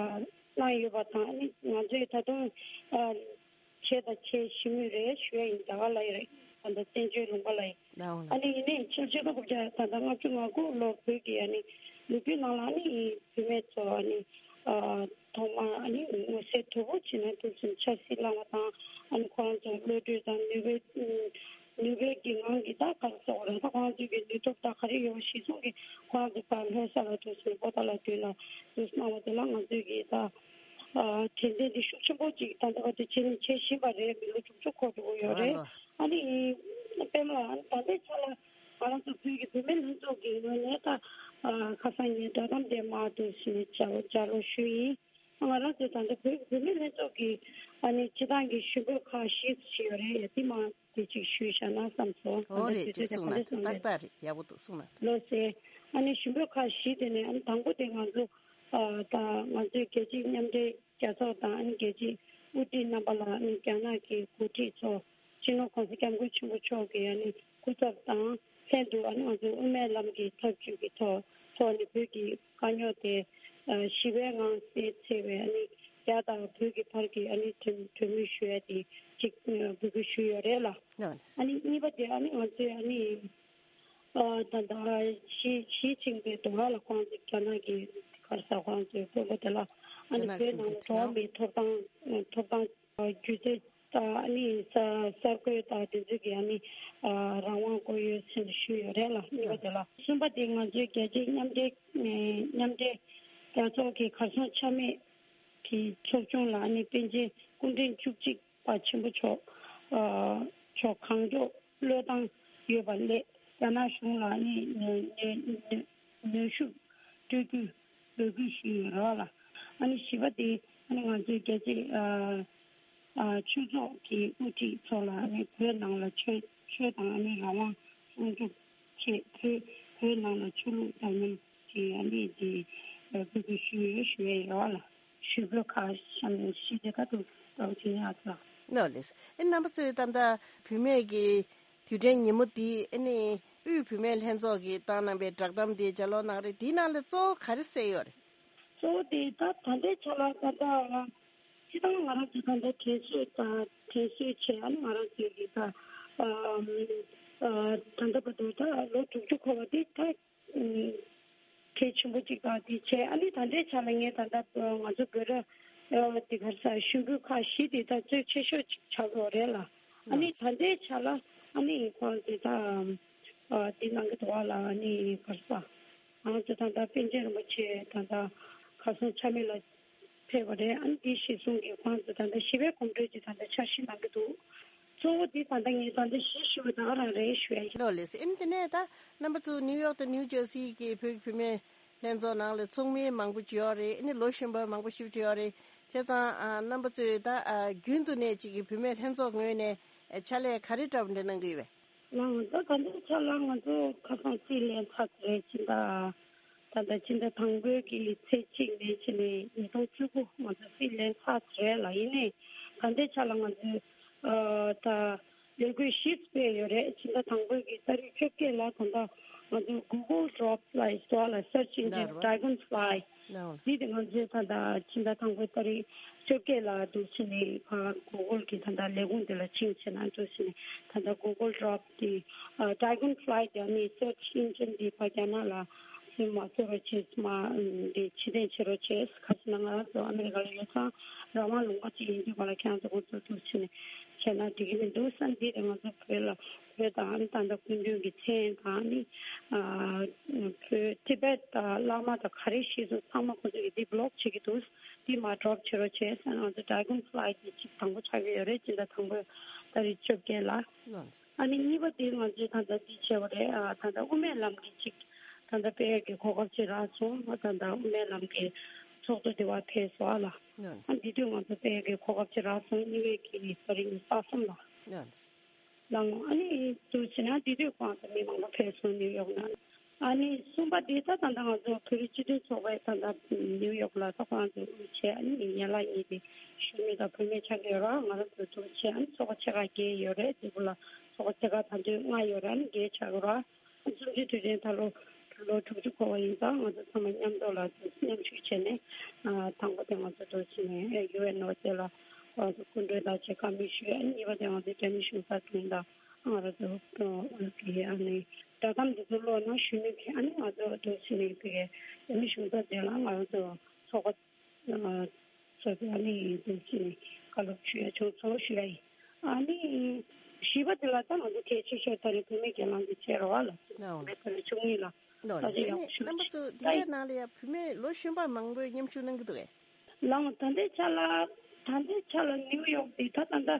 གནང་ཡོད་པ་དང་། ཨ་ནི་ང་ཚོས་ད་དུང་ཨ་བྱས་དང་བྱེད་བཞིན་མུས་རེད་ཞུ་ཡ་ཡིན། ད་ག་ལ་ཡིན་རེད། ད་ལྟ་བཙན་བྱོལ་ལུང་པ་ལ་ཡིན། ལགས་འོང་ལགས། ཨ་ནི་ཡིན་ནའི་ཕྱི་ཕྱི་ལོ་ད་ལྟ་ལྔ་བཅུ་ང་དགུ་ལོ་བོད་ཀྱི་ཨ་ནི་ལོ་རྒྱུས་ནང་ལ་ཨ་ནི་བུད་མེད་ཚོ་ཨ་ནི་ཨ་ཐོག་མར་ཨ་ནི་མངོན་གསལ་དོད་པོ་བྱས་ནས་ཐུགས་སེམས་ཆབ་སྲིད་བླངས་པ་དང་། ཨ་ནི་ཁོ་རང་ཚོ་བློ་གྲོས་དང་ནུས་པའི་ནུས་པའི་གི་ངང་གིས་ད་ག་རེ་ཟེར་དགོས་རེད། ད་ཁོ་རང་ཚོའི་གི་ནུས་སྟོབས་ད་ག་རེ་ཡོད་པ་གཞིར་བཟུང་གིས་ཁོ་རང་ཚོ་ཕར་ལྷ་ས་ལ་ཐུགས་སེམས་པོ་ཏཱ་ལ་བསྟོད་ལ་ཐུགས་སྣང་བ་དེ་ལ་ང་ཚོས་གི་ད་ཨ་དྲན་རྟེན་འདི་ཤུགས་ཆེན་པོ་ཅིག་ད་ལྟ་བར་དུ་བྱེད་ནས་བྱེད་བཞིན་པ་རེད། མི་ལོ་དྲུག་ཅུ་འཁོར་འགྲོ་གི་ཡོད་རེད། ཨ་ནི་པད་མ་ལགས། ཨ་ནི་ད་ལྟའི་ཆ་ལ་ང་རང་ཚོ་བོད་ཀྱི་བུད་མེད་ལྷན་ཚོགས་ཀྱི་ངོས་ནས་ད་ཨ་ཁ་སང་ངས་བསྒྲགས་གཏམ་དེ་མར་དུ་ཞུ་བྱ་བ་བྱ་རོགས་ཞུས་ཡིན། ང་རང་ཚོ་ད་ལྟ་བོད་བོད་མི་ལྷན་ཚོགས་ཀྱི་ཨ་ནི་སྤྱི་བཏང་གི་ཞུ་འབོད་ཁག་བཞི་ཞིག་ཡོད་རེད། ཡ་དེ་མ་དེ་ཅིག་ཞུས་བཞག་ན་བསམ་སོང་། ད་ལྟ་ཨོ་རེད། དེ་ཅིག་དུས་ད་ག་གསུངས་ན་འདྲ་གསུངས་ཏག་ཏག་རེད། ཡག་པོ་འདུག་གསུངས་ན། ལགས་སེ། ཨ་ནི་ཞུ་འབོད་ཁག་བཞི་དེ་ནས་ཨ་ནི་དང་པོ་དེ་ང་ཚོ་ཨ་ད་ང་ཚོའི་རྒྱལ་སྤྱིའི་མཉམ་འབྲེལ་རྒྱལ་ཚོགས་དང་ཨ་ནི་རྒྱལ་སྤྱིའི་དབུ་ཁྲིད་རྣམ་པ་ལ་ཨ་ནི་རྒྱ་ནག་གི་འགོ་ཁྲིད་ཚོ་སྤྱི་ནོར་༸གོང་ས་༸སྐྱབས་མགོན་ཆེན་པོ་མཆོག་གི་ཨ་ནི་སྐུ་ཚབ་དང་ལྷན་དུ་ཨ་ནི་ང་ཚོའི་དབུ་མའི་ལམ་གྱི་འཐབ་ཇུས་ཀྱི་ཐོག་ཐོག་ནས་བོད་ཀྱི་དཀའ་རྙོག་དེ་ཞི་བའི་ངང་སེལ་ཚེ་བའི་ཨ་ནི་རྒྱ་དང་བོད་ཀྱི་བར་གྱི་ཨ་ནི་གྲོས་གྲོས་མོལ་ཞུ་ཡ་དེ་གཅིག་འབོད་སྐུལ་ཞུས་ཡོད་རེད་ལ། ཨ་ནི་གཉིས་པ་དེ་ཨ་ནི་ང་ཚོའི་ཨ་ནི་ཨ་ད་ལྟ་ཞི་ཞི་ཅིན་ཕིང་དུ་ང་ལ་ཁོང་ཚོ་རྒྱ་ནག་གི་ག་རེ་ཟེར་ཁོང་ཚོའི་དཔོན་པོ་དེ་ལ་ཨ་ནི་རྒྱ་ནག་བོད་ནང་ལ་སྲིད་འཛིན་འགྲོ་བ་མིའི་ཐོབ་ཐང་ཐོབ་ཐང་སྒྱུ་རྩལ་དང་ཨ་ནི་ས་གསར་འགོད་དང་དེ་ཚོའི་གི་ཨ་ནི་རང་དབང་དགོས་ཡོད་ཟེར་ནས་ཞུས་ཡོད་རེད་ལ། གཉིས་པ་དེ་ལ། གསུམ་པ་དེ་ང་ཚོའི་རྒྱལ་སྤྱིའི་མཉམ་འབྲེལ་མཉམ་འབྲེལ་རྒྱལ་ཚོགས་ཀྱི་གར་སོང་ཆ་མེད་ཀྱི་ཚོགས་ཆུང་ལ་ཨ་ནི་པཎ་ཆེན་སྐུ་ཕྲེང་བཅུ་གཅིག་པ་ཆེན་པོ་མཆོག་ཨ་མཆོག་གང་མགྱོགས་བློས་བཏང་ཡོད་པ་ལས་རྒྱ་ནག་གཞུང་ལ་ཨ་ནི་ནུ་ནུ་ནུ་ནུས་ཤུགས་སྤྲོད་རྒྱུའི་འབོད་སྐུལ་ཞུས་ཡོད་རེད་བ་ལ། ཨ་ནི་བཞི་པ་དེ་ཨ་ནི་ང་ཚོའི་རྒྱལ་སྤྱིའི་ཨ་ཨ་ཆོས་ཚོགས་ཀྱི་དབུ་ཁྲིད་ཚོ་ལ་ཨ་ནི་བོད་ནང་ལ་ཆོས་ཆོས་དང་ཨ་ནི་རང་དབང་སྲུང་སྐྱོབ་ཆེད་བོད་བོད་ནང་ལ་ཆོས་ལུགས་འདྲ་མིན་གྱི་ཨ་ནི་དེ་འབོད་སྐུལ་ཞུས་ཡོད་ཞུ་ཡས་ཡོད་བ་ལ། ཞུ་འབོད་ཁག་བཞི་དེ་ག་དུ་ལྟ་བུ་བྱེད་ཡག་ལ། ནོ་ལེས། ཨེ་རྣམ་པ་ཚོས་ད་ལྟ་བུད་མེད་ཀྱི་དུས་དྲན་ཉིན་མོ་འདི་ཨེ་ནི་དབུས་བུད་མེད་ལྷན་ཚོགས་ཀྱིས་བཏང་གནང་བའི་བསྒྲགས་གཏམ་དེ་ལྗགས་ཀློག་གནང་རེད། དེའི་ནང་ལ་གཙོ་བོ་ག་རེ་གསལ་ཡོད་རེད། གཙོ་བོ་དེ་ད་ད་ལྟའི་ཆ་ལ་ད་ལྟ་སྤྱི་བཏང་ང་རང་ཚོ་ད་ལྟ་དྲན་གསོ་དང་དྲན་གསོ་བྱས། ཨ་ནི་ང་རང་ཚོའི་གི་ད་ཨ་ཨ་ད་ལྟ་བར་དུ་ད་ལོ་དྲུག་ཅུ་འཁོར་བ་འདི་ད་གལ་ཆེན་པོ་གཅིག་དང་དེ་བྱས། ཨ་ནི་ད་ལྟའི་ཆ་ལ་ངས་ད་ལྟ་ང་ཚོ་བོད་ར་དེ་གར་ས་ཞུ་འབོད་ཁག་བཞི་དེ་ད་གཙོ་ཆེ་ཤོས་ཅིག་ཆགས་ཡོད་རེད་ལ། ཨ་ནི་ད་ལྟའི་ཆ་ལ་ཨ་ནི་ཁོང་དེ་ད་དེ་གནང་གི་འདུག་བ་ལ། ཨ་ནི་གར་ས་ང་ཚོ་ད་ལྟ་པཎ་ཆེན་རིན་པོ་ཆེ་ད་ལྟ་གར་སོང་ཆ་མེད་ལ་ཕེབས་པ་རེད། ཨ་ནི་དེ་གཞིར་བཟུང་གིས་ཁོང་ཚོ་ད་ལྟ་ཞི་བའི་གོམ་བགྲོད་ཅིག་ད་ལྟ་འཆར་གཞི་གནང་གི་འདུག་གཙོ་བོ་དེ་ད་ལྟ་ངས་ད་ལྟ་གཞི་ཞུ་བ་ད་ག་རང་རེད་ཞུ་ཡ་ཡིན། ལོ་ལེས། ཨ་ནི་དེ་ནས་ད་རྣམ་པ་ཚོ་ནིའུ་ཡོག་དང་ནིའུ་ཇར་སི་གི་བོད་ཀྱི་བུད་མེད་ལྷན་ཚོགས་ནང་ལ་ཚོགས་མི་མང་པོ་ཅིག་ཡོད་རེད། ཨ་ནི་ལོ་གཞོན་པ་མང་པོ་ཞིག་ཅིག་ཡོད་རེད། བྱས་ཙང་ཨ་རྣམ་པ་ཚོས་ད་ཨ་རྒྱུན་དུ་ནས་ཅིག་གི་བུད་མེད་ལྷན་ཚོགས་ངོས་ནས་ཨ་ཕྱག་ལས་ག་རེ་འདྲ་བོ་འདྲ་གནང་གི་ཡོད་པས། ལགས་ད་ད་ལྟའི་ཆ་ལ་ང་ཚོ་ཁ་སང་རྩིས་ལེན་ཚར་རེད། ཕྱི་ཟླ་ད་ལྟ་ཕྱི་ཟླ་དང་པོའི་གི་ཚེས་གཅིག་ནས་བྱས་ནས་ཉིས་སྟོང་བཅུ་དགུ་ང་ཚོ་རྩིས་ལེན་ཚར་རེད་ལ། ཡིན་ནའི་ད་ལྟའི་ཆ་ལ་ང་ཚོས་ཨ་ད་ལས་འགུལ་བཞི་སྤེལ་ཡོད་རེད། ཕྱི་ཟླ་དང་པོའི་གི་ཏ་རིག་བཅོ་བརྒྱད་ལ་ད་ལྟ་ ང་ཚོ་Google Drops ལ་ཨིས་ལ་search engine Dragonfly འདི་དེ་ང་ཚོས་ད་ལྟ་ཕྱི་ཟླ་དང་པོའི་ཏ་རིག་བཅོ་བརྒྱད་ལ་འདུག་ཕྱིན་ནས་ཕར་Google གི་ད་ལྟ་ལས་ཁུངས་དེ་ལ་ཕྱིན་བྱས་ན་འདུག་ཕྱིན་ནས་ད་ལྟ་Google Drops འདི་Dragonfly དེ་ནི་search engine འདི་ཕར་རྒྱ་ནག་ལ་སེམས་མ་གསོ་རོགས་བྱེད་མ་འདི་ཕྱིར་འཐེན་བྱེད་རོགས་བྱེད། ག་ཟེར་ན་ང་རང་ཚོ་ཨ་མི་རི་ཀ་ལ་ཡོད་ཙང་རང་དབང་ལུང་པ་ཅིག་ཡིན་དུས་ག་ལ་ཁྱེད་རང་ཚོ་ཁོང་ཚོ་འདུག་ཕྱིན་ནས་བྱས་ན་འགྲིག་གི་མི་འདུག་བསམ། འདི་དེ་ང་ཚོ་བོད་ལ་བོད་དང་ཨ་ནི་ད་ལྟ་སྐུ་མདུན་གྱི་མཚན་དང་ཨ་ནི་བོད་ཏི་བེད་དང་བླ་མ་དང་ག་རེ་ཤེས་སོང་ཚང་མ་ཁོ་ཚོ་གིས་འདི་བི་ལོག་བྱེད་ཀྱི་འདུག་འདི་མར་ཌོབ་བྱེད་རོགས་བྱས་ཟེར་ང་ཚོ་Dragonfly གི་ཅིག་དང་པོ་ཆགས་ཀྱི་ཡོད་རེད། སྤྱི་ཟླ་དང་པོའི་ཏ་རིག་བཅོ་བརྒྱད་ལ། ཨ་ནི་གཉིས་པ་དེ་ང་ཚོས་ད་ལྟ་འདི་བྱས་པ་རེད། ཨ་ད་ལྟ་དབུ་མའི་ལམ་གྱི་ཅིག་ད་ལྟ་སྤེལ་ཡག་གི་གོ་སྐབས་ཅིག་རག་སོང་། ད་ལྟ་དབུ་མའི་ལམ་གྱི་ཚོགས་གཙོ་དེ་བ་ཕེབས་སོང་ཨ་ལ། ཨ་འདི་དུས་ང་ཚོ་སྤེལ་ཡག་གི་གོ་སྐབས་ཅིག་རག་སོང་། གཉིས་པའི་གི་ཏ་རིག་ཉི་ཤུ་རྩ་གསུམ་ལ། ལའང་ཨ་ནི་དུ་བྱས་ན་དེ་དུས་ཁོང་ཚོ་མི་མང་པོ་ཕེབས་སོང་ནིའུ་ཡོག་ནང་། ཨ་ནི་གསུམ་པ་དེ་ད་ད་ལྟ་ང་ཚོ་བོད་རིགས་སྤྱི་མཐུན་ཚོགས་པའི་ད་ལྟ་ནིའུ་ཡོག་ལ་ད་ཁོང་ཚོ་དབུ་བྱས་ཨ་ནི་ཡན་ལག་གཉིས་དེ་གཞོན་ནུ་དང་བུད་མེད་ཆགས་ཀྱི་ཡོད་ར། ང་རང་ཚོ་དུ་བྱས་ཨ་ནི་ཚོགས་པ་ཆེ་ཁག་བརྒྱད་ཡོད་རེད། དེ་གུ་ལ་ཚོགས་པ་ཆེ་ཁག་ད་དུང་ལྔ་ཡོད་ར། ཨ་ནི་བརྒྱད་ཆགས་ཀྱི་ར། གསུམ་བཅུའི་དུས་དྲན་ད་ལོ་ལོ་དྲུག་ཅུ་འཁོར་བ་ཡིན་ཙང་ང་ཚོ་ཚང་མ་མཉམ་དུ་ལ་མཉམ་ཞུགས་བྱས་ནས་དང་པོ་དེ་ང་ཚོ་འགྲོ་ཕྱིན་ནས་ཡུ་ཨེན་ཨོ་དེ་ལ་ང་ཚོ་སྐུ་མགྲོན་དང་བཅས་བཀའ་མོལ་ཞུས། ཨ་ནི་གཉིས་པ་དེ་ང་ཚོ་རྒྱ་མི་གཞུང་ཚབ་དྲུང་དང་ང་རང་ཚོ་དབུས་ཀྱི་ཨ་ནི་བསྒྲགས་གཏམ་འདི་ཚོ་ཀློག་ན་གཞོན་ནུ་གི་ཨ་ནི་ང་ཚོ་འགྲོ་ཕྱིན་ནས་དེ་གའི་རྒྱ་མི་གཞུང་ཚབ་དེ་ལ་ང་རང་ཚོ་ཚོགས་པ་ཚོ་དེ་ཨ་ནི་ཡིན་དུས་ཕྱིན་ནས་བཀའ་སློབ་ཞུ་ཡ་བྱུང་སོང་ཞུ་ཡ་ཡིན། ཨ་ནི་བཞི་པ་དེ་ལ་ད་ང་ཚོ་གལ་ཆེ་ཤོས་ད་རེས་བུད་མེད་སྒེར་ལངས་ཀྱི་བྱས་རོགས་ལ་ལའོ། བུད་མེད་ད་རེས་བཅུ་གཉིས་ལ་ལོ་ད་ལེ་ཚེ་ནས་ཡག་ཤོས་རྣམ་པ་ཚོ་འདི་ད་འདྲའི་ནང་ལ་ཡ་བུད་མེད་ལོ་གཞོན་པ་མང་པོས་མཉམ་ཞུགས་གནང་གི་འདུག་གས། ལའོ་ད་ལྟའི་ཆ་ལ་ད་ལྟའི་ཆ་ལ་ནིའུ་ཡོག་དེ་ད་ད་ལྟ་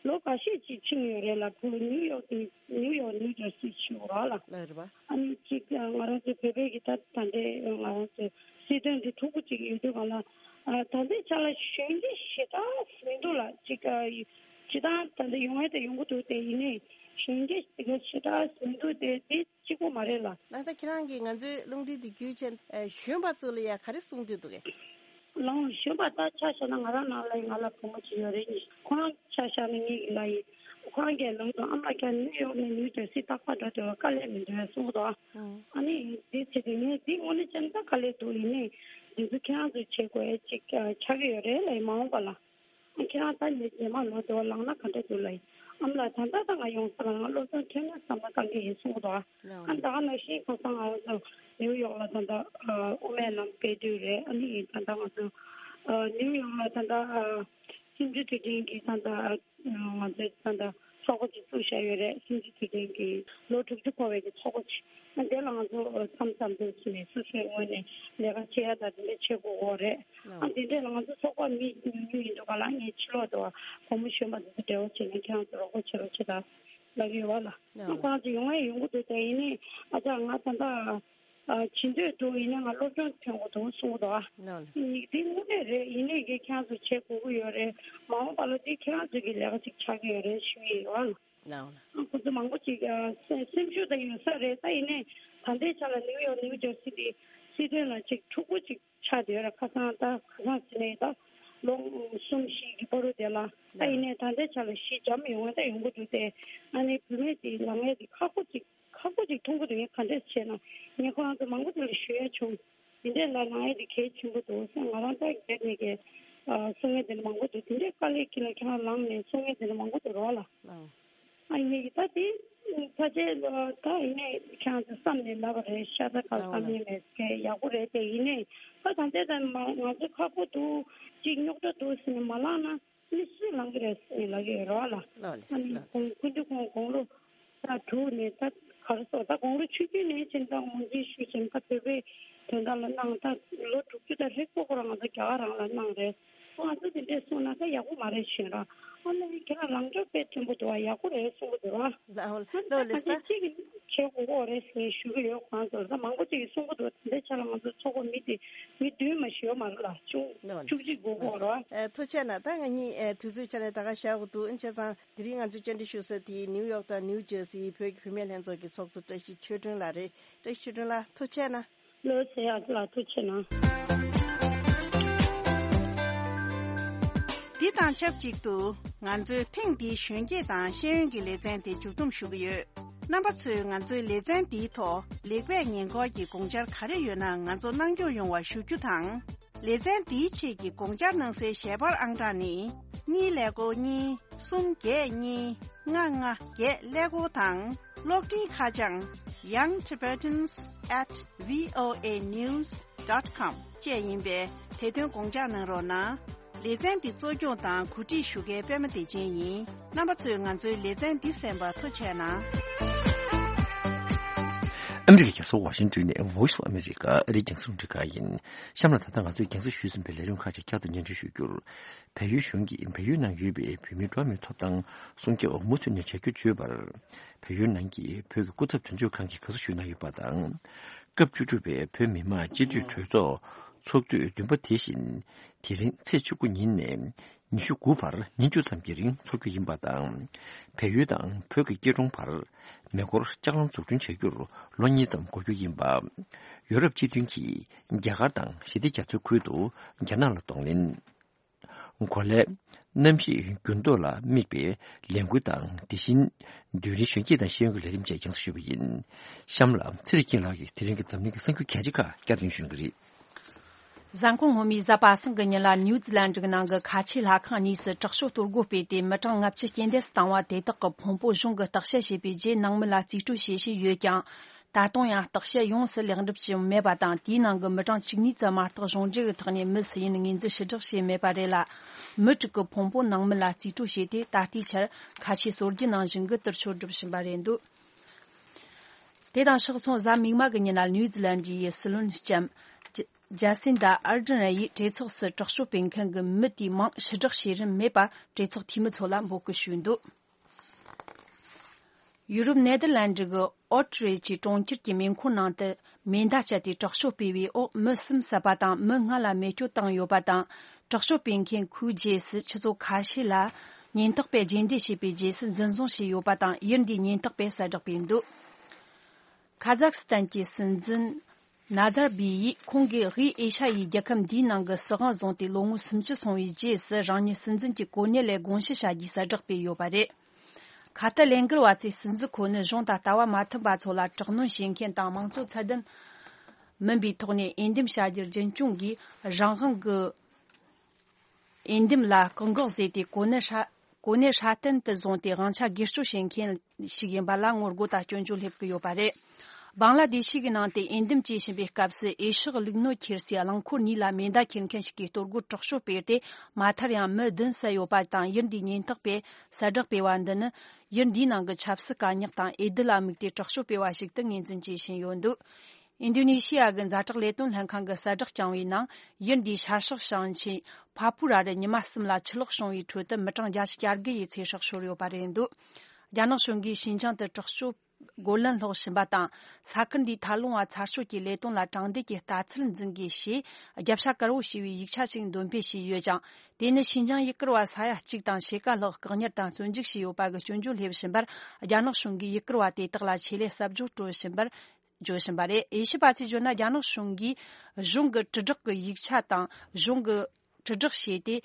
ལོ་འགའ་ཤས་ཅིག་ཕྱིན་ཡོད་རེད་ལ། བུ་ནིའུ་ཡོག་དེ་ནིའུ་ཡོག་ནིའུ་ཇར་སི་ཞུ་རོགས་ལ། ལ་རེད་པ། ཨ་ནི་གཅིག་ང་རང་ཚོ་བོད་པའི་གི་ད་ད་ལྟའི་ང་རང་ཚོ་སྲིད་དོན་འདི་འཁྲུག་པོ་ཅིག་ཡོད་དུས་གང་ལ་ད་ལྟའི་ཆ་ལ་གཞོན་སྐྱེས་ཞེ་དྲག་མི་འདུག་ལ། གཅིག་ཇི་ལྟར་ད་ལྟ་ཡོང་ཡ་དེ་ཡོང་གི་འདུག་སྟེ་ཡིན་ནའི་གཞོན་སྐྱེས་དེ་ག་ཞེ་དྲག་མི་འདུག་སྟེ་དེ་གཅིག་པོ་མ་རེད་ལ། ད་ལྟ་ཁྱེད་རང་གིས་ང་ཚོའི་རླུང་འཕྲིན་དེ་བརྒྱུད་བྱས་གཞོན་པ་ཚོ་ལ་ཡ་ག་རེ་གསུང་འདོད་འདུག་གས། ལའང་གཞོན་པ་ད་ཆ་བཞག་ན་ང་རང་ནང་ལ་ཡིན་ང་ལ་བུ་མོ་གཅིག་ཡོད་རེད། ཁོ་རང་ཆ་བཞག་ན་ངའི་ཡིན་ལ་ཡིན། ཁོ་རང་གིས་ལམ་དུ་ཨ་མ་ཀྱང་ནིའུ་ཡོག་ནས་ནིའུ་ཇར་སི་རྟག་པར་འགྲོ་འདོད་པ་དཀའ་ལས་མི་འདུག་གསུངས་འདུག་ཨ་ནི་འདི་བྱེད་དུས་ངས་འདི་དངོས་གནས་བྱས་ན་ད་དཀའ་ལས་འདུག་ཡིན་ནའི་འདི་ཚོ་ཁྱེད་རང་ཚོས་བྱེད་དགོས་ཅིག་ཆགས་ཀྱི་ཡོད་རེད་ལ་ཡིན་མ་འོངས་པ་ལ། ཁྱེད་རང་ད་ཉི་ཉི་མ་ལོ་དེ་བ་ལངས་ན་ག་འདྲ་འདུག་ལ་ཡིན། ཨ་མ་ལགས་ད་ལྟ་ད་ང་ཡོང་ས་ལ་ང་སློབ་སྦྱོང་ཐོན་ན་བསམ་བློ་བཏང་གི་ཡིན་གསུངས་འདུག་ཨ་ད་ག་ནང་བཞིན་ཁ་སང་ང་ཚོ་ནིའུ་ཡོག་ལ་ད་ལྟ་དབུ་མའི་ལམ་སྤེལ་དུས་རེད། ཨ་ནི་ད་ལྟ་ང་ཚོ་ནིའུ་ཡོག་ལ་ད་ལྟ་སུམ་ཅུ་དུས་དྲན་གྱི་ད་ལྟ་ང་ཚོས་ད་ལྟ་ཚོགས་པ་ཅིག་བཙུགས་བཞག་ཡོད་རེད། སུམ་ཅུ་དུས་དྲན་གྱི་ལོ་དྲུག་ཅུ་འཁོར་བའི་གི་ཚོགས་པ་ཅིག་ཨ་དེ་ལ་ང་ཚོ་མཚམས་མཚམས་དུ་ཕྱིན་ནས་སོ་སོའི་ངོས་ནས་ལས་ཀ་བྱེད་ཡ་དང་དེ་འདྲ་བྱེད་དགོས་ཀྱི་རེད། ཨ་དེ་འདྲས་ལ་ང་ཚོ་ཚོགས་པ་མི་ཉུང་ཉུང་ཡིན་འདུག་ག་ལ། ངས་ཕྱི་ལོགས་དུ་བུ་མོ་གཞོན་པ་དེ་ཚོ་འབྲེལ་བ་བྱས་ནས་ཁྱེད་རང་ཚོ་རོགས་པ་བྱེད་རོགས་བྱེད་དང་ལབ་ཡོད་བ་ལ། ཨ་ཁོ་རང་ཚོ་ཡོང་ཡ་ཡོང་གི་འདུག་དེ་ཡིན་ནའི་ཨ་ཅག་ང་ད་ལྟ་ཨ་བྱེད་འདོད་འདུག་ཡིན་ནའི་ང་སློབ་སྦྱོང་ཐོན་དགོས་འདུག་གསུངས་འདུག་ཨ་ནི་དེ་དངོས་གནས་རེད། ཡིན་ནའི་གི་ཁྱེད་རང་ཚོ་བྱེད་དགོས་ཀྱི་ཡོད་རེད། མ་འོངས་པ་ལ་དེ་ཁྱེད་རང་ཚོ་གི་ལས་ཀ་ཅིག་ཆགས་ཀྱི་ཡོད་རེད་ཞུ་ཡི་ཡོད་ཨ། ལའོ་ལ། ཁོ་ཚོ་མང་པོ་ཅིག་ཨ་སེམས་སེམས་ཤུགས་དང་ཡོད་ས་རེད། ད་ཡིན་ནའི་ད་ལྟའི་ཆ་ལ་ནིའུ་ཡོག་ནིའུ་ཇར་སི་དེ་སྲིད་དོན་ལ་ཅིག་འཁྲུག་པོ་ཅིག་ཆགས་བསྡད་ཡོད་ར། ཁ་སང་ད་ཁ་སང་ཟེར་ནའི་ད་ལོ་གསུམ་བཞི་གི་བར་དུ་དེ་ལ་ད་ཡིན་ནའི་ད་ལྟའི་ཆ་ལ་གཞི་འཇམ་ཡོང་བ་ད་ཡོང་གི་འདུག་སྟེ། ཨ་ནི་བུད་མེད་དེ་ལངས་ཡས་དེ་ཁག་པོ་ཅིག་ཁག་པོ་ཅིག་མཐོང་གི་འདུག་ངས་ག་འདྲས་བྱས་ན་ངས་ཁོ་རང་ཚོ་མང་པོ་དེ་ལ་ཞུ་ཡ་བྱུང་། དེ་འདྲས་ལ་ལངས་ཡས་དེ་གལ་ཆེན་པོ་འདུག་ཟེར། ང་རང་ད་སྒེར་ནས་ཀྱི་གསུང་མཁན་དེ་འདྲ་མང་པོ་འདུག་དེ་འདྲས་དཀའ་ལས་ཁྱེད་ལ་ཁྱེད་རང་ལངས་ནས་གསུང་མཁན་དེ་འདྲ་མང་པོ་འདུག་རོགས་ལ། ཨ་ཡིན་ད་དེ་ཕལ་ཆེར་ད་ཡིན་ནའི་ཁྱེད་རང་ཚོ་བསམ་ནས་ལབ་པ་རེད། ཤ་ཚ་ཁ་བསམ་ཡས་མེད་ཀྱི་ཡག་པོ་རེད། དེ་ཡིན་ནའི་ད་ད་ལྟའི་ད་ང་ང་ཚོ་ཁག་པོ་འདུག་ཅིག་རྙོག་དྲ་འདུག་ཟེར་ནས་མ་ལངས་ན་མི་སུས་ལངས་ཀྱི་རེད་ཟེར་ནས་ལབ་ཀྱི་ཡོད་རེད་བ་ལ། ལགས་ལགས་ཨ་ནི་ལགས། ཁོང་སྐུ་མདུན་ཁོང་དགུང་ལོ་ད་དྲུག་ནས་ད་ག་རེ་ཟེར་ད་དགུང་ལོ་ཆུང་ཆུང་ནས་ཕྱིན་ད་ངོས་འཛིན་ཞུས་ཤིང་ད་བོད་པའི་དོན་དག་ལ་གནང་། ད་ལོ་དྲུག་ཅུ་ད་ཧྲིལ་པོ་ཁོ་རང་ང་ཚོ་རྒྱ་གར་རང་ལ་གནང་རེད། ང་ཚོ་དེ་འདྲས་གསུངས་ན་ད་ཡག་པོ་མ་རེད་ཞེས་ར། ཨ་ནི་ཁྱེད་རང་ལངས་ཕྱོགས་དཔེ་མཐོན་པོ་འདུག་བ། ཡག་པོ་རེད་གསུང་གི་འདུག་བ། ལགས་ལགས་ལགས་ལགས། ད་གཅིག་གིས་བྱེད་དགོས་ཀྱི་རེད་ཟེར་ཞུ་གི་ཡོད། ཁོང་ཚོར་ད་མང་པོ་ཅིག་གིས་གསུང་གི་འདུག་དེ་འདྲའི་ཆ་ལ་ང་ཚོ་ཚོགས་པ་མི་དེ་མི་བདུན་མ་ཞིག་ཡོད་མ་རེད་ལ། བཅུ་བཅུ་གཅིག་དགོས་ཀྱི་རེད་བ། ཨ་ཐུགས་རྗེ་གནང་། ད་ང་གཉིས་ཨ་དུས་ཚོད་ཆ་ནས་ད་ག་བཞག་དགོས་འདུག་ཨ་ནི་བྱས་ཙང་དེ་རིང་ང་ཚོས་བཅར་འདྲི་ཞུ་ས་དེ་ནིའུ་ཡོག་དང་ནིའུ་ཇར་སིའི་བོད་ཀྱི་བུད་མེད་ལྷན་ཚོགས་ཀྱི་ཚོགས་གཙོ་བཀྲ་ཤིས་ཆོས་སྒྲོན་ལགས་རེད། བཀྲ་ཤིས་ཆོས་སྒྲོན་ལགས་ཐུགས་རྗེ་གནང་། ལོ་ཚེ་ཡག་ལ་ཐུགས་རྗེ་གནང་། འདི་དང་ཆབས་ཅིག་ཏུ་ང་ཚོའི་ཐེངས་འདིའི་གཞོན་སྐྱེས་དང་ཤེས་ཡོན་གྱི་ལེ་ཚན་དེ་མཇུག་བསྡོམས་ཞུ་གི་ཡོད། རྣམ་པ་ཚོས་ང་ཚོའི་ལེ་ཚན་འདིའི་ཐོག་ལེགས་སྤེལ་ཉེས་འགོག་གི་དགོངས་འཆར་ག་རེ་ཡོད་ན་ང་ཚོ་གནང་སྐྱོང་ཡོང་བ་ཞུ་རྒྱུ་དང་། ལེ་ཚན་འདིའི་ཆེད་ཀྱི་དགོངས་འཆར་གནང་སའི་ཞལ་པར་ཨང་གྲངས་ནི། གཉིས་ཀླད་ཀོར་གཉིས། གསུམ་བརྒྱད་གཉིས། ལྔ་ལྔ་བརྒྱད་ཀླད་ཀོར་དང་། གློག་འཕྲིན་ཁ་བྱང་young tibetans at voa news dot com བཅས་ཡིན་པས། དེ་དོན་དགོངས་འཇགས་གནང་རོགས་གནང་། ལེ་ཚན་འདི་གཙོ་སྐྱོང་དང་གོ་སྒྲིག་ཞུ་མཁན་པད་མ་བདེ་ཆེན་ཡིན། རྣམ་པ་ཚོས་ང་ཚོའི་ལེ་ཚན་འདི་གསན་པར་ཐུགས་རྗེ་གནང་། ཨ་མི་རི་ཀའི་རྒྱལ་ས་ཝ་ཤིང་ཏོན་ནས་Voice of America ཨ་རིའི་རྒྱང་སྲིང་རླུང་འཕྲིན་ཁང་ཡིན། གཤམ་ལ་ད་ལྟ་ང་ཚོས་རྒྱང་སྲིང་ཞུས་ཟིན་པའི་ལས་རིམ་ཁག་ཅིག་བསྐྱར་དུ་སྙན་སྒྲོན་ཞུ་རྒྱུར། བལ་ཡུལ་གཞུང་གིས་བལ་ཡུལ་ནང་ཡོད་པའི་བོད་མིའི་འགྲོ་བ་མིའི་ཐོབ་ཐང་སྲུང་སྐྱོབ་མུ་མཐུད་ནས་བྱ་རྒྱུར་བརྗོད་པར། བལ་ཡུལ་ནང་གི་བོད་ཀྱི་སྐུ་ཚབ་དོན་གཅོད་ཁང་གིས་དགའ་བསུ་ཞུས་གནང་ཡོད་པ་དང་། སྐབས་བཅུ་དྲུག་པའི་བོད་མི་མང་སྤྱི་འཐུས་གྲོས་ཚོགས་ཚོགས་དུས་བདུན་པ་དེ་བཞིན། དེ་རིང་ཚེས་བཅུ་དགུ་ཉིན་ནས་ཉི་ཤུ་དགུ་བར་ཉིན་བཅུ་ཙམ་གྱི་རིང་འཚོགས་རྒྱུ་ཡིན་པ་དང་། བལ་ཡུལ་དང་བོད་ཀྱི་སྐྱིད་གྲོང་བར་མེ་འཁོར་ལྕགས་ལམ་འཛུགས་སྐྲུན་བྱ་རྒྱུར་ལོ་གཉིས་ཙམ་འགོར་རྒྱུ་ཡིན་པ། ཡོ་རོབ་སྤྱི་མཐུན་གྱིས་རྒྱ་གར་དང་ཞི་བདེ་རྒྱ་མཚོའི་ཁུལ་དུ་རྒྱ་ནག་ལ་གདོང་ལེན། གོ་ལའི་གནམ་གཤིས་འགྱུར་ལྡོག་ལ་དམིགས་པའི་ལས་འགུལ་དང་། དེ་བཞིན་རྡུལ་ཕྲན་གཞོན་སྐྱེས་དང་ཤེས་ཡོན་གྱི་ལས་རིམ་བཅས་རྒྱང་སྲིང་ཞུས་པ་ཡིན། གཤམ་ལ་ཚེ་རིང་སྐྱིད་ལགས་ཀྱིས་དེ་རིང་གི་འཛམ་གླིང་གི་གསར་འགྱུར་གལ་ཆེ་ཁག་བསྐྱར་ཟློས་ཞུ་གི་རེད། གཟའ་འཁོར་སྔོན་མའི་གཟའ་པ་སངས་ཀྱི་ཉིན་ལ་ནིའུ་ཛི་ལན་གྱི་ནང་གི་ཁ་ཆེའི་ལྷ་ཁང་གཉིས་སུ་དྲག་ཤོག་གཏོར་རྒོལ་སྤེལ་ཏེ། མི་གྲངས་ལྔ་བཅུ་རྐྱེན་འདས་སུ་བཏང་བ་དེ་དག་གི་ཕུང་པོ་གཞུང་གིས་བརྟག་དཔྱད་བྱས་པའི་རྗེས། ནང་མི་ལ་རྩིས་སྤྲོད་བྱེད་བཞིན་ཡོད་ཀྱང་། ད་དུང་ཡང་བརྟག་དཔྱད་ཡོངས་སུ་ལེགས་འགྲུབ་བྱུང་མེད་པ་དང་། དེའི་ནང་གི་མི་གྲངས་བཅུ་གཉིས་ཙམ་མ་གཏོགས་གཞུང་འབྲེལ་གྱི་ཐོག་ནས་མི་སུ་ཡིན་ངོས་འཛིན་ཕྱིར་བསྒྲགས་བྱས་མེད་པ་རེད་ལ། མི་དྲུག་གི་ཕུང་པོ་ནང་མི་ལ་རྩིས་སྤྲོད་བྱས་ཏེ། ད་ལྟའི་ཆར་ཁ་ཆེའི་སྲོལ་རྒྱུན་ནང་བཞིན་གྱི་དུར་ཤོག་སྒྲུབ་བཞིན་པ་རེད་འདུག་དེ་དང་ཕྱོགས་མཚུངས། གཟའ་མིག་དམར་གྱི་ཉིན་ལ་ནིའུ་ཛི་ལན་གྱི་སྲིད་བློན་ལྕམ་ཇ་སིན་ད་ཨར་ཌན་ཡིས་གྲོས་ཚོགས་སུ་དྲག་ཤོག་སྤེལ་མཁན་གྱི་མི་དེའི་མིང་ཕྱིར་བསྒྲགས་བྱེད་རིན་མེད་པར་གྲོས་ཚོགས་འཐུས་མི་ཚོ་ལ་འབོད་སྐུལ་ཞུས་འདུག་ཡུ་རོབ་ནེ་དར་ལན་ཌི་གི་ཨོ་ཊི་རེ་ཅི་གྲོང་ཁྱེར་གྱི་མེ་འཁོར་ནང་དུ་མེ་མདའ་སྤྱད་དེ་དྲག་ཤོག་སྤེལ་བའི་འོག་མི་གསུམ་བསད་པ་དང་། མི་ལྔ་ལ་རྨས་སྐྱོན་བཏང་ཡོད་པ་དང་། དྲག་ཤོག་སྤེལ་མཁན་ཁོའི་རྗེས་སུ་ཆུ་ཚོད་ཁ་ཤས་ལ་ཉེན་རྟོག་པས་རྗེས་འདེད་བྱས་པའི་རྗེས་སུ་འཛིན་བཟུང་བྱས་ཡོད་པ་དང་། ཡུལ་འདིའི་ཉེན་རྟོག་པས་གསལ་བསྒྲགས་སྤེལ་འདུག་ཁ་ཛག་སི་ཐན་གྱི་སྲིད་འཛིན་ནཱ་ཛར་བྷི་ཡིས་ཁོང་གིས་དབུས་ཨེ་ཤ་ཡའི་རྒྱལ་ཁབ་འདིའི་ནང་གི་སྲིད་དབང་བཟུང་སྟེ་ལོ་ངོ་སུམ་ཅུ་སོང་བའི་རྗེས་སུ། རང་ཉིད་སྲིད་འཛིན་གྱི་གོ་གནས་ལས་དགོངས་ཞི་བྱ་རྒྱུའི་གསལ་བསྒྲགས་སྤེལ་ཡོད་པ་རེད། ཁ་ཏ་ལན་ཀེར་བ་ཚོའི་སྲིད་འཛིན་ཁོ་ནི་གཞུང་དང་ལྟ་བ་མ་མཐུན་པ་ཚོ་ལ་དྲག་གནོན་བྱེད་མཁན་དང་། མང་གཙོ་ཚད་ལྡན་མིན་པའི་ཐོག་ནས་འོས་འདེམས་བྱ་རྒྱུར་རྒྱུན་སྐྱོང་གིས་རང་དབང་གི་འོས་འདེམས་ལ་བཀག་འགོག་བཟོས་ཏེ། གོ་གནས་སྲ་གོ་གནས་སྲ་བརྟན་དུ་བཟུང་སྟེ་དབང་ཆ་སྒེར་གཅོད་བྱེད་མཁན་ཞིག་ཡིན་པ་ལ་ངོ་རྒོལ་དང་སྐྱོན་བརྗོད་སླེབས་ཀྱི་ཡོད་པ་རེད། བང་ལ་དེ་ཤི་གི་ནང་དུ་འོས་འདེམས་བྱེད་བཞིན་པའི་སྐབས་སུ། འོས་ཤོག་བླུགས་ནོར་ཁྱེར་སའི་རླངས་འཁོར་གཉིས་ལ་མེ་མདའ་འཁྱེར་མཁན་ཞིག་གིས་གཏོར་རྒོལ་དྲག་སྤྱོད་སྤེལ་ཏེ། མ་མཐར་ཡང་མི་བདུན་བསད་ཡོད་པ་དང་། ཡུལ་འདིའི་ཉེན་རྟོག་པས་གསལ་བསྒྲགས་སྤེལ་བ་འདི་ནི། ཡུལ་འདིའི་ནང་གི་ཆབ་སྲིད་དཀའ་རྙོག་དང་འོས་བསྡུ་ལ་དམིགས་ཏེ་དྲག་སྤྱོད་སྤེལ་བ་ཞིག་ཏུ་ངོས་འཛིན་བྱེད་བཞིན་ཡོད་འདུག་ཨིན་ཌོ་ནེ་ཤི་ཡ་གི་ཛ་དྲག་ལས་དོན་ལྷན་ཁང་གིས་གསལ་བསྒྲགས་བསྐྱངས་པའི་ནང་། ཡུལ་འདིའི་ཤར་ཕྱོགས་ཞིང་ཆེན་ཕ་པུ་ར་རུ་ཉི་མ་གསུམ་ལ་ཆུ་ལོག་བྱུང་བའི་ཁྲོད་དུ་མི་གྲངས་བརྒྱད་ཅུ་གྱ་དགུ་ཡི་ཚེ་སྲོག་ཤོར་ཡོད་པ་རེད་འདུག་རྒྱ་ནག་གཞུང་གིས་ཞིན་ཅང་དུ་དྲག་སྤྱོད་རྒོལ་ལན་སློག་བཞིན་པ་དང་། ས་ཁུལ་འདིའི་མཐའ་ལུང་བ་ཚར་གཅོད་ཀྱི་ལས་དོན་ལ་དྲང་བདེན་གྱི་ལྟ་ཚུལ་འཛིན་དགོས་ཞེས་རྒྱབ་ཤ་དཀར་པོ་ཞེས་པའི་ཡིག་ཆ་ཞིག་འདོན་སྤེལ་བྱས་ཡོད་ཅིང་། དེ་ནི་ཞིན་ཅང་ཡུལ་སྐོར་བ་ས་ཡ་གཅིག་དང་ཕྱེད་ཀ་ལྷག་བཀག་ཉར་དང་བཙོན་འཇུག་བྱས་ཡོད་པ་གི་སྐྱོན་བརྗོད་སླེབས་བཞིན་པར། རྒྱ་ནག་གཞུང་གིས་ཡུལ་སྐོར་བ་དེ་དག་ལ་ཆེད་ལས་གསབ་སྦྱོང་སྤྲོད་བཞིན་པར། བརྗོད་བཞིན་པ་རེད། དབྱེ་ཞིབ་པ་ཚོས་བརྗོད་ན། རྒྱ་ནག་གཞུང་གིས་གཞུང་གི་དྲིལ་བསྒྲགས་ཀྱི་ཡིག་ཆ་དང་། གཞུང་གི་དྲིལ་བསྒྲགས་བྱས་ཏེ།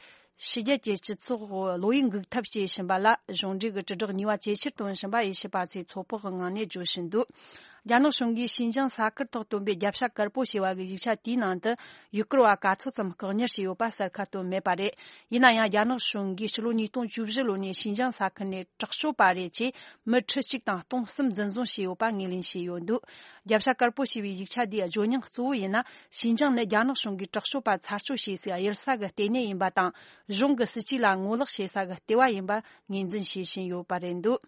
ཕྱི་རྒྱལ་གྱི་སྤྱི་ཚོགས་བློ་ཡིད་འགུག་ཐབས་བྱེད་བཞིན་པ་ལ། གཞུང་འབྲེལ་གྱི་དྲིལ་བསྒྲགས་ནུས་པ་ཇེ་ཆེར་གཏོང་བཞིན་པ་དབྱེ་ཞིབ་པ་ཚོས་ཚོད་དཔག་གི་ངང་ནས་བརྗོད་བཞིན་འདུག་རྒྱ་ནག་གཞུང་གིས་ཞིན་ཅང་ས་ཁུལ་ཐོག་བཏོན་པའི་རྒྱབ་ཤ་དཀར་པོ་ཞེས་པ་གི་ཡིག་ཆ་དེའི་ནང་དུ། ཡུལ་སྐོར་བ་ག་ཚོད་ཙམ་བཀག་ཉར་བྱས་ཡོད་པ་གསལ་ཁ་བཏོན་མེད་པ་རེད། ཡིན་ན་ཡང་། རྒྱ་ནག་གཞུང་གིས་ཕྱི་ལོ་ཉིས་སྟོང་བཅུ་བཞི་ལོ་ནས་ཞིན་ཅང་ས་ཁུལ་ནས་དྲག་སྤྱོད་པ་རེད་ཅེས། མི་ཁྲི་གཅིག་དང་སྟོང་གསུམ་འཛིན་བཟུང་བྱས་ཡོད་པ་ངོས་ལེན་བྱས་ཡོད་འདུག་རྒྱབ་ཤ་དཀར་པོ་ཞེས་པའི་ཡིག་ཆ་འདིའི་བརྗོད་སྙིང་གཙོ་བོ་ཡིན་ན། ཞིན་ཅང་ནི་རྒྱ་ནག་གཞུང་གིས་དྲག་སྤྱོད་པ་ཚར་གཅོད་བྱེད་སའི་གཡུལ་ས་གི་ལྟེ་གནས་ཡིན་པ་དང་། གཞུང་གི་སྲིད་ཇུས་ལ་ངོ་ལོག་བྱེད་ས་གི་ལྟེ་བ་ཡིན་པ་ངོས་འཛིན་བྱེད་བཞིན་ཡོད་པ་རེད་འདུག་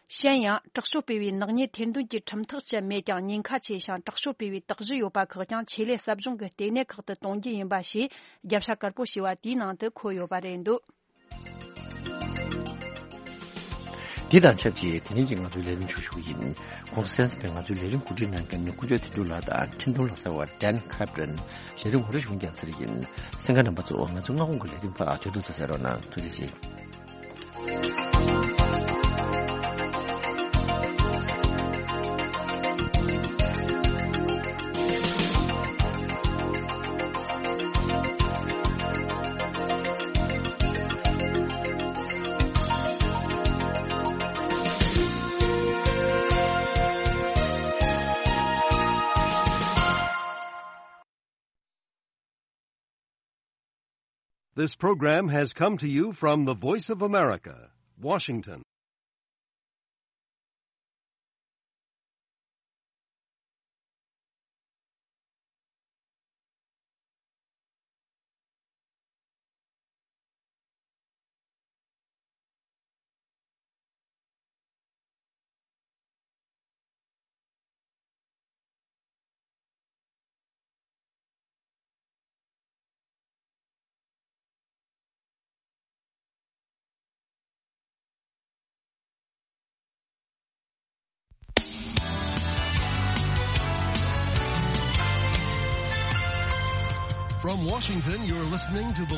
གཞན་ཡང་། དྲག་སྤྱོད་སྤེལ་བའི་ནག་ཉེས་ཐེར་འདོན་གྱི་ཁྲིམས་ཐག་བཅད་མེད་ཀྱང་། ཉེན་ཁ་ཆེ་ཞིང་དྲག་སྤྱོད་སྤེལ་བའི་དག་གཞི་ཡོད་པ་ཁག་ཀྱང་ཆེད་ལས་ཟབ་སྦྱོང་གི་ལྟེ་གནས་ཁག་ཏུ་གཏོང་རྒྱུ་ཡིན་པ་ཞེས། རྒྱབ་ཤ་དཀར་པོ་ཞེས་པ་དེའི་ནང་དུ་འཁོད་ཡོད་པ་རེད་འདུག་དེ་དང་ཆབས་ཅིག་དེ་རིང་གི་ང་ཚོའི་ལས་རིམ་འཇུག་ཞུ་གི་ཡིན། གོང་དུ་གསན་ཟིན་པའི་ང་ཚོའི་ལས་རིམ་གོ་སྒྲིག་གནང་མཁན་ནི་དཀོན་མཆོག་དོན་གྲུབ་ལགས་དང་འཕྲིན་གཏོང་ལག་རྩལ་བ་ཌན་ཁབ་རན། ལས་རིམ་ངོ་སྤྲོད་ཞུ་མཁན་རྒྱལ་མཚན་ཡིན། གསན་མཁན་རྣམ་པ་ཚོ། ང་ཚོའི་སྔ་དགོང་གི་ལས་རིམ་པ་དུས་ཐོག་ཏུ་གསན་རོགས་གནང་། ཐུགས་རྗེ་ཆེ། This program has come to you from the Voice of America, Washington. From Washington, you're listening to the